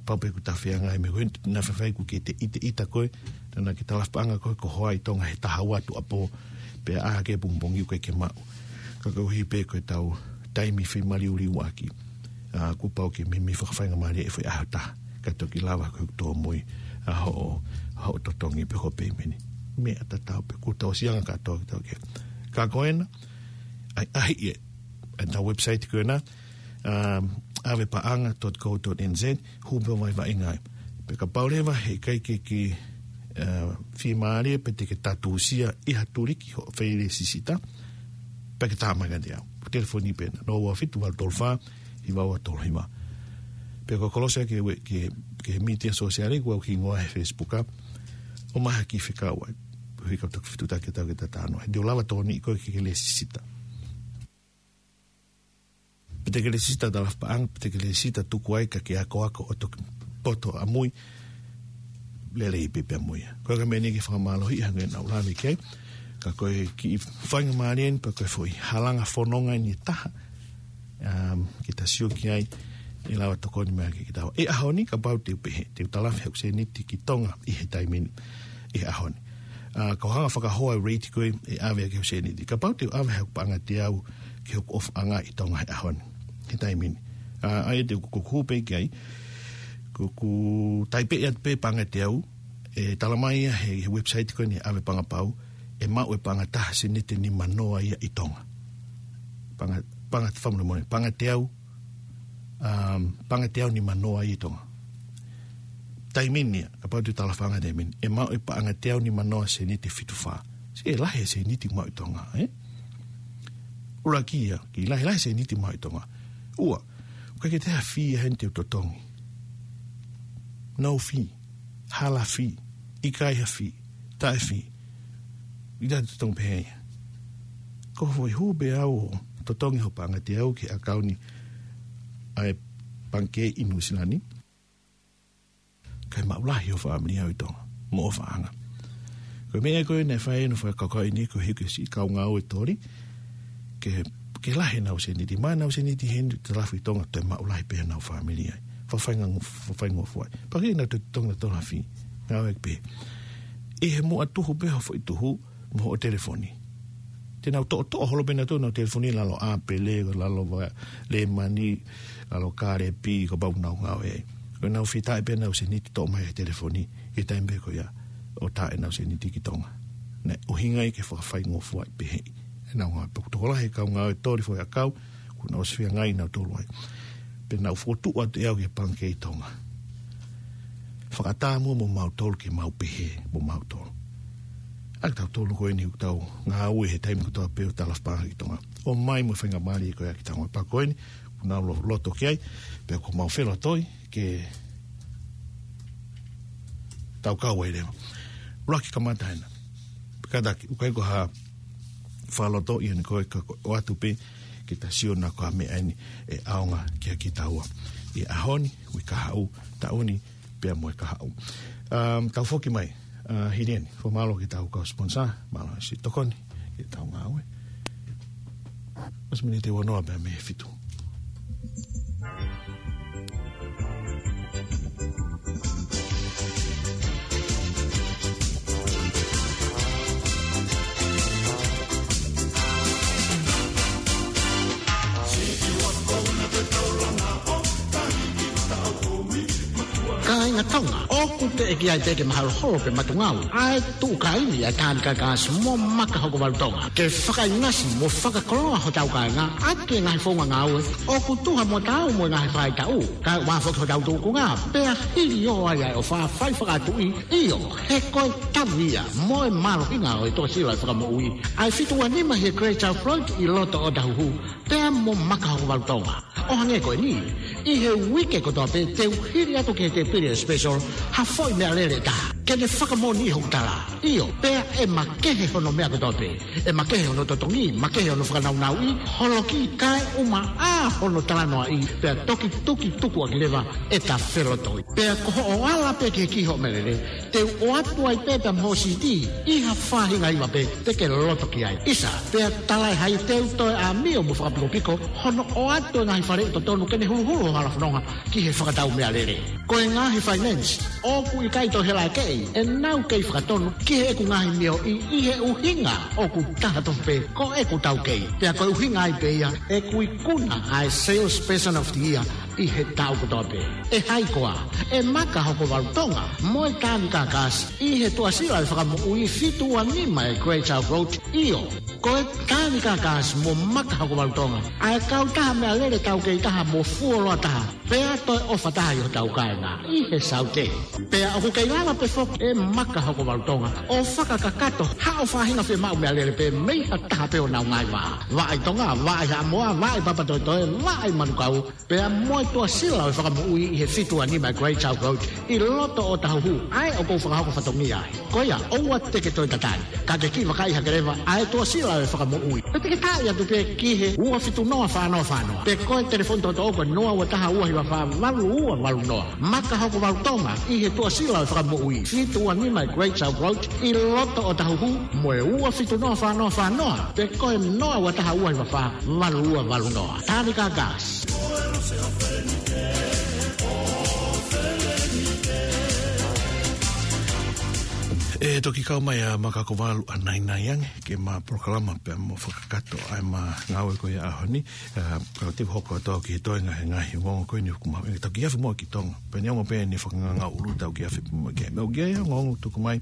Pau pē ʻoku ta feangai mo e meʻa ko ē, naʻa faifai ʻoku ke ʻita, ʻita koe, naʻa ke talafi paʻanga koe, ko e hoa ʻi Tonga he taha ua tuʻuapō, pea ʻā hake pongipongi ʻoku ʻikai ke maʻu. Ka koeʻuhi pē ko ʻetau taimi feimaliuliuaki. ʻA, kuo pau ke meimei fakafaingamālie e foʻi ʻaho ʻe taha. Ka toki lava ko e tōmui ʻa hoʻo, hoʻo totongi pe ko e payment. Meʻa tatau pē, kuo tau ʻosi anga kātoa kitautolu ki ai. Ka ko ena, ʻai, ʻaʻahi ē, ʻetau website ko ena, um, ʻave paʻanga dot co dot N Z, hū pē ʻo vaivaiʻi ai. Pea kapau leva heʻikai ke ke, uh, fiemālie pe te ke tātūsia ʻi ha tuliki hoʻo feilēsisita, pea ke tā mai kiate au. Telefoni pē ena, noa ua fitu valu tolu fā, hiva ua tolu hiva. Pe ko e kolosi ki he, ki he, ki he mītia sōsiale, ʻoku ʻi ai hoku hingoa he Facebook, ʻomai ha kiʻi fekau ai. Koeʻuhi ka u toki fetuʻutaki atu ke ta talanoa. He te u lava tokoniʻi koe ke ke lēsisita. Pe te ke lēsisita talafi paʻanga, pe te ke lēsisita tuku ai ka ke akoako ʻo toki poto ʻamui, lelei pē pea mo ia. Ko e ka meʻa ni ke fakamālohiʻi hangē naʻa ku lave ki ai, ka ko e kiʻi faingamālie eni pe ko e foʻi halanga fononga eni ʻe taha, um, ke ta sio ki ai, ʻe lava tokoni mai ke kita. ʻI he ʻaho ni, kapau te u pehē, te u talafi haʻaku sēniti ki Tonga ʻi he taimi ni, ʻi he ʻaho ni. ʻA, ka u hanga ʻo fakahoa e rate ko ē ʻe ʻave ʻaki hoku sēniti. Kapau te u ʻave haʻaku paʻanga teau ki hoku ʻofaʻanga ʻi Tonga he ʻaho ni, he taimi ni. ʻA, ʻa ia te u kuku pē ki ai, kuku taipeʻi atu pē paʻanga teau, ʻe talamai ia he, he website ko eni ʻave paʻanga pau, ʻe maʻu e paʻanga taha sēniti nimanoa ia ʻi Tonga. Paʻanga, paʻanga fakamolemole, paʻanga teau, um, paʻanga teau nimanoa ia ʻi Tonga. Taimi ni ia, kapau te u talafi paʻanga taimi ni, ʻe maʻu e paʻanga teau nimanoa sēniti fitu fā. Sio, ʻe lahi e sēniti maʻu ʻi Tonga, ē? ʻUluaki ia, kiʻi lahi, lahi e sēniti maʻu ʻi Tonga. Ua, ʻoku ʻikai ke toe ʻi ai ha fee ia heni te u totongi. No fee, hala fee, ʻikai ha fee, taʻe fee. ʻIkai te u totongi pehē ia. Ko e foʻi hū pē au ʻo totongi hoku paʻanga teau ki he ʻakauni ʻa e pangikē ʻi Nuʻusila ni. Kae maʻu lahi hoʻo fāmili ʻi Tonga, mo e ʻofaʻanga. Ko e meʻa ko ē naʻe fai ʻe hono fakakaukau eni koeʻuhi ko e siʻi kau ngāue toli, ke, ke lahi ʻenau sēniti, maʻu ʻenau sēniti heni, talafi ʻi Tonga, toe maʻu lahi pē ʻenau fāmili ai. Fakafainga-, fakafaingofua ai. Pea ke nau toe totongi nautolu ha fee. Ngāueʻaki pē. ʻI he muʻa tuhu pē hoʻo foʻi tuhu, mo hoʻo telefoni. Te nau toʻotoʻo holo pē nautolu ʻenau telefoni, lalo ʻāpele, lalo va-, lēmani, lalo kālepi, kapau ʻoku nau ngāue ai. Ko ʻenau fetaʻi pē ʻenau sēniti toʻo mai he telefoni, ʻi he taimi pē ko ia, ʻo tā ʻenau sēniti ki Tonga. Naʻe ʻuhinga ia ke fakafaingofua ai pē heʻi. ʻEnau ngāue, pea ʻoku tokolahi e kau ngāue toli foʻi ʻakau, kuo nau ʻosi feangai nautolu ai. Pea naʻa ku fokotuʻu atu ʻe au ki he Pangikē ʻi Tonga. Fakatātā muʻa mo mautolu ke mau pehē mo mautolu. ʻA ia ko kitautolu ko eni ʻoku tau ngāue he taimi kotoa pē ʻo talaatu pangikē ʻi Tonga. ʻOmai mo e faingamālie ko ia ki Tonga. Pea ko eni, ʻoku nau lo-, loto ki ai, pea ʻoku mau felotoi ke tau kau ai leva. ʻUluaki kamata hena. Kātaki, ʻoku ʻikai ko ha fakalotoʻi eni ko e ka ko e ʻoatu pē ke ta sio naʻa ko e meʻa eni ʻe ʻaonga kia kitaua ʻi he ʻaho ni, uike kahaʻu, taʻu ni, pea mo e kahaʻu. Um, tau foki mai, uh, hili eni, fakamālō ki heʻetau kau sponsor, mālō siʻi tokoni ki heʻetau ngāue. Ua miniti ua noa pea mei he fitu. Kāinga Tonga, ʻoku teʻeki ai pē ke maholoholo pe matungau ʻa e tuʻu kāimi ʻa e Tānika Gas mo Maka Hokovalu Tonga ke fakaʻinasi mo fakakoloa hotau kāinga ʻaki e ngaahi founga ngāue ʻoku tuha mo taau mo e ngaahi faʻahitaʻu, kae ʻumaʻā foki hotau tūkunga, pea hili ʻo ai ʻa e ʻofa fai fakatuʻi, ʻio, he ko e tavi ia mo e mālohinga ʻo e tuʻasila ʻo e fakamoʻui ʻa e fitu ua nima ʻi he Great South Road ʻi loto ʻo Otahuhu, pea mo Maka Hokovalu Tonga. ʻO hangē ko eni, ʻi he uike kotoa pē te u hili atu ki he tēpile special ha foʻi meʻalele ʻe taha ke ne fakamoʻoniʻi hoku tala. ʻIo, pea ʻe makehe hono meʻa kotoa pē. ʻE makehe hono totongi, makehe hono fakanaunauʻi, holoki, kae ʻumaʻā hono talanoaʻi, pea toki tukituku ʻaki leva ʻeta felotoi. Pea ko hoʻo ala pē ki he kiʻi hoʻo meʻalele, te u ʻoatu ai pē pea mo e siiti ʻi ha faʻahinga hiva pē te ke loto ki ai. ʻIsa, pea talaʻehai te u toe ʻāmio mo fakapikopiko hono ʻoatu e ngaahi faleʻi totonu ke ne huluhulu ho hala fononga ki he fakatau meʻalele. Ko e ngaahi finance ʻoku ʻikai toe hela ʻe keʻi, ʻenau kei fakatonu ki heʻeku ngaahi mioʻi ʻi he ʻuhinga ʻoku taha tofu pē ko ʻeku taukei. Pea ko e ʻuhinga ai pē ia ʻeku ikuna ʻa e Salesperson of the Year ʻi he taʻu kotoa pē. ʻE hai koā? ʻE Maka Hokovalu Tonga mo e Tānika Gas ʻi he tuʻasila ʻo e fakamoʻui fitu ua nima ʻi he Great South Road. ʻIo, ko e Tānika Gas mo Maka Hokovalu Tonga, ʻa e kautaha meʻalele taukei taha mo fuoloa taha, pea toe ʻofa taha ʻi hotau kāinga ʻi he Saute. Pea ʻoku kei lava pē foki ʻe Maka Hokovalu Tonga ʻo fakakakato haʻo faʻahinga fiemaʻu meʻalele pē mei ha taha pē ʻo honau ngaahi vā. Vā ʻi Tonga, vā ʻi Haʻamoa, vā ʻi Papatoetoe, vā ʻi Manukau, pea mo e tuʻasila ʻo e fakamoʻui ʻi he fitu ua nima Great South Road ʻi loto ʻo Otahuhu, ʻa ē ʻoku ou fakahoko fatongia ai. Ko ia, ʻoua te ke toe tatali, ka ke kiʻi vakai hake leva ʻa e tuʻasila ʻo e fakamoʻui. Pe te ke taaʻi atu pē ki he ua fitu noa fā noa fā noa. Pe ko e telefoni toʻotoʻo ko e noa ua taha ua hiva fā valu ua valu noa. Maka Hokovalu Tonga ʻi he tuʻasila ʻo e fakamoʻui, fitu ua nima Great South Road ʻi loto ʻo Otahuhu, mo e ua fitu noa fā noa fā noa. Pe ko e noa ua taha ua hiva fā valu ua valu noa. Tānika Gas. ʻE toki kau mai ʻa Maka Hokovalu ʻanainai ange ke ma polokalama pea mo fakakakato ʻa e ma ngāue ko ia ʻaho ni. ʻA, ka te u hoko atu au ki he toenga he ngaahi ongoongo ko eni ʻoku mau, ʻe tau ki afe mo ki Tonga. Pea ne ongo pē ne fakanganga ulu tau ki afe mo ki ai. Meʻa ʻoku ʻi ai ongoongo tuku mai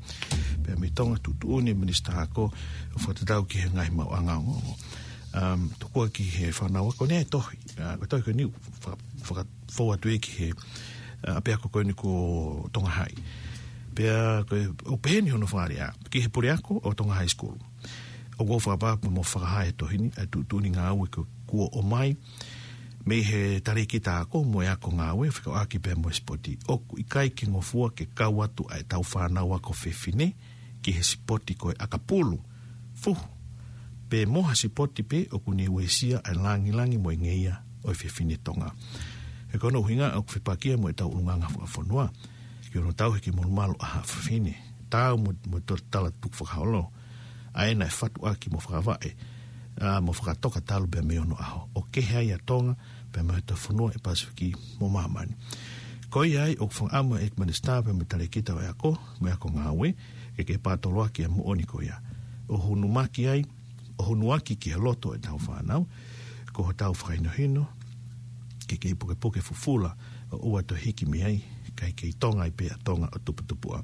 pea mei Tonga, tuʻutuʻuni Minisitā Ako ʻo fakatatau ki he ngaahi maʻuʻanga ongoongo. Um, tokua ki he fānau ako ne tohi. ʻA, ko e tohi ko eni ʻoku faka-, fakafou atu ia ki he, ʻa, ʻapiako ko eni ko Tonga High. Pea ko e, ʻoku pehē ni hono fakalea ki he puleako ʻo Tonga High School. ʻOku ou fakapapau mo fakahā he tohi ni ʻa e tuʻutuʻuni ngāue ko ē kuo ʻomai mei he talēkita ako mo e ako ngāue fekauʻaki pea mo e sipoti. ʻOku ʻikai ke ngofua ke kau atu ʻa ʻetau fānau ako fefine ki he sipoti ko e ʻakapulu, fuhu, pe mo ha sipoti pē ʻoku ne uesia ʻa e langilangi mo e ngeia ʻo e fefine Tonga. He ko hono ʻuhinga ʻoku fepakia mo ʻetau ʻulungaanga fakafonua ki hono tauhi ki molumalu ʻa haʻa fefine, taau mo, mo e tala tukufakaholo ʻa ē naʻe fatu ʻaki mo fakavaʻe, ʻa, mo fakatoka talu pea mei onoʻaho, ʻo kehe ai ʻa Tonga pea mo e toefonua ʻi he Pasifiki mo māmani. Ko ia ai ʻoku fakaʻamu ʻa e Minisitā pea mo e talēkita ʻo e ako mo e ako ngāue ke ke pātoloaki ʻa e moʻoni ko ia, ʻo hunumaki ai, ʻo hunuaki ki he loto ʻetau fānau, ko hotau fakahinohino ke kei pukepuke fufula ʻo ʻoua toe hiki mei ai, kae kei Tonga ai pē ʻa Tonga ʻo tuputupuʻa.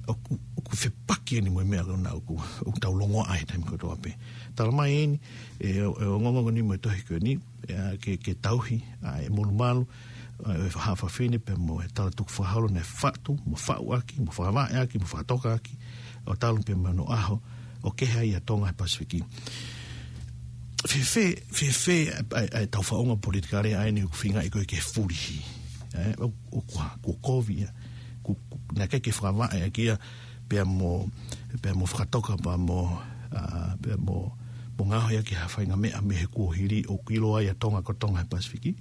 ʻOku, ʻoku fepaki eni mo e meʻa ko ena ʻoku, ʻoku tau longoaʻa ai he taimi kotoa pē. Talamai eni, ʻe, ʻe ongoongo ni mo e tohi ko eni, ʻe, ke, ke tauhi, ʻa e molumalu, ʻa e haʻa fafine pea mo e talatukufakaholo naʻe fatu, mo faʻu ʻaki, mo fakavaʻe ʻaki, mo fakatoka ʻaki, ʻo talu pē mo hono ʻaho ʻo kehe ai ʻa Tonga he Pasifiki. Fēfē, fēfē, ʻa, ʻa, ʻa e tau faʻunga politikale ʻa eni ʻoku feingaʻi ko ē ke fulihi. ʻE, ʻo, ʻo kua, kua kovi ia. Ku, ku, naʻe ʻikai ke fakavaʻe ʻaki ia, pea mo, pea mo fakatoka, pea mo, ʻa, pea mo, mo ngaohi ʻaki ha faʻahinga meʻa mei he kuohili ʻoku ʻiloa ai ʻa Tonga ko Tonga he Pasifiki.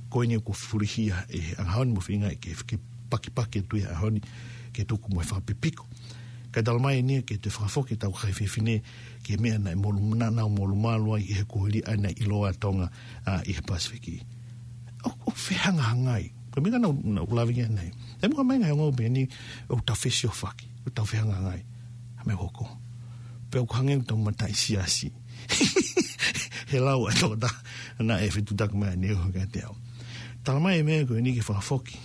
Ko eni ʻoku fulihi ia ʻe he ʻaho ni mo feingaʻi ke, ke pakipaki atu ia ʻaho ni ke tuku mo e fakapipiko. Kae talamai eni ke toe fakafoki ʻetau kakai fefine ki he meʻa naʻe molu, naʻa nau molumalu ai ʻi he kuohili ʻa ia naʻe ʻiloa ʻa Tonga, ʻa, ʻi he Pasifiki. ʻO, ʻo fehangahangai. Ko e meʻa naʻa nau, nau lave ki ai nei. He muka mai ngai ongo pē eni ʻoku tau fesiofaki, ʻoku tau fehangahangai. ʻA e meʻa hoko. Pea ʻoku hangē ʻoku tau mataʻi siasi. He lau ʻa e tokotaha naʻe fetutaki mai ʻa Niuhi kiate au. Talamai e meʻa ko eni ke fakafoki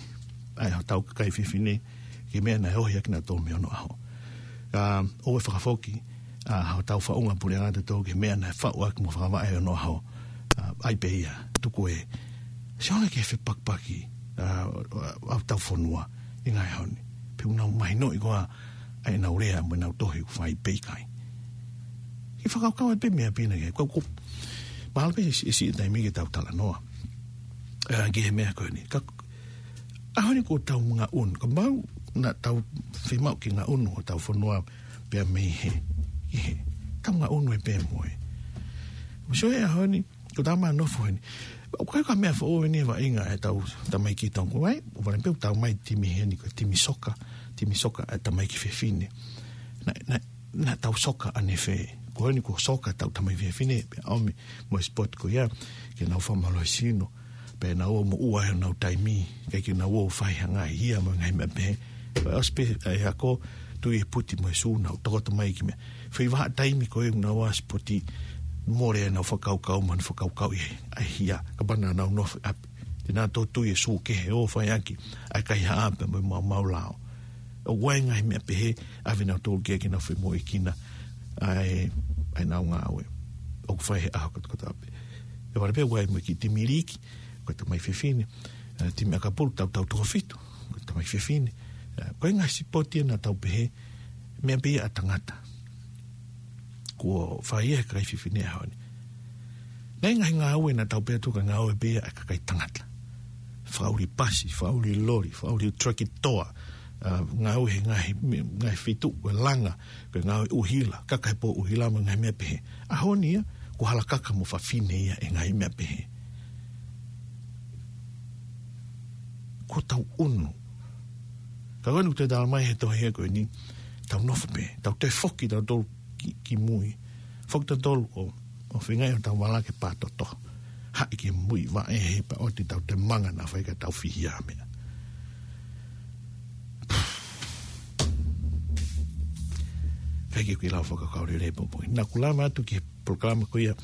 ʻa e hotau kakai fefine ki he meʻa naʻe ohi ʻaki kinautolu mei onoʻaho. ʻA, ʻoua ʻe fakafoki ʻa hotau faʻunga puleʻanga ʻatautolu ki he meʻa naʻe faʻu ʻaki mo fakavaʻe ʻi onoʻaho. ʻA, ʻai pē ia, tuku ē. Sio ange ki he fepakipaki ʻa, ʻa, ʻa hotau fonua ʻi he ngaahi ʻaho ni. Pea ʻoku nau mahinoʻi koā ʻa ʻenau lea mo ʻenau tohi ʻoku fai pe ʻikai. Ke fakakaukau atu pē meʻa pē ena ke, ko, ko, mahalo pē ʻe siʻi, ʻe siʻi taimi ke tau talanoa. ʻA, ki he meʻa ko eni. Ka, ʻaho ni ko ʻetau ngaʻunu. Ka mau, naʻa tau fiemaʻu ke ngaʻunu hotau fonua pea mei he, ʻi he. Tau ngaʻunu ē pē mo e. Mo sio he ʻaho ni, ko tama nofo heni. ʻOku ʻikai ko ha meʻa foʻou eni he vaʻinga ʻetau tamaiki Tonga. Vai, ʻo vale pē ʻoku tau mai timi heni ko e timi soka, timi soka ʻa e tamaiki fefine. Naʻa, naʻa, naʻa tau soka ʻanefē. Ko eni ko soka ʻetau tamaiki fefine, pea ʻomi mo e sport ko ia, ke nau fakamālohisino, pea nau ō mo ʻua he nau taimi, ʻikai ke nau ō fai ha ngaahi hia mo e ngaahi meʻa pehē. Pea ʻosi pē, ʻa e ako, tui e puti mo e sū, nau tokoto mai ki meʻa. Fai vahaʻa taimi ko ē ʻoku nau ō ʻa sipoti, mole ʻenau fakakaukau, mo ʻenau fakakaukau ʻi he, ʻa e hia, kapau naʻa nau nofo ʻi ʻapi. Te nau tō tui e sū kehe ʻo fai ʻaki ʻa e kaihaʻa pea mo e maumau lao. ʻOku ʻi ai e ngaahi meʻa pehē, ʻave nautolu ki ai ke nau femoʻuekina ʻa e, ʻa ʻenau ngāue ʻoku fai he ʻaho kotokotoa pē. ʻE vale pē ʻoku ʻi ai mo e kiʻi timi liki, ko e tamaiki fefine, ʻa e timi ʻakapulu, tau, tau toko fitu, ko e tamaiki fefine. ʻA, ko e ngaahi sipoti ia naʻa tau pehē, meʻa pē ia ʻa tangata. Kuo fai ia he kakai fefine ʻaho ni. Naʻe ngaahi ngāue naʻa tau pehē atu ko e ngāue pē ia ʻa e kakai tangata. Fakaʻuli pasi, fakaʻuli loli, fakaʻuli trakitoa, ʻa, ngāue he ngaahi, me-, ngaahi feituʻu, ko e langa, ko e ngāue ʻuhila, kaka he pō ʻuhila mo e ngaahi meʻa pehē. ʻAho ni ia, kuo hala kaka mo fafine ia ʻi he ngaahi meʻa pehē. Kuo tau ʻunu. Ka ko eni ʻoku toe talamai he tohi ko eni, tau nofo pē, tau toe foki tautolu ki, ki mui. Foki tautolu ʻo, ʻo feingaʻi ʻo tau vala ke pātoto. Haʻi ki mui vaʻe he pea ʻoua te tau toe manga naʻa faifai ka tau fihia meʻa. Kae ke kui lau fakakaukau lelei poupou. Naʻa ku lava atu ki he polokalama ko ia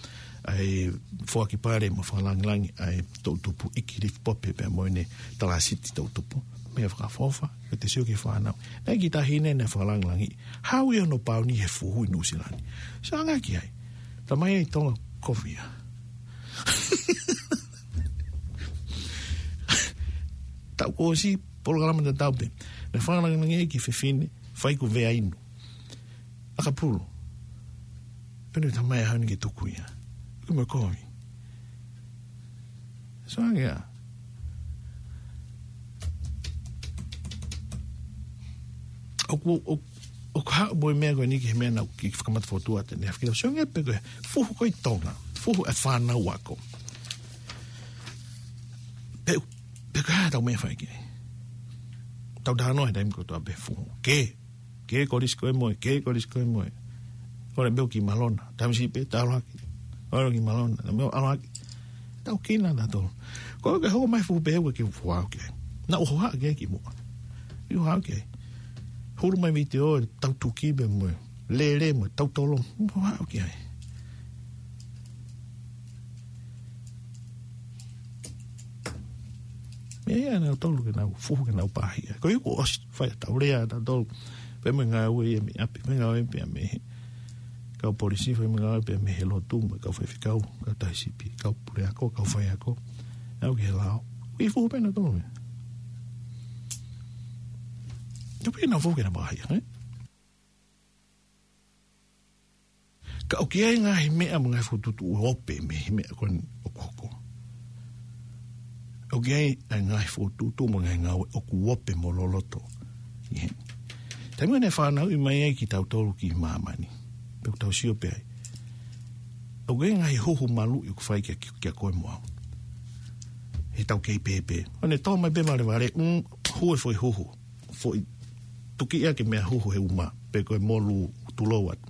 ʻa e foaki pale mo fakalāngilangi ʻa e toʻutupu ʻEiki Lifi Pope pea mo ʻene talāsiti toʻutupu. Meʻa fakaʻofoʻofa, ke te sio ki he fānau. Naʻe ʻi ai e kiʻi taʻahine naʻe fakalāngilangi. Hau ia hono pauni he fuhu ʻi Nuʻusila ni. Sio ange ki ai. Talamai ʻe Tonga kovi ia. Taʻu kuo ʻosi, polokalama tatau pē. Naʻe fakalāngilangi e kiʻi fefine, fai ko Veainu. ʻAkapulu. Pea ne talamai ʻe Hane ke tuku ia. Ko e meʻa kovi. Sio ange ia. ʻOku, ʻo, ʻoku haʻu mo e meʻa ko eni ki he meʻa naʻa ku kiʻi fakamata fokotuʻu atu ʻanenai. Fakila sio ange pē ko e fuhu ko ē ʻi Tonga. Fuhu e fānau ako. Pe, pe ko e hā ʻetau meʻa fai ki ai. Tau talanoa he taimi kotoa pē fuhu. Ke Ke kolisi koe mo e, ke kolisi koe mo e. Kole pē ʻo kiʻi malona. Taimi siʻi pē, tau ʻalu hake. Kole kiʻi malona. Taimi ʻalu hake. Tau kina tautolu. Ko e ke hoko mai fuhu pē ʻoku ke fuʻu ʻalu ki ai. Naʻa ku hohaʻa ki ai kimuʻa. Kiʻi hohaʻa ki ai. Hulu mai vitiō, tau tuki pē mo e. Lele mo e, tau tolo. Hohaʻa ki ai. Meʻa ia nautolu ke nau fuhu ke nau pāhia. Ko ia kuo ʻosi, fai ʻetau lea tautolu. Fai mo e ngāue ia mei ʻapi, fai ngāue pea mei he kau polisi, fai mo e ngāue pea mei he lotu, mo e kau faifekau, kau taisipi, kau puleako, kau faiako, ʻalu ki he lao. ʻI fuhu pē nautolu ia. Tau pē nau fuhu ke na mahi, eh? Ka ʻoku ʻi ai e ngaahi meʻa mo e ngaahi fokotuʻutuʻu ʻoku ope mei he meʻa ko eni ʻoku hoko. ʻOku ʻi ai e ngaahi fokotuʻutuʻu mo e ngaahi ngāue ʻoku ope mo loloto. ʻI he taimi ʻoku ne fanauʻi mai ai kitautolu ki māmani. Pea ʻoku tau sio pē ai. ʻOku ʻi ai e ngaahi huhu maluʻi ʻoku fai kia, kia koe mo au. He tau kei pēpē. ʻO ne tō mai pē valevale, mm, hū e foʻi huhu. Foʻi tuki ia ke meʻa huhu he uma, pe ko e molu tulou atu.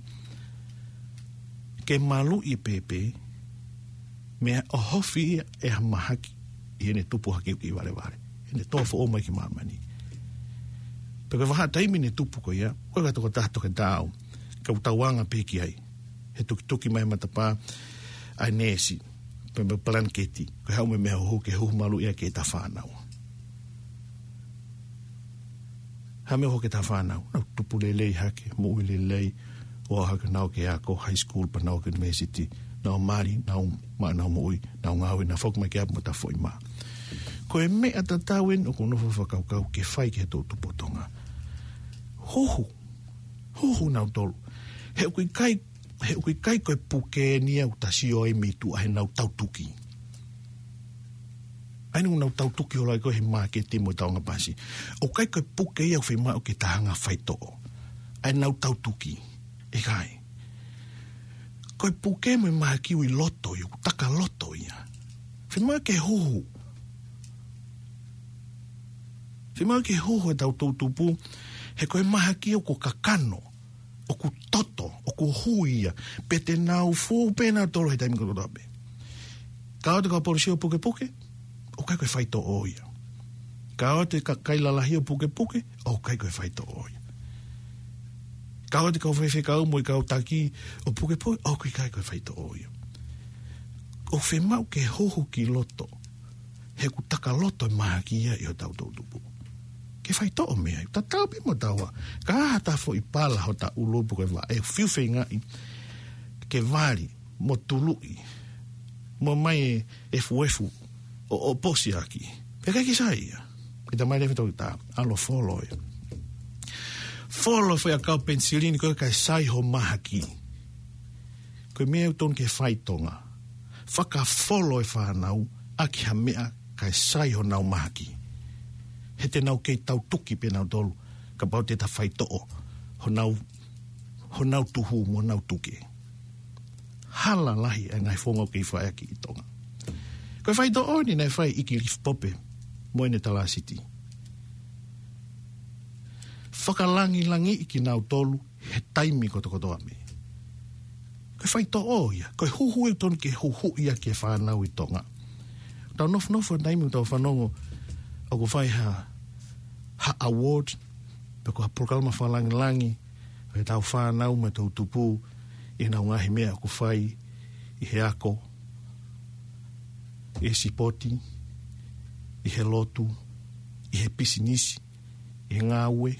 Ke maluʻi e pēpē, meʻa ʻohofi ia ʻe ha mahaki ʻi heʻene tupu hake ki valevale. ʻEne tō foʻou mai ki māmani. Pe ko e vahaʻa taimi ne tupu ko ia, ko e ka tokotaha toke tāu, ka u tauanga pē ki ai. He tukituki mai matapā, ʻa e neesi, pe mo e palaneketi, ko e haʻu mo e meʻa huhu ke huhu maluʻi ia ki heʻeta fānau. Ha meʻa ʻoku hoko ki heʻeta fānau, nau tupu lelei hake, moʻui lelei, ʻo aʻu hake nau ki he ako, high school, pea nau ki he university, nau mali, nau maʻu ʻenau moʻui, nau ngāue, nau foki mai ki ʻapi mo ʻeta foʻi mā. Ko e meʻa tatau eni ʻoku ou nofo ʻo fakakaukau ke fai ki he toʻutupu ʻo Tonga. Huhu, huhu nautolu. He ʻoku ʻikai, he ʻoku ʻikai ko e puke eni ia ʻoku ta sio ai mei tuʻa heʻenau tautuki. ʻA eni ʻoku nau tautuki holo ai ko ē he māketi mo e tauʻanga pasi. ʻOku ʻikai ko e puke ia ʻoku fiemaʻu ke ta hanga ʻo faitoʻo. ʻA ʻenau tautuki. ʻIkai. Ko e puke mo e mahaki ʻoku ʻi loto ia, ʻoku taka loto ia. Fiemaʻu ke huhu. Fiemaʻu ke huhu ʻetau toʻutupu, he ko e mahaki ʻoku kakano, ʻoku toto, ʻoku hui ia, pea te nau fuhu pē nautolu he taimi kotoa pē. Ka ʻoua te kau polisi ʻo pukepuke, ʻoku ʻikai ko e faitoʻo ia. Ka ʻoua te ka-, kai lalahi ʻo pukepuke, ʻoku ʻikai ko e faitoʻo ia. Ka ʻoua te kau faifekau mo e kau taki ʻo pukepuke, ʻoku ʻikai ko e faitoʻo ia. ʻOku fiemaʻu ke huhu ki loto, he ʻoku taka loto e mahaki ia ʻi hotau toʻutupu. Ke faitoʻo mei ai, tatau pē mo taua, ka ʻi ai ha foʻi pala hota ʻulu pe ko e vaʻe, fiu feingaʻi ke vali, mo tuluʻi, mo mai e efuefu, ʻo, ʻo posi ʻaki. Pea ʻikai ke sai ia. Ke ta mai leva tau ta, ʻalu ʻo folo ia. Folo e foʻi ʻakau penisilini ko ē kae sai ho mahaki. Ko e meʻa ʻoku totonu ke fai ʻi Tonga. Fakafolo e fānau, ʻaki ha meʻa kae sai honau mahaki. He te nau kei tautuki pē nautolu, kapau te ta faitoʻo, honau, honau tuhu mo honau tuke. Hala lahi e ngaahi founga ʻoku kei fai ʻaki ʻi Tonga. Ko e faitoʻo eni naʻe fai ʻe ʻEiki Lifi Pope mo ʻene talāsiti. Fakalangilangiʻi kinautolu he taimi kotokotoa mei. Ko e faitoʻo ia, ko e huhu ʻoku totonu ke huhuʻi ʻaki e fānau ʻi Tonga. Tau nofonofo he taimi ʻoku tau fanongo ʻoku fai ha, ha award, pe ko ha polokalama fakalangilangi, ʻo ʻetau fānau mo e toʻutupu, ʻi heʻenau ngaahi meʻa ʻoku fai, ʻi he ako, ʻi he sipoti, ʻi he lotu, ʻi he pisinisi, ʻi he ngāue.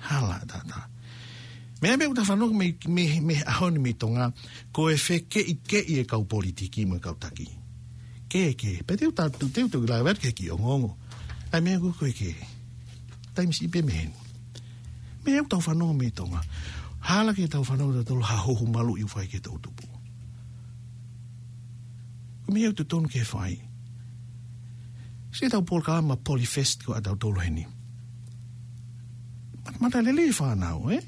Hala taʻataʻa. Meʻa meʻa ʻoku ta fanongo mei, mei, mei he ʻaho ni mei Tonga, ko e fekeʻikeʻi e kau politiki mo e kau taki. Ke, ke, pea te u ta, te u, te u lave atu ki he kiʻi ongoongo. ʻA e meʻa ko ē ko e ke. Taimi siʻi pē mei heni. Meʻa ʻoku tau fanongo mei Tonga. Hala ke tau fanongo tautolu ha huhu maluʻi ʻoku fai ki he toʻutupu. Ko e meʻa ʻoku totonu ke fai. Siʻetau polokalama Polyfest ko ē ʻatautolu heni. Mata, mata lelei e fānau, ē?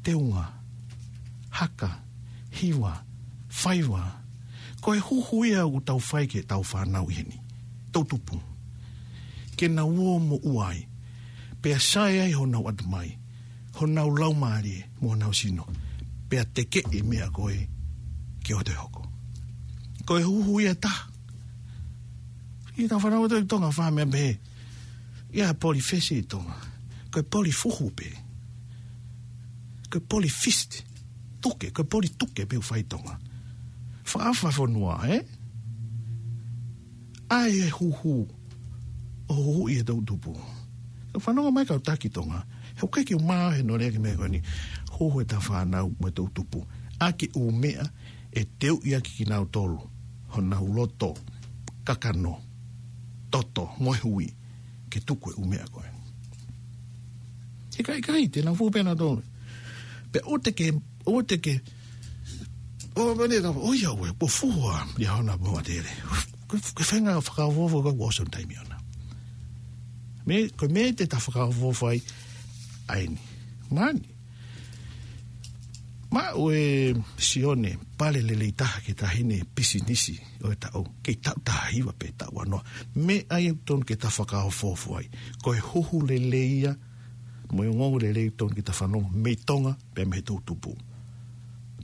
Teunga, haka, hiva, faiva. Ko e huhu ia ʻoku tau fai ki heʻetau fānau ʻi heni. Toʻutupu. Ke nau ō mo ʻuai. Pea sai ai honau ʻatamai, honau laumālie, mo honau sino. Pea tekeʻi e meʻa ko ē ke ʻoua te hoko. Ko e huhu ia ʻe taha. ʻI heʻetau fānau ʻi Tonga fā meʻa pē. ʻI ai e Polyfest ʻi Tonga. Ko e poli fuhu pē. Ko e Polyfest. Tuke, ko e poli tuke pē ʻoku fai ʻi Tonga. Fakaʻapaʻapa fonua, ē? ʻAi e huhu. ʻO huhuʻi e toʻutupu. Fanongo mai kau taki Tonga. He ʻoku ʻikai ke u maʻu he nō lea ki he meʻa ko eni. Huhu ʻeta fānau mo e toʻu tupu. ʻAki ʻū meʻa ʻe teuʻi ʻaki kinautolu. Honau loto, kakano, toto, mo e hui. Ke tuku e ʻū meʻa ko ē. He ʻikai, ʻikai, te nau fuhu pē nautolu. Pea ʻoua te ke, ʻoua te ke, ʻo mene ka, ʻo ia ue, po fuhu ʻa, ia hona mo atele. Ke, ke fenga fakaofo, fakaofo, ʻosi hono taimi ʻona. Mei, ko e meʻa te ta fakaofo ai, ʻa eni. Mani. Maʻu ʻe Sione, pale lelei taha ki he taʻahine pisinisi ʻo e taʻu. Kei taʻu taha hiva pe taʻu ua noa. Meʻa ia ʻoku totonu ke ta fakaofo ai. Ko e huhu lelei ia, mo e ongoongo lelei ʻoku totonu ke ta fanongo, mei Tonga, pea mei he toʻu tupu.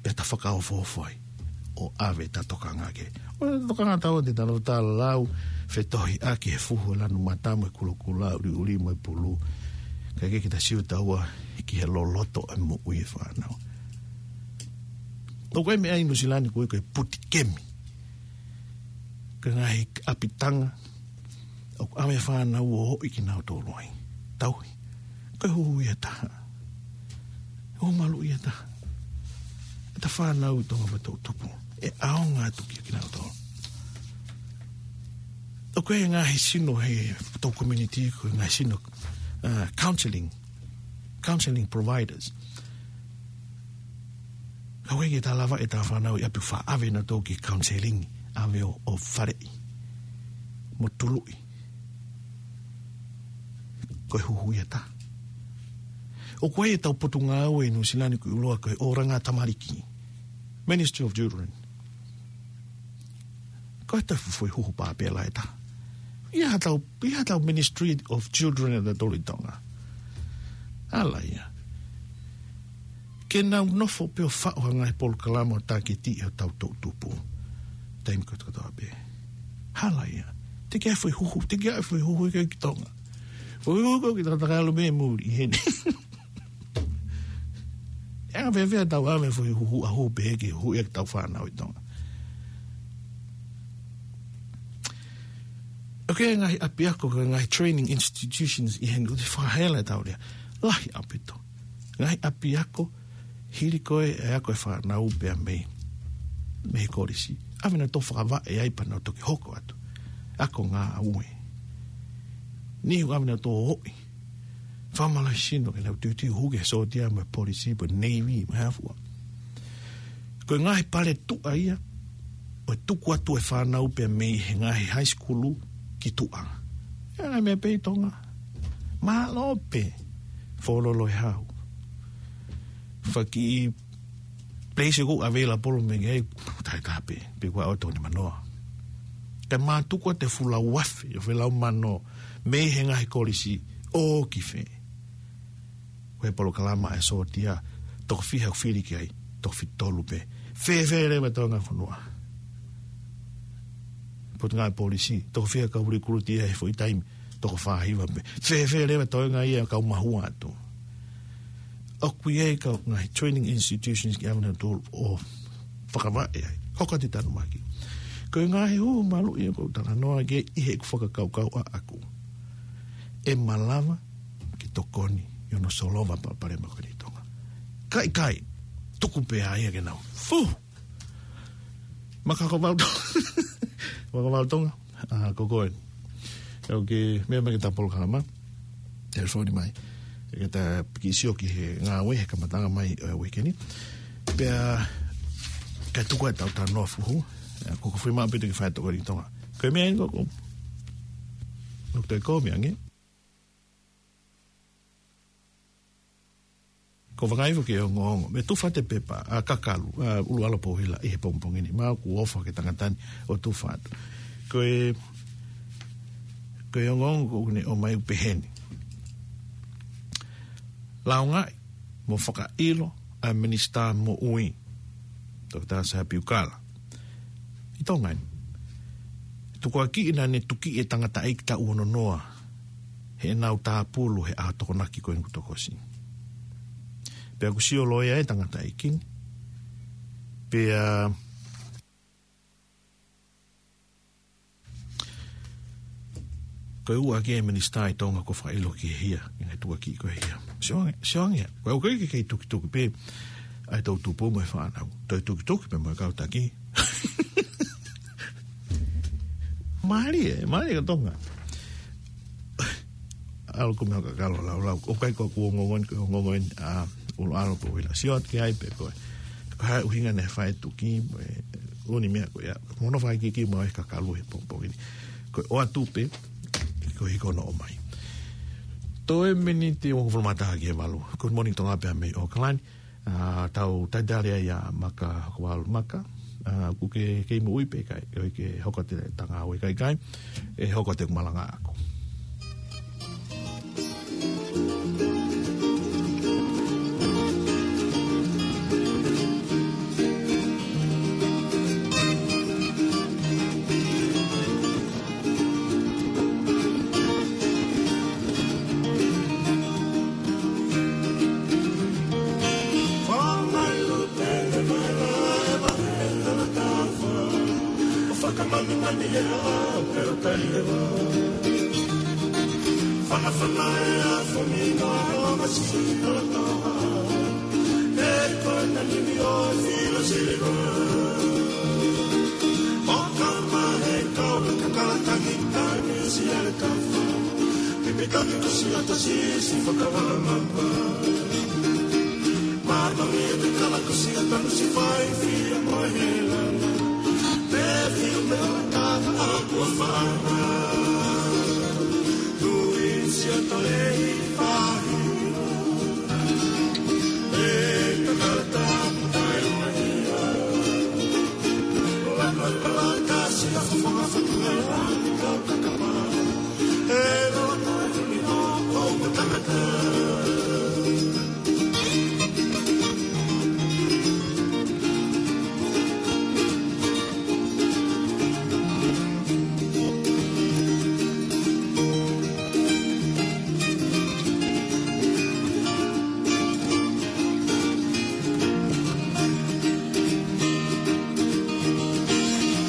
Pea ta fakaofo ai. ʻO ʻave ʻeta tokanga ki ai. ʻO tokanga tau ʻo te tano ta lau, fetohiʻaki he fuhu ʻo e lanu mata mo e kulokula, ʻuliʻuli mo e pulu. Kae kehe ke ta sio taua ki he loloto ʻa e moʻui ʻa e fānau. ʻOku ʻi ai e meʻa ʻi Nuʻu Sila ni ko e, ko e puti kemi. Ko e ngaahi ʻapitanga, ʻoku ʻave e fānau ʻo ʻoʻi kinautolu ai. Tauhi. Ko e huhu ia ʻe taha. Huhu maluʻi ia ʻe taha. ʻEta fānau ʻi Tonga mo e toʻu tupu. ʻE ʻaonga atu kia kinautolu. ʻOku ʻi ai e ngaahi sino he ʻetau community, ko e ngaahi sino, uh, counseling, counseling providers. Ka ʻoku ʻikai ke ta lava ʻeta fānau ʻi ʻapi ʻo faʻa ʻave nautolu ki he counseling, ʻave ʻo, ʻo faleʻi. Mo tuluʻi. Ko e huhu ia ʻe taha. ʻOku ʻi ai ʻetau potungāue ʻi Nuʻu Sila ni ko e ʻuluaki ko e ʻOlunga Tamaliki. Ministry of Children. Ko e taha foʻi huhu pāpela ʻe taha. ʻI ai haʻatau, ʻi ai haʻatau Ministry of Children ʻatautolu ʻi Tonga. ʻAla ia. Ke nau nofo pē ʻo faʻu ha ngaahi polokalama ʻo tāketiʻi hotau toʻu tupu. Taimi kotoa kotoa pē. ʻAla ia. Te ke ʻai foʻi huhu, te ke ʻai foʻi huhu ki Tonga. Foʻi huhu ki Tonga, ta ka ʻalu mei muli ʻi heni. ʻE anga fēfē ʻetau ʻave foʻi huhu ʻa huhu pehē ke huhu ʻetau fānau ʻi Tonga. ʻOku ʻi ai e ngaahi ʻapiako, ko e ngaahi training institutions ʻi heni ʻoku te fakahela ʻetau lea. Lahi ʻaupito. Ngaahi ʻapiako, hili ko ē ʻa e ako ʻa e fānau pea mei, mei he kolisi. ʻAve nautolu ʻo fakavaʻe ai pea nau toki hoko atu. Ako ngāue. Niʻihi ʻoku ʻave nautolu ʻo ʻoʻi. Fakamālohisino ke nau tuitui huke sōtia mo e polisi, mo e navy, mo e hā fua. Ko e ngaahi pale tuʻa ia, ʻo tuku atu e fānau pea mei he ngaahi high school ki tuʻa. ʻE ngaahi meʻa pē ʻi Tonga. Mālō pē, Fōlolo ʻe hau. Faki place ʻoku available mei ai, taʻetaha pē, pe ko e ʻaho ʻe toko nimanoa. Kae mātuku atu e fuʻu lauafe, ʻo felau mano, mei he ngaahi kolisi, ʻo ki fē. Ko e polokalama ʻa e sōtia, toko fiha ʻoku fili ki ai, toko fitu tolu pē. Fēfē leva e toenga fonua. Potungāue polisi, toko fiha kau recruit ia he foʻi taimi, toko fā hiva pē. Fēfē leva e toenga ia kau mahua atu. ʻOku ʻi ai e kau ngaahi training institutions ke ʻave nautolu ʻo fakavaʻe ai. Hoko atu e tanumaki. Ko e ngaahi huhu maluʻi ʻoku ou talanoa ki ai ʻi heʻeku fakakaukau ʻaʻaku. ʻE malava ke tokoni ʻi hono solova palopalema ko eni ʻi Tonga. Kae ʻikai, tuku pē ʻa ia ke nau fuhu. Makakavau Tonga. Makakavau Tonga. ʻA, ko koe. ʻOku ke meʻa mai ki heʻeta polokalama. Telefoni mai. Ke ta kiʻi sio ki he ngāue he kamataʻanga mai ʻo e uike ni. Pea, kae tuku ʻetau talanoa fuhu. ʻA, ko ko fui maʻu pē te ke fai tokoni ʻi Tonga. Ko e meʻa eni ko, ko. Nō te ko meʻa ange. Ko e fakaʻaiʻai foki e ongoongo. Mou tufa atu e pepa, ʻa Kakalu, ʻa ʻUluʻalopohila ʻi he pongipongi ni. Mau ʻoku ou ʻofa ki he tangata ni ʻo tufa atu. Ko e, ko e ongoongo ʻoku ne ʻomai ʻoku pehē ni. Lāungaʻi, mo fakaʻilo, ʻa e Minisitā Moʻui. Toketā Sā Piukala. ʻI Tonga ni. Tukuakiʻi naʻa ne tukiʻi e tangataʻeiki taʻu ono noa. Heʻenau tāpulu he ʻaho Tokonaki ko eni kuo toki ʻosi. Pea kuo sio loea e tangataʻeiki ni. Pea Ko e ua ki he minisitā ʻi Tonga ko e fakaʻilo ki he hia, ʻi he tuʻuaki ko e hia. Sio ange, sio ange, ko e ʻuhi ke kei tukituki pē ʻa e toʻutupu mo e fānau. Toe tukituki pē mo e kau taki. Mālie, mālie ko Tonga. ʻAlu ko e meʻa kakalo laulau. ʻOku ʻikai ko ʻeku ongoongo eni, ko e ongoongo eni ʻa ʻUluʻalo ko ʻUhila. Sio atu ki ai pē ko e, ko e hā e ʻuhinga naʻe fai e tuki, mo e ʻū meʻa ko ia. Mo hono fakaikiiki mo e kakalu he pongipongi ni. Ko e ʻoatu pē, ko e hiko hono ʻomai. Toe miniti ʻe hongofulu mā taha ki he valu. Good morning Tonga pea mei ʻAokalani. ʻA, tau talitali ai ʻa Maka Hokovalu Maka. ʻA, ʻoku ke kei moʻui pē kai, ʻoku ke hoko atu e tangata ʻo e kaikai, ʻe hoko atu e malanga ʻaʻaku. Fakamanimani e ʻao pea ʻo kai e vā. Fanafana e afo mino a longa si kalatoa. E koe na nimi ʻo e filo siliva. ʻO kau mai e kau e kakala tangi tangi si ale kafa. Pipi tangi kusi ata si si fakavama. Māmani e te kala kusi ata nusi fai fia mo e helana. Te fiu me o tata a kua fana. Tui si ata lei fahi. E kakala tapu kai o mahia. Lana kala kasi a fafanga fatu e lani kau kakama. E lana kala kuni o o matangata.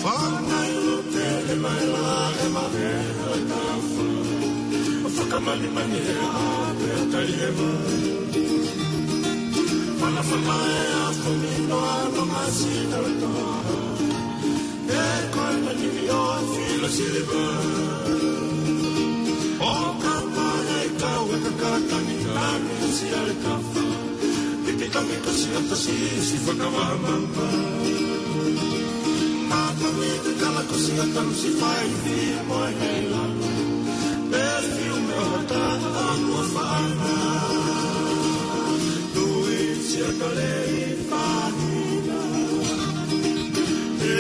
Fangai lo te e mai la e ma e la kafa. Fakamanimani e a pe o kai e ma. Fanafana e afo mino a longa si kalatoa. E koe na nimi ʻo e filo siliva. ʻO kapa e kau e kakala tangi tangi si ale kafa. Pipi tangi kasi ata si si fakavamama. Māmani e te kala kusi ata nusi fai fia mo e helana. Pe fiu me o tata a kua fana. Tui si ata lei Fahina. E,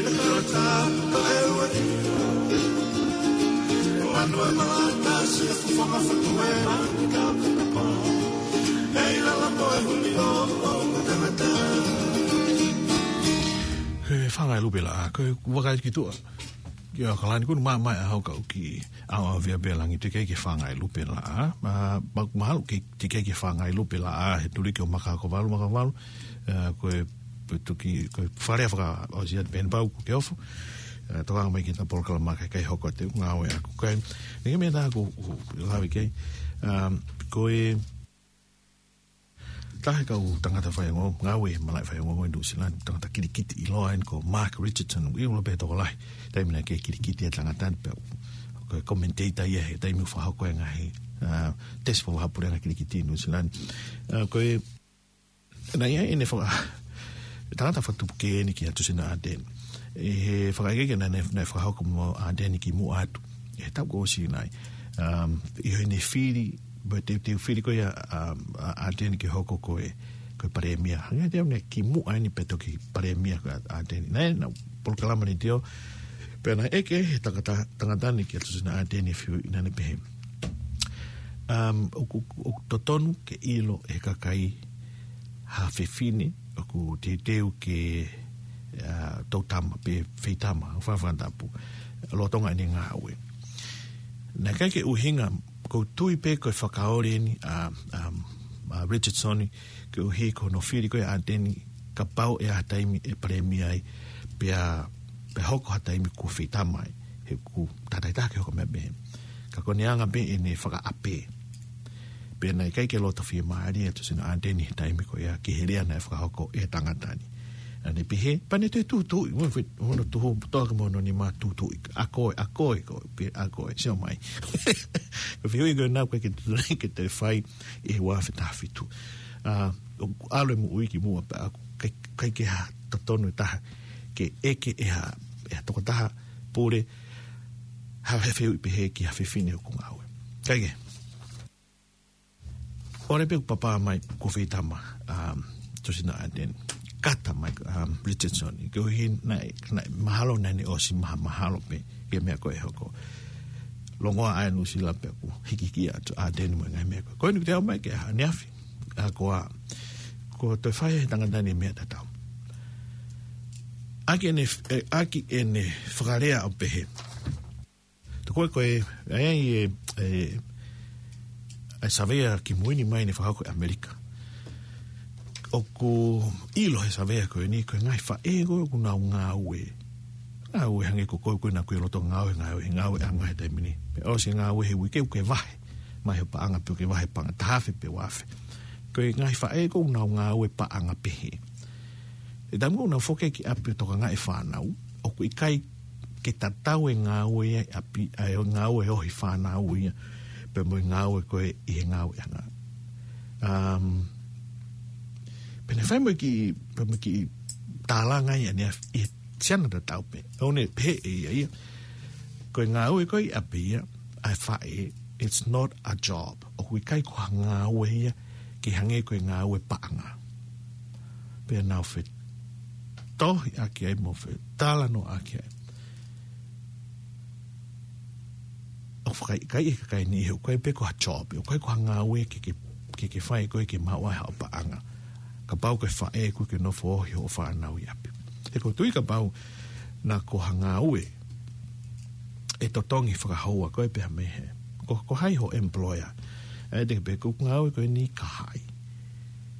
na kalata, ka e ua ina. Manu e malata, si e fufanga fatu e rangi ka kapa. E, i lala mo e huli o, o, matangata. He fanga e lupe la, ko e waka ki tua. Ki ʻAokalani, ko e mamae ʻa hau kau ki ʻAoaviapelangi teʻeki ke fanga e lupe la, ʻa, ma, ma, mahalo ke teʻeki ke fanga e lupe la, ʻa, he tuliki ʻo Maka Hokovalu, Maka Hokovalu, ʻa, ko e, ko e tuki, ko e fale faka-ʻAositelēlia pehē ni pau ʻoku ke ofo, ʻa, tokanga mai ki he polokalama ka ʻikai hoko atu e ngāue ʻaʻaku. Ko e, neke mea tā ʻoku, ʻoku, lave ki ai, ʻa, ko e, Taha e kau tangata faiongoongo, ngāue he malaʻe faiongoongo ʻi Nuʻusila ni, tangata kilikiti ʻiloa eni ko Mark Richardson, ʻi ula pē tokolahi. Taimi naʻe kei kilikiti e tangata ni pea ko e commentator ia he taimi ʻoku fakahoko e ngaahi, ʻa, tesi fakavahaʻapuleʻanga kilikiti ʻi Nuʻusila ni. ʻA, ko e, naʻe ʻi ai ʻene faka-, tangata fakatupu kē eni ki he Tusina Ardeni. ʻI he fakaʻekeʻeke naʻe, naʻe, naʻe fakahoko mo Ardeni kimuʻa atu. ʻI he taʻu kuo ʻosi nai. Um, ʻi heʻene fili, mo e teuteu fili ko ia, um, ʻa, Ardeni ke hoko ko e, ko e palēmia. Hangē te au ne kimuʻa eni pea toki palēmia ko Ardeni. Naʻe, naʻe polokalama ni tio. Pea naʻe ʻeke he tangata, tangata ni ki he Tusina Ardeni e fiu ina ne pehē. Um, ʻoku, ʻoku totonu ke ʻilo he kakai ha fefine ʻoku teuteu ke, ʻa, toutama pe feitama, ʻo fafanga tapu, lolotonga ʻene ngāue. Naʻe ʻikai ke ʻuhinga, ʻoku ou tui pē ko e fakaoli eni ʻa, ʻa, ʻa Richardson, koeʻuhi ko hono fili ko ē ʻa Ardeni, kapau ʻe ʻi ai ha taimi ʻe palēmia ai, pea, pea hoko ha taimi kuo feitama ai, he ʻoku tātāitaha ke hoko meʻa pehē. Ko ʻene anga pē ʻene fakaʻapē. Pea naʻe ʻikai ke loto fiemālie ʻa Tusino ʻAteni he taimi ko ia ki he lea naʻe fakahoko ʻe he tangata ni. Naʻa ne pehē, pea ne toe tūtuuʻi, mo e fe-, hono tuhu, toʻa ke mo hono nima tūtuuʻi, ʻa koe, ʻa koe, ko, pē, ʻa koe, sio mai. Ko e fehuʻi ko ena ʻoku ʻikai ke tuʻu ke toe fai ʻi he ua afe taha fitu. ʻA, ʻoku ʻalu e moʻui ki muʻa pea ʻoku ʻikai, ʻikai ke ha totonu ʻe taha ke ʻeke ʻe ha, ʻe ha tokotaha pule, ha fehuʻi pehē ki ha fefine ʻoku ngāue. ʻIkai ke. ʻOle pē ʻoku papa mai ko fē tama, um, Tusino ʻAteni. Kata mai, um, Richardson. Koeʻuhi naʻe, naʻe mahalo naʻa ne ʻosi maha-, mahalo pē ki he meʻa ko ē hoko. Longoaʻa ʻa Nuʻusila pea kuo hikihiki atu ʻa ʻAteni mo e ngaahi meʻa ko ē. Ko eni ʻoku te ʻomai ke ha ʻaneafi. ʻA ko ā, ko e toe fai ʻe he tangata ni meʻa tatau. ʻAki ʻene, ʻe, ʻaki ʻene fakalea ʻo pehē. Tokua ko e, ʻa e, ʻa e, ʻa e savea kimui ni mai ne fakahoko ʻe ʻAmelika. ʻOku ʻilo he savea ko eni, ko e ngaahi faʻē ko ē ʻoku nau ngāue. Ngāue hangē ko koe ko ē naʻa ke ʻi loto ngāue, ngāue, ngāueʻanga he taimi ni. Pea ʻosi e ngāue he uike ʻoku ke vahe. Mai ho paʻanga pē ʻoku ke vahe paʻanga taha afe pe ua afe. Ko e ngaahi faʻē ko ē ʻoku nau ngāue paʻanga pehē. ʻE taimi ʻoku nau foki ki ʻapi ʻo tokangaʻi e fānau, ʻoku ʻikai ke tatau e ngāue ia ʻi ʻapi, ʻa e ngāue ʻo e fānau ia, pea mo e ngāue ko ē ʻi he ngāueʻanga. Um, pea ne fai mo e kiʻi, pea mo e kiʻi tālanga ia ʻaneafi, ʻi he siana tatau pē. ʻOku ne pehē ʻe ia ia. Ko e ngāue ko ē ʻi ʻapi ia, ʻa e faʻē, it's not a job. ʻOku ʻikai ko ha ngāue ia, ke hangē ko e ngāue paʻanga. Pea nau fetohiʻaki ai mo fetalanoaʻaki ai. ʻOku fakaikiiki e kakai ni he ʻoku ʻikai pē ko ha job, ʻoku ʻikai ko ha ngāue ke, ke, ke, ke fai ko ē ke maʻu ai haʻo paʻanga. Kapau ko e faʻē ʻoku ke nofo ʻohi hoʻo fānau ʻi ʻapi. He ʻoku ou tui kapau naʻa ko ha ngāue ʻe totongi fakahoua ko ē pea mei he. Ko, ko hai ho employer. ʻE te ke pehē ko e ngāue ko eni ka hai.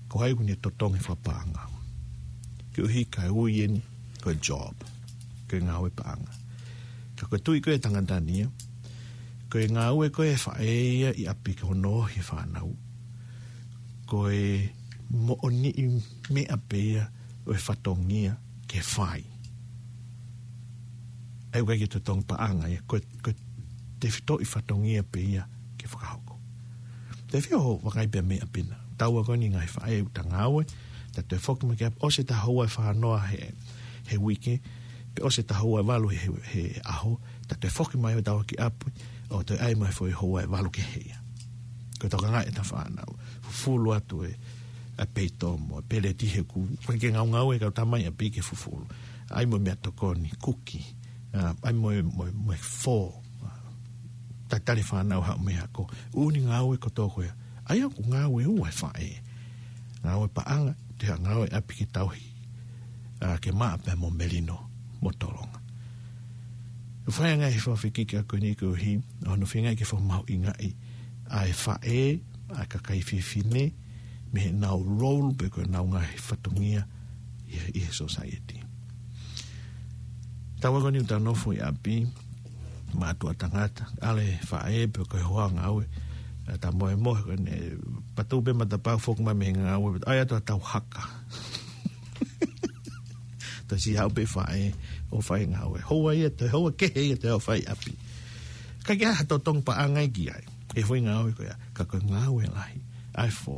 Ko hai ʻoku ne totongi fakapaʻanga. Koeʻuhi ka ui eni, ko e job. Ko e ngāue paʻanga. Ka ko e tui ko ē ʻa e tangata ni ia. Ko e ngāue ko ē ʻa e faʻē ia ʻi ʻapi ke hono ʻohi e fānau. Ko e moʻoniʻi meʻa pē ia ʻo e fatongia ke fai. ʻA ia ʻoku ʻikai ke totongi paʻanga ia, ko e, ko e tefitoʻi fatongia pē ia ke fakahoko. Te fio ho vakai pē mei ʻapi na. Taua ko eni ngaahi faʻē ʻoku ta ngāue, ta toe foki mai ki ʻapi, ʻosi ʻeta houa ʻe fā noa he, he uike, pe ʻosi ʻeta houa ʻe valu he, he ʻaho, ta toe foki mai ʻo taua ki ʻapi, ʻo toe ʻai mai foʻi houa ʻe valu kehe ia. Ko e tokangaʻi ʻeta fānau, fufulu atu e, ʻa e peito mo e peleti he ʻoku, ʻoku ʻikai ke ngaungaue e kau tama ʻi ʻapi ke fufulu. ʻAi mo e meʻatokoni, kuki, ʻa, ʻai mo e, mo e, mo e fō, ʻa, tatali fānau haʻu mei he ako. ʻOku ne ngāue kotoa ko ia. ʻA ia ʻoku ngāue ua e faʻē. Ngāue paʻanga, te ha ngāue ʻapi ke tauhi. ʻA, ke maʻa pē mo melino, mo tolonga. ʻOku fai ange he fakafikiki ko eni koeʻuhi, ʻa hono feingaʻi ke fakamahuʻingaʻi ʻa e faʻē, ʻa e kakai fefine, mei heʻenau role pe ko ʻenau ngaahi fatongia ʻi he, ʻi he society. Taua ko eni ʻoku ta nofo ʻi ʻapi, mātuʻa tangata, ʻalu e faʻē pe ko e hoa ngāue, ʻa ta mohemohe ko eni, patu pē matapā foki mai mei he ngāue, ʻai atu ʻa tau haka. Toe siʻi haʻu pē faʻē, ʻo fai ngāue. Houa ia, toe houa kehe ia, toe ʻo fai ʻapi. ʻIkai ke ʻi ai ha totongi paʻanga ia ki ai. ʻE foʻi ngāue ko ia, ka ko e ngāue lahi. ʻA e fō,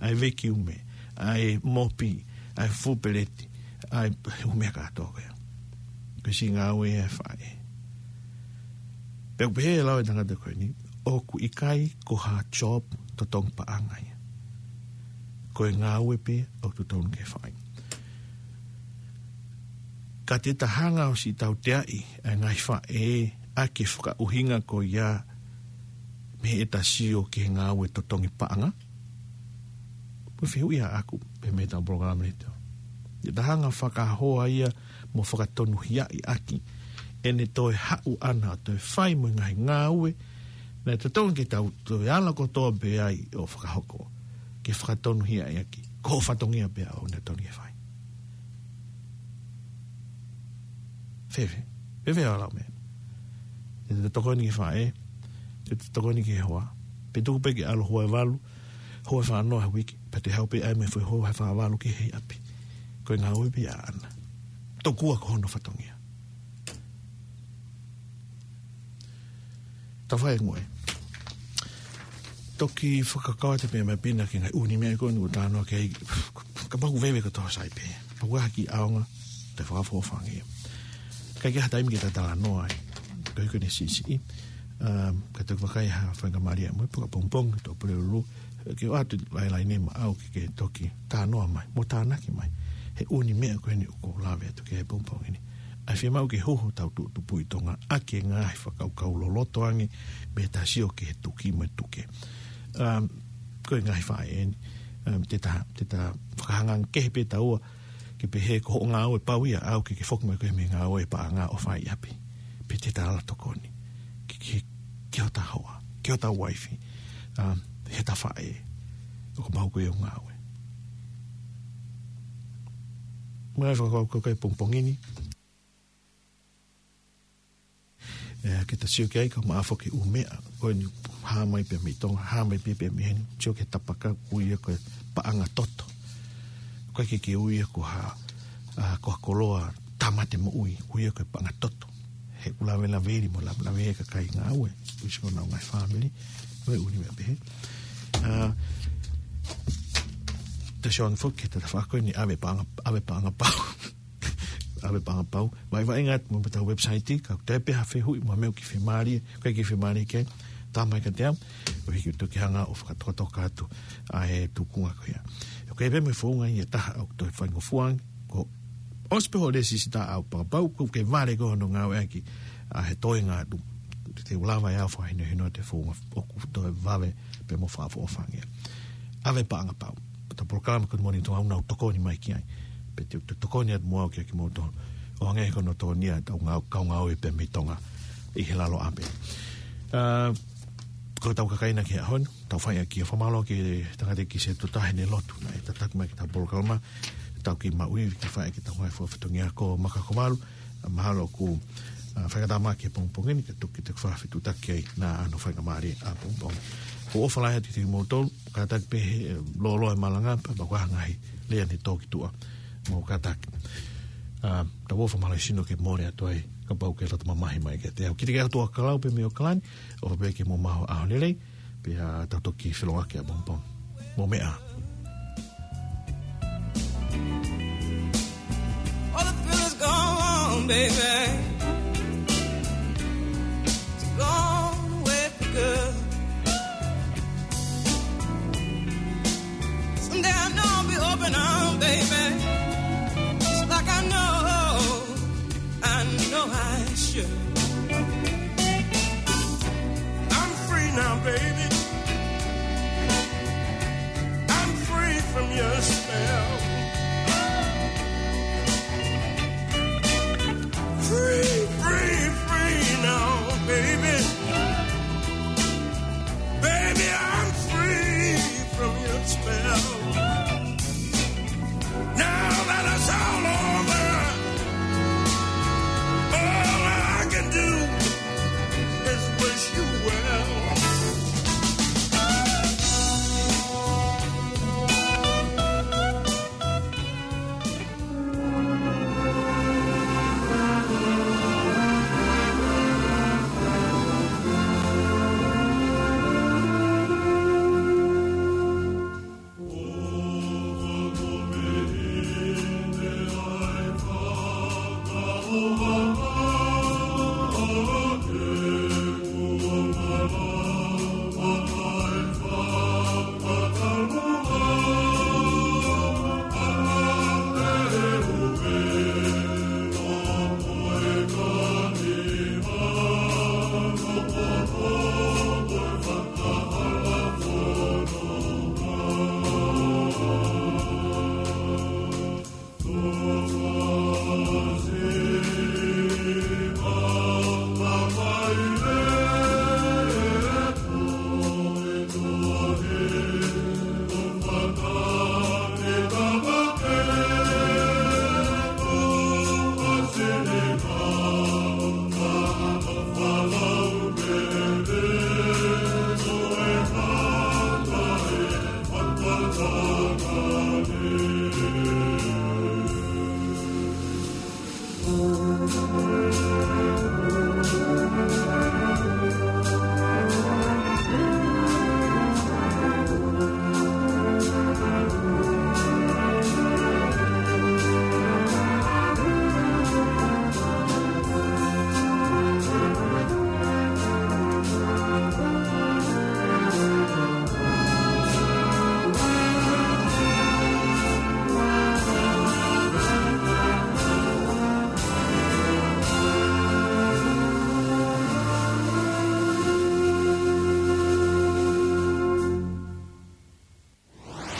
ʻa e vekiume, ʻa e mopi, ʻa e fufulu peleti, ʻa e ʻū meʻa kātoa ko ia. Ko e siʻi ngāue ia ʻa e faʻē. Pea ʻoku pehē ʻe he lau ʻa e tangata ko eni, ʻoku ʻikai ko ha job totongi paʻanga ia. Ko e ngāue pē ʻoku totonu ke fai. Ka te ta hanga ʻo siʻi tauteaʻi ʻa e ngaahi faʻē ʻaki e fakaʻuhinga ko ia mei heʻeta sio ki he ngāue totongi paʻanga. Ko e fehuʻi ia ʻaʻaku, pea mei heʻeta polokalama ni te. Te ta hanga fakahoa ia mo fakatonuhiaʻi ʻaki ʻene toe haʻu ʻana ʻo toe fai mo e ngaahi ngāue naʻe totonu ke tau toe ala kotoa pē ai ʻo fakahoko. Ke fakatonuhiaʻi ʻaki. Ko hoʻo fatongia pē ʻoku ne totonu ke fai. Fēfē. Fēfē ʻa e lau meʻa. Te ta tokoni ki he faʻē. Te te tokoni ki he hoa. Pe tuku pē ke ʻalu hoa ʻe valu, hoa ʻe fāngofulu he uike, pea te haʻu pē ʻai mai e foʻi hoa ʻe fāngofulu ki he ʻapi. Ko e ngāue pē ia ʻaʻana. Tokua ko hono fatongia. Tau fai e ngoue. Toki fakakakato pē mai pina ki he ngaahi ʻū meʻa ko eni ʻoku talanoa ki ai, kapau ʻoku veve kotoa sai pē. Pau ke ʻaonga, te fakafofonga ia. ʻIkai ke ʻi ai ha taimi ke ta talanoa ai. Ko e hiko ni siʻisiʻi. Um, ka toki vakai ha faingamālie mo e pongipongi, tō Pulelulu, ke ʻoatu e laine maʻau ke, ke toki talanoa mai, mo tānaki mai he ʻū meʻa ko eni ʻoku ou lave atu ki ai he pongipongi ni. ʻA e fiemaʻu ke huhu hotau tuʻutupu ʻi Tonga ʻaki e ngaahi fakakaukau loloto ange mei he ta sio ki he tuki mo e tuke. Um, ko e ngaahi faʻē eni, um, te ta, te ta fakahanga ange kehe pē taua, ke pehē ko hoʻo ngāue pau ia ʻaʻau ke, ke foki mai koe mei he ngāue paʻanga ʻo fai ʻi ʻapi. Pe te ta ala tokoni ki, ki, ki hota hoa, ki hota uaifi, um, he ta faʻē, ʻoku mau ko e ngāue. Mai fakakaukau ki he pongipongi ni. ʻE, ke ta sio ki ai ka maʻa foki ʻū meʻa ko eni hā mai pē mei Tonga, hā mai pē, pē mei heni, sio ki he tapaka, ui ia ko e paʻanga toto. ʻOku ʻikai ke, ke ui ia ko ha, ʻa, ko ha koloa tāmate moʻui, ui ia ko e paʻanga toto. He ʻoku lavelaveli mo lavelavea e kakai ngāue, ʻoku ʻi ai honau ngaahi fāmili, mo e ʻū meʻa pehē. ʻA, te sio ange foki ki he tafaʻaki ko eni ʻave paʻanga, ʻave paʻanga pau. ʻAve paʻanga pau. Vaʻi, vaʻinga atu mo ʻetau website, ka ʻoku toe pē ha fehuʻi mo ha meʻa ʻoku ke fiemālie, ʻoku ke fiemālie ke tā mai kiate au, ʻo hiki atu ke hanga ʻo fakatokatoka atu ʻa e tuʻunga ko ia. ʻOku ʻi ai pē mo e founga ia ʻe taha ʻoku toe faingofua ange, ko e ʻosi pē hoʻo lēsisita ʻave paʻanga pau, ʻoku ke vale koe hono ngāueʻaki ʻa e toenga atu. Te u lava ʻe au ʻo fakahinohino atu e founga ʻoku toe vave pē mo fakaʻofoʻofa ange. ʻAve paʻanga pau. Pea ko e polokalama ko eni Moʻoni Tonga ʻoku nau tokoni mai ki ai. Pea te u tokoni atu mo au kia kimoutolu ʻo hangē ko hono tokoni ʻa e kau ngāue pē mei Tonga ʻi he lalo ʻapi. ʻA, ko ʻetau kakai na ki he ʻaho ni, tau fai ʻaki e fakamālō ki he tangataʻeiki Setuta heʻene lotu naʻe tataki mai ki heʻetau polokalama, tau kei maʻu ivi ke fai ʻaki ʻetau ngaahi fakafatongia ko Maka Kovalu, ʻa, mahalo ʻoku, ʻa, fakatātā mai ki he pongipongi ni, ka toki te fakafetuʻutaki ai naʻa nau faingamālie ʻapongipongi. Ko e ʻofa lahi atu kiate kimoutolu, kātaki pē he, ʻe, lōloa e malanga, pea maʻu ha ngaahi lea ne tō ki tuʻa. Mou kātaki. ʻA, tau ʻofa mālohisino ke mole atu ai, kapau ʻoku ke loto mamahi mai kiate au. Kiate kimoutolu ʻa Kalau pea mei ʻAokalani, ʻofa pē ke mou maʻu ha ʻaho lelei, pea tau toki feʻiloaki ʻapongipongi. Mou meʻa ā. All the feelings gone, baby. It's gone away for good. Someday I know I'll be open arms, baby. Just like I know, I know I should. I'm free now, baby.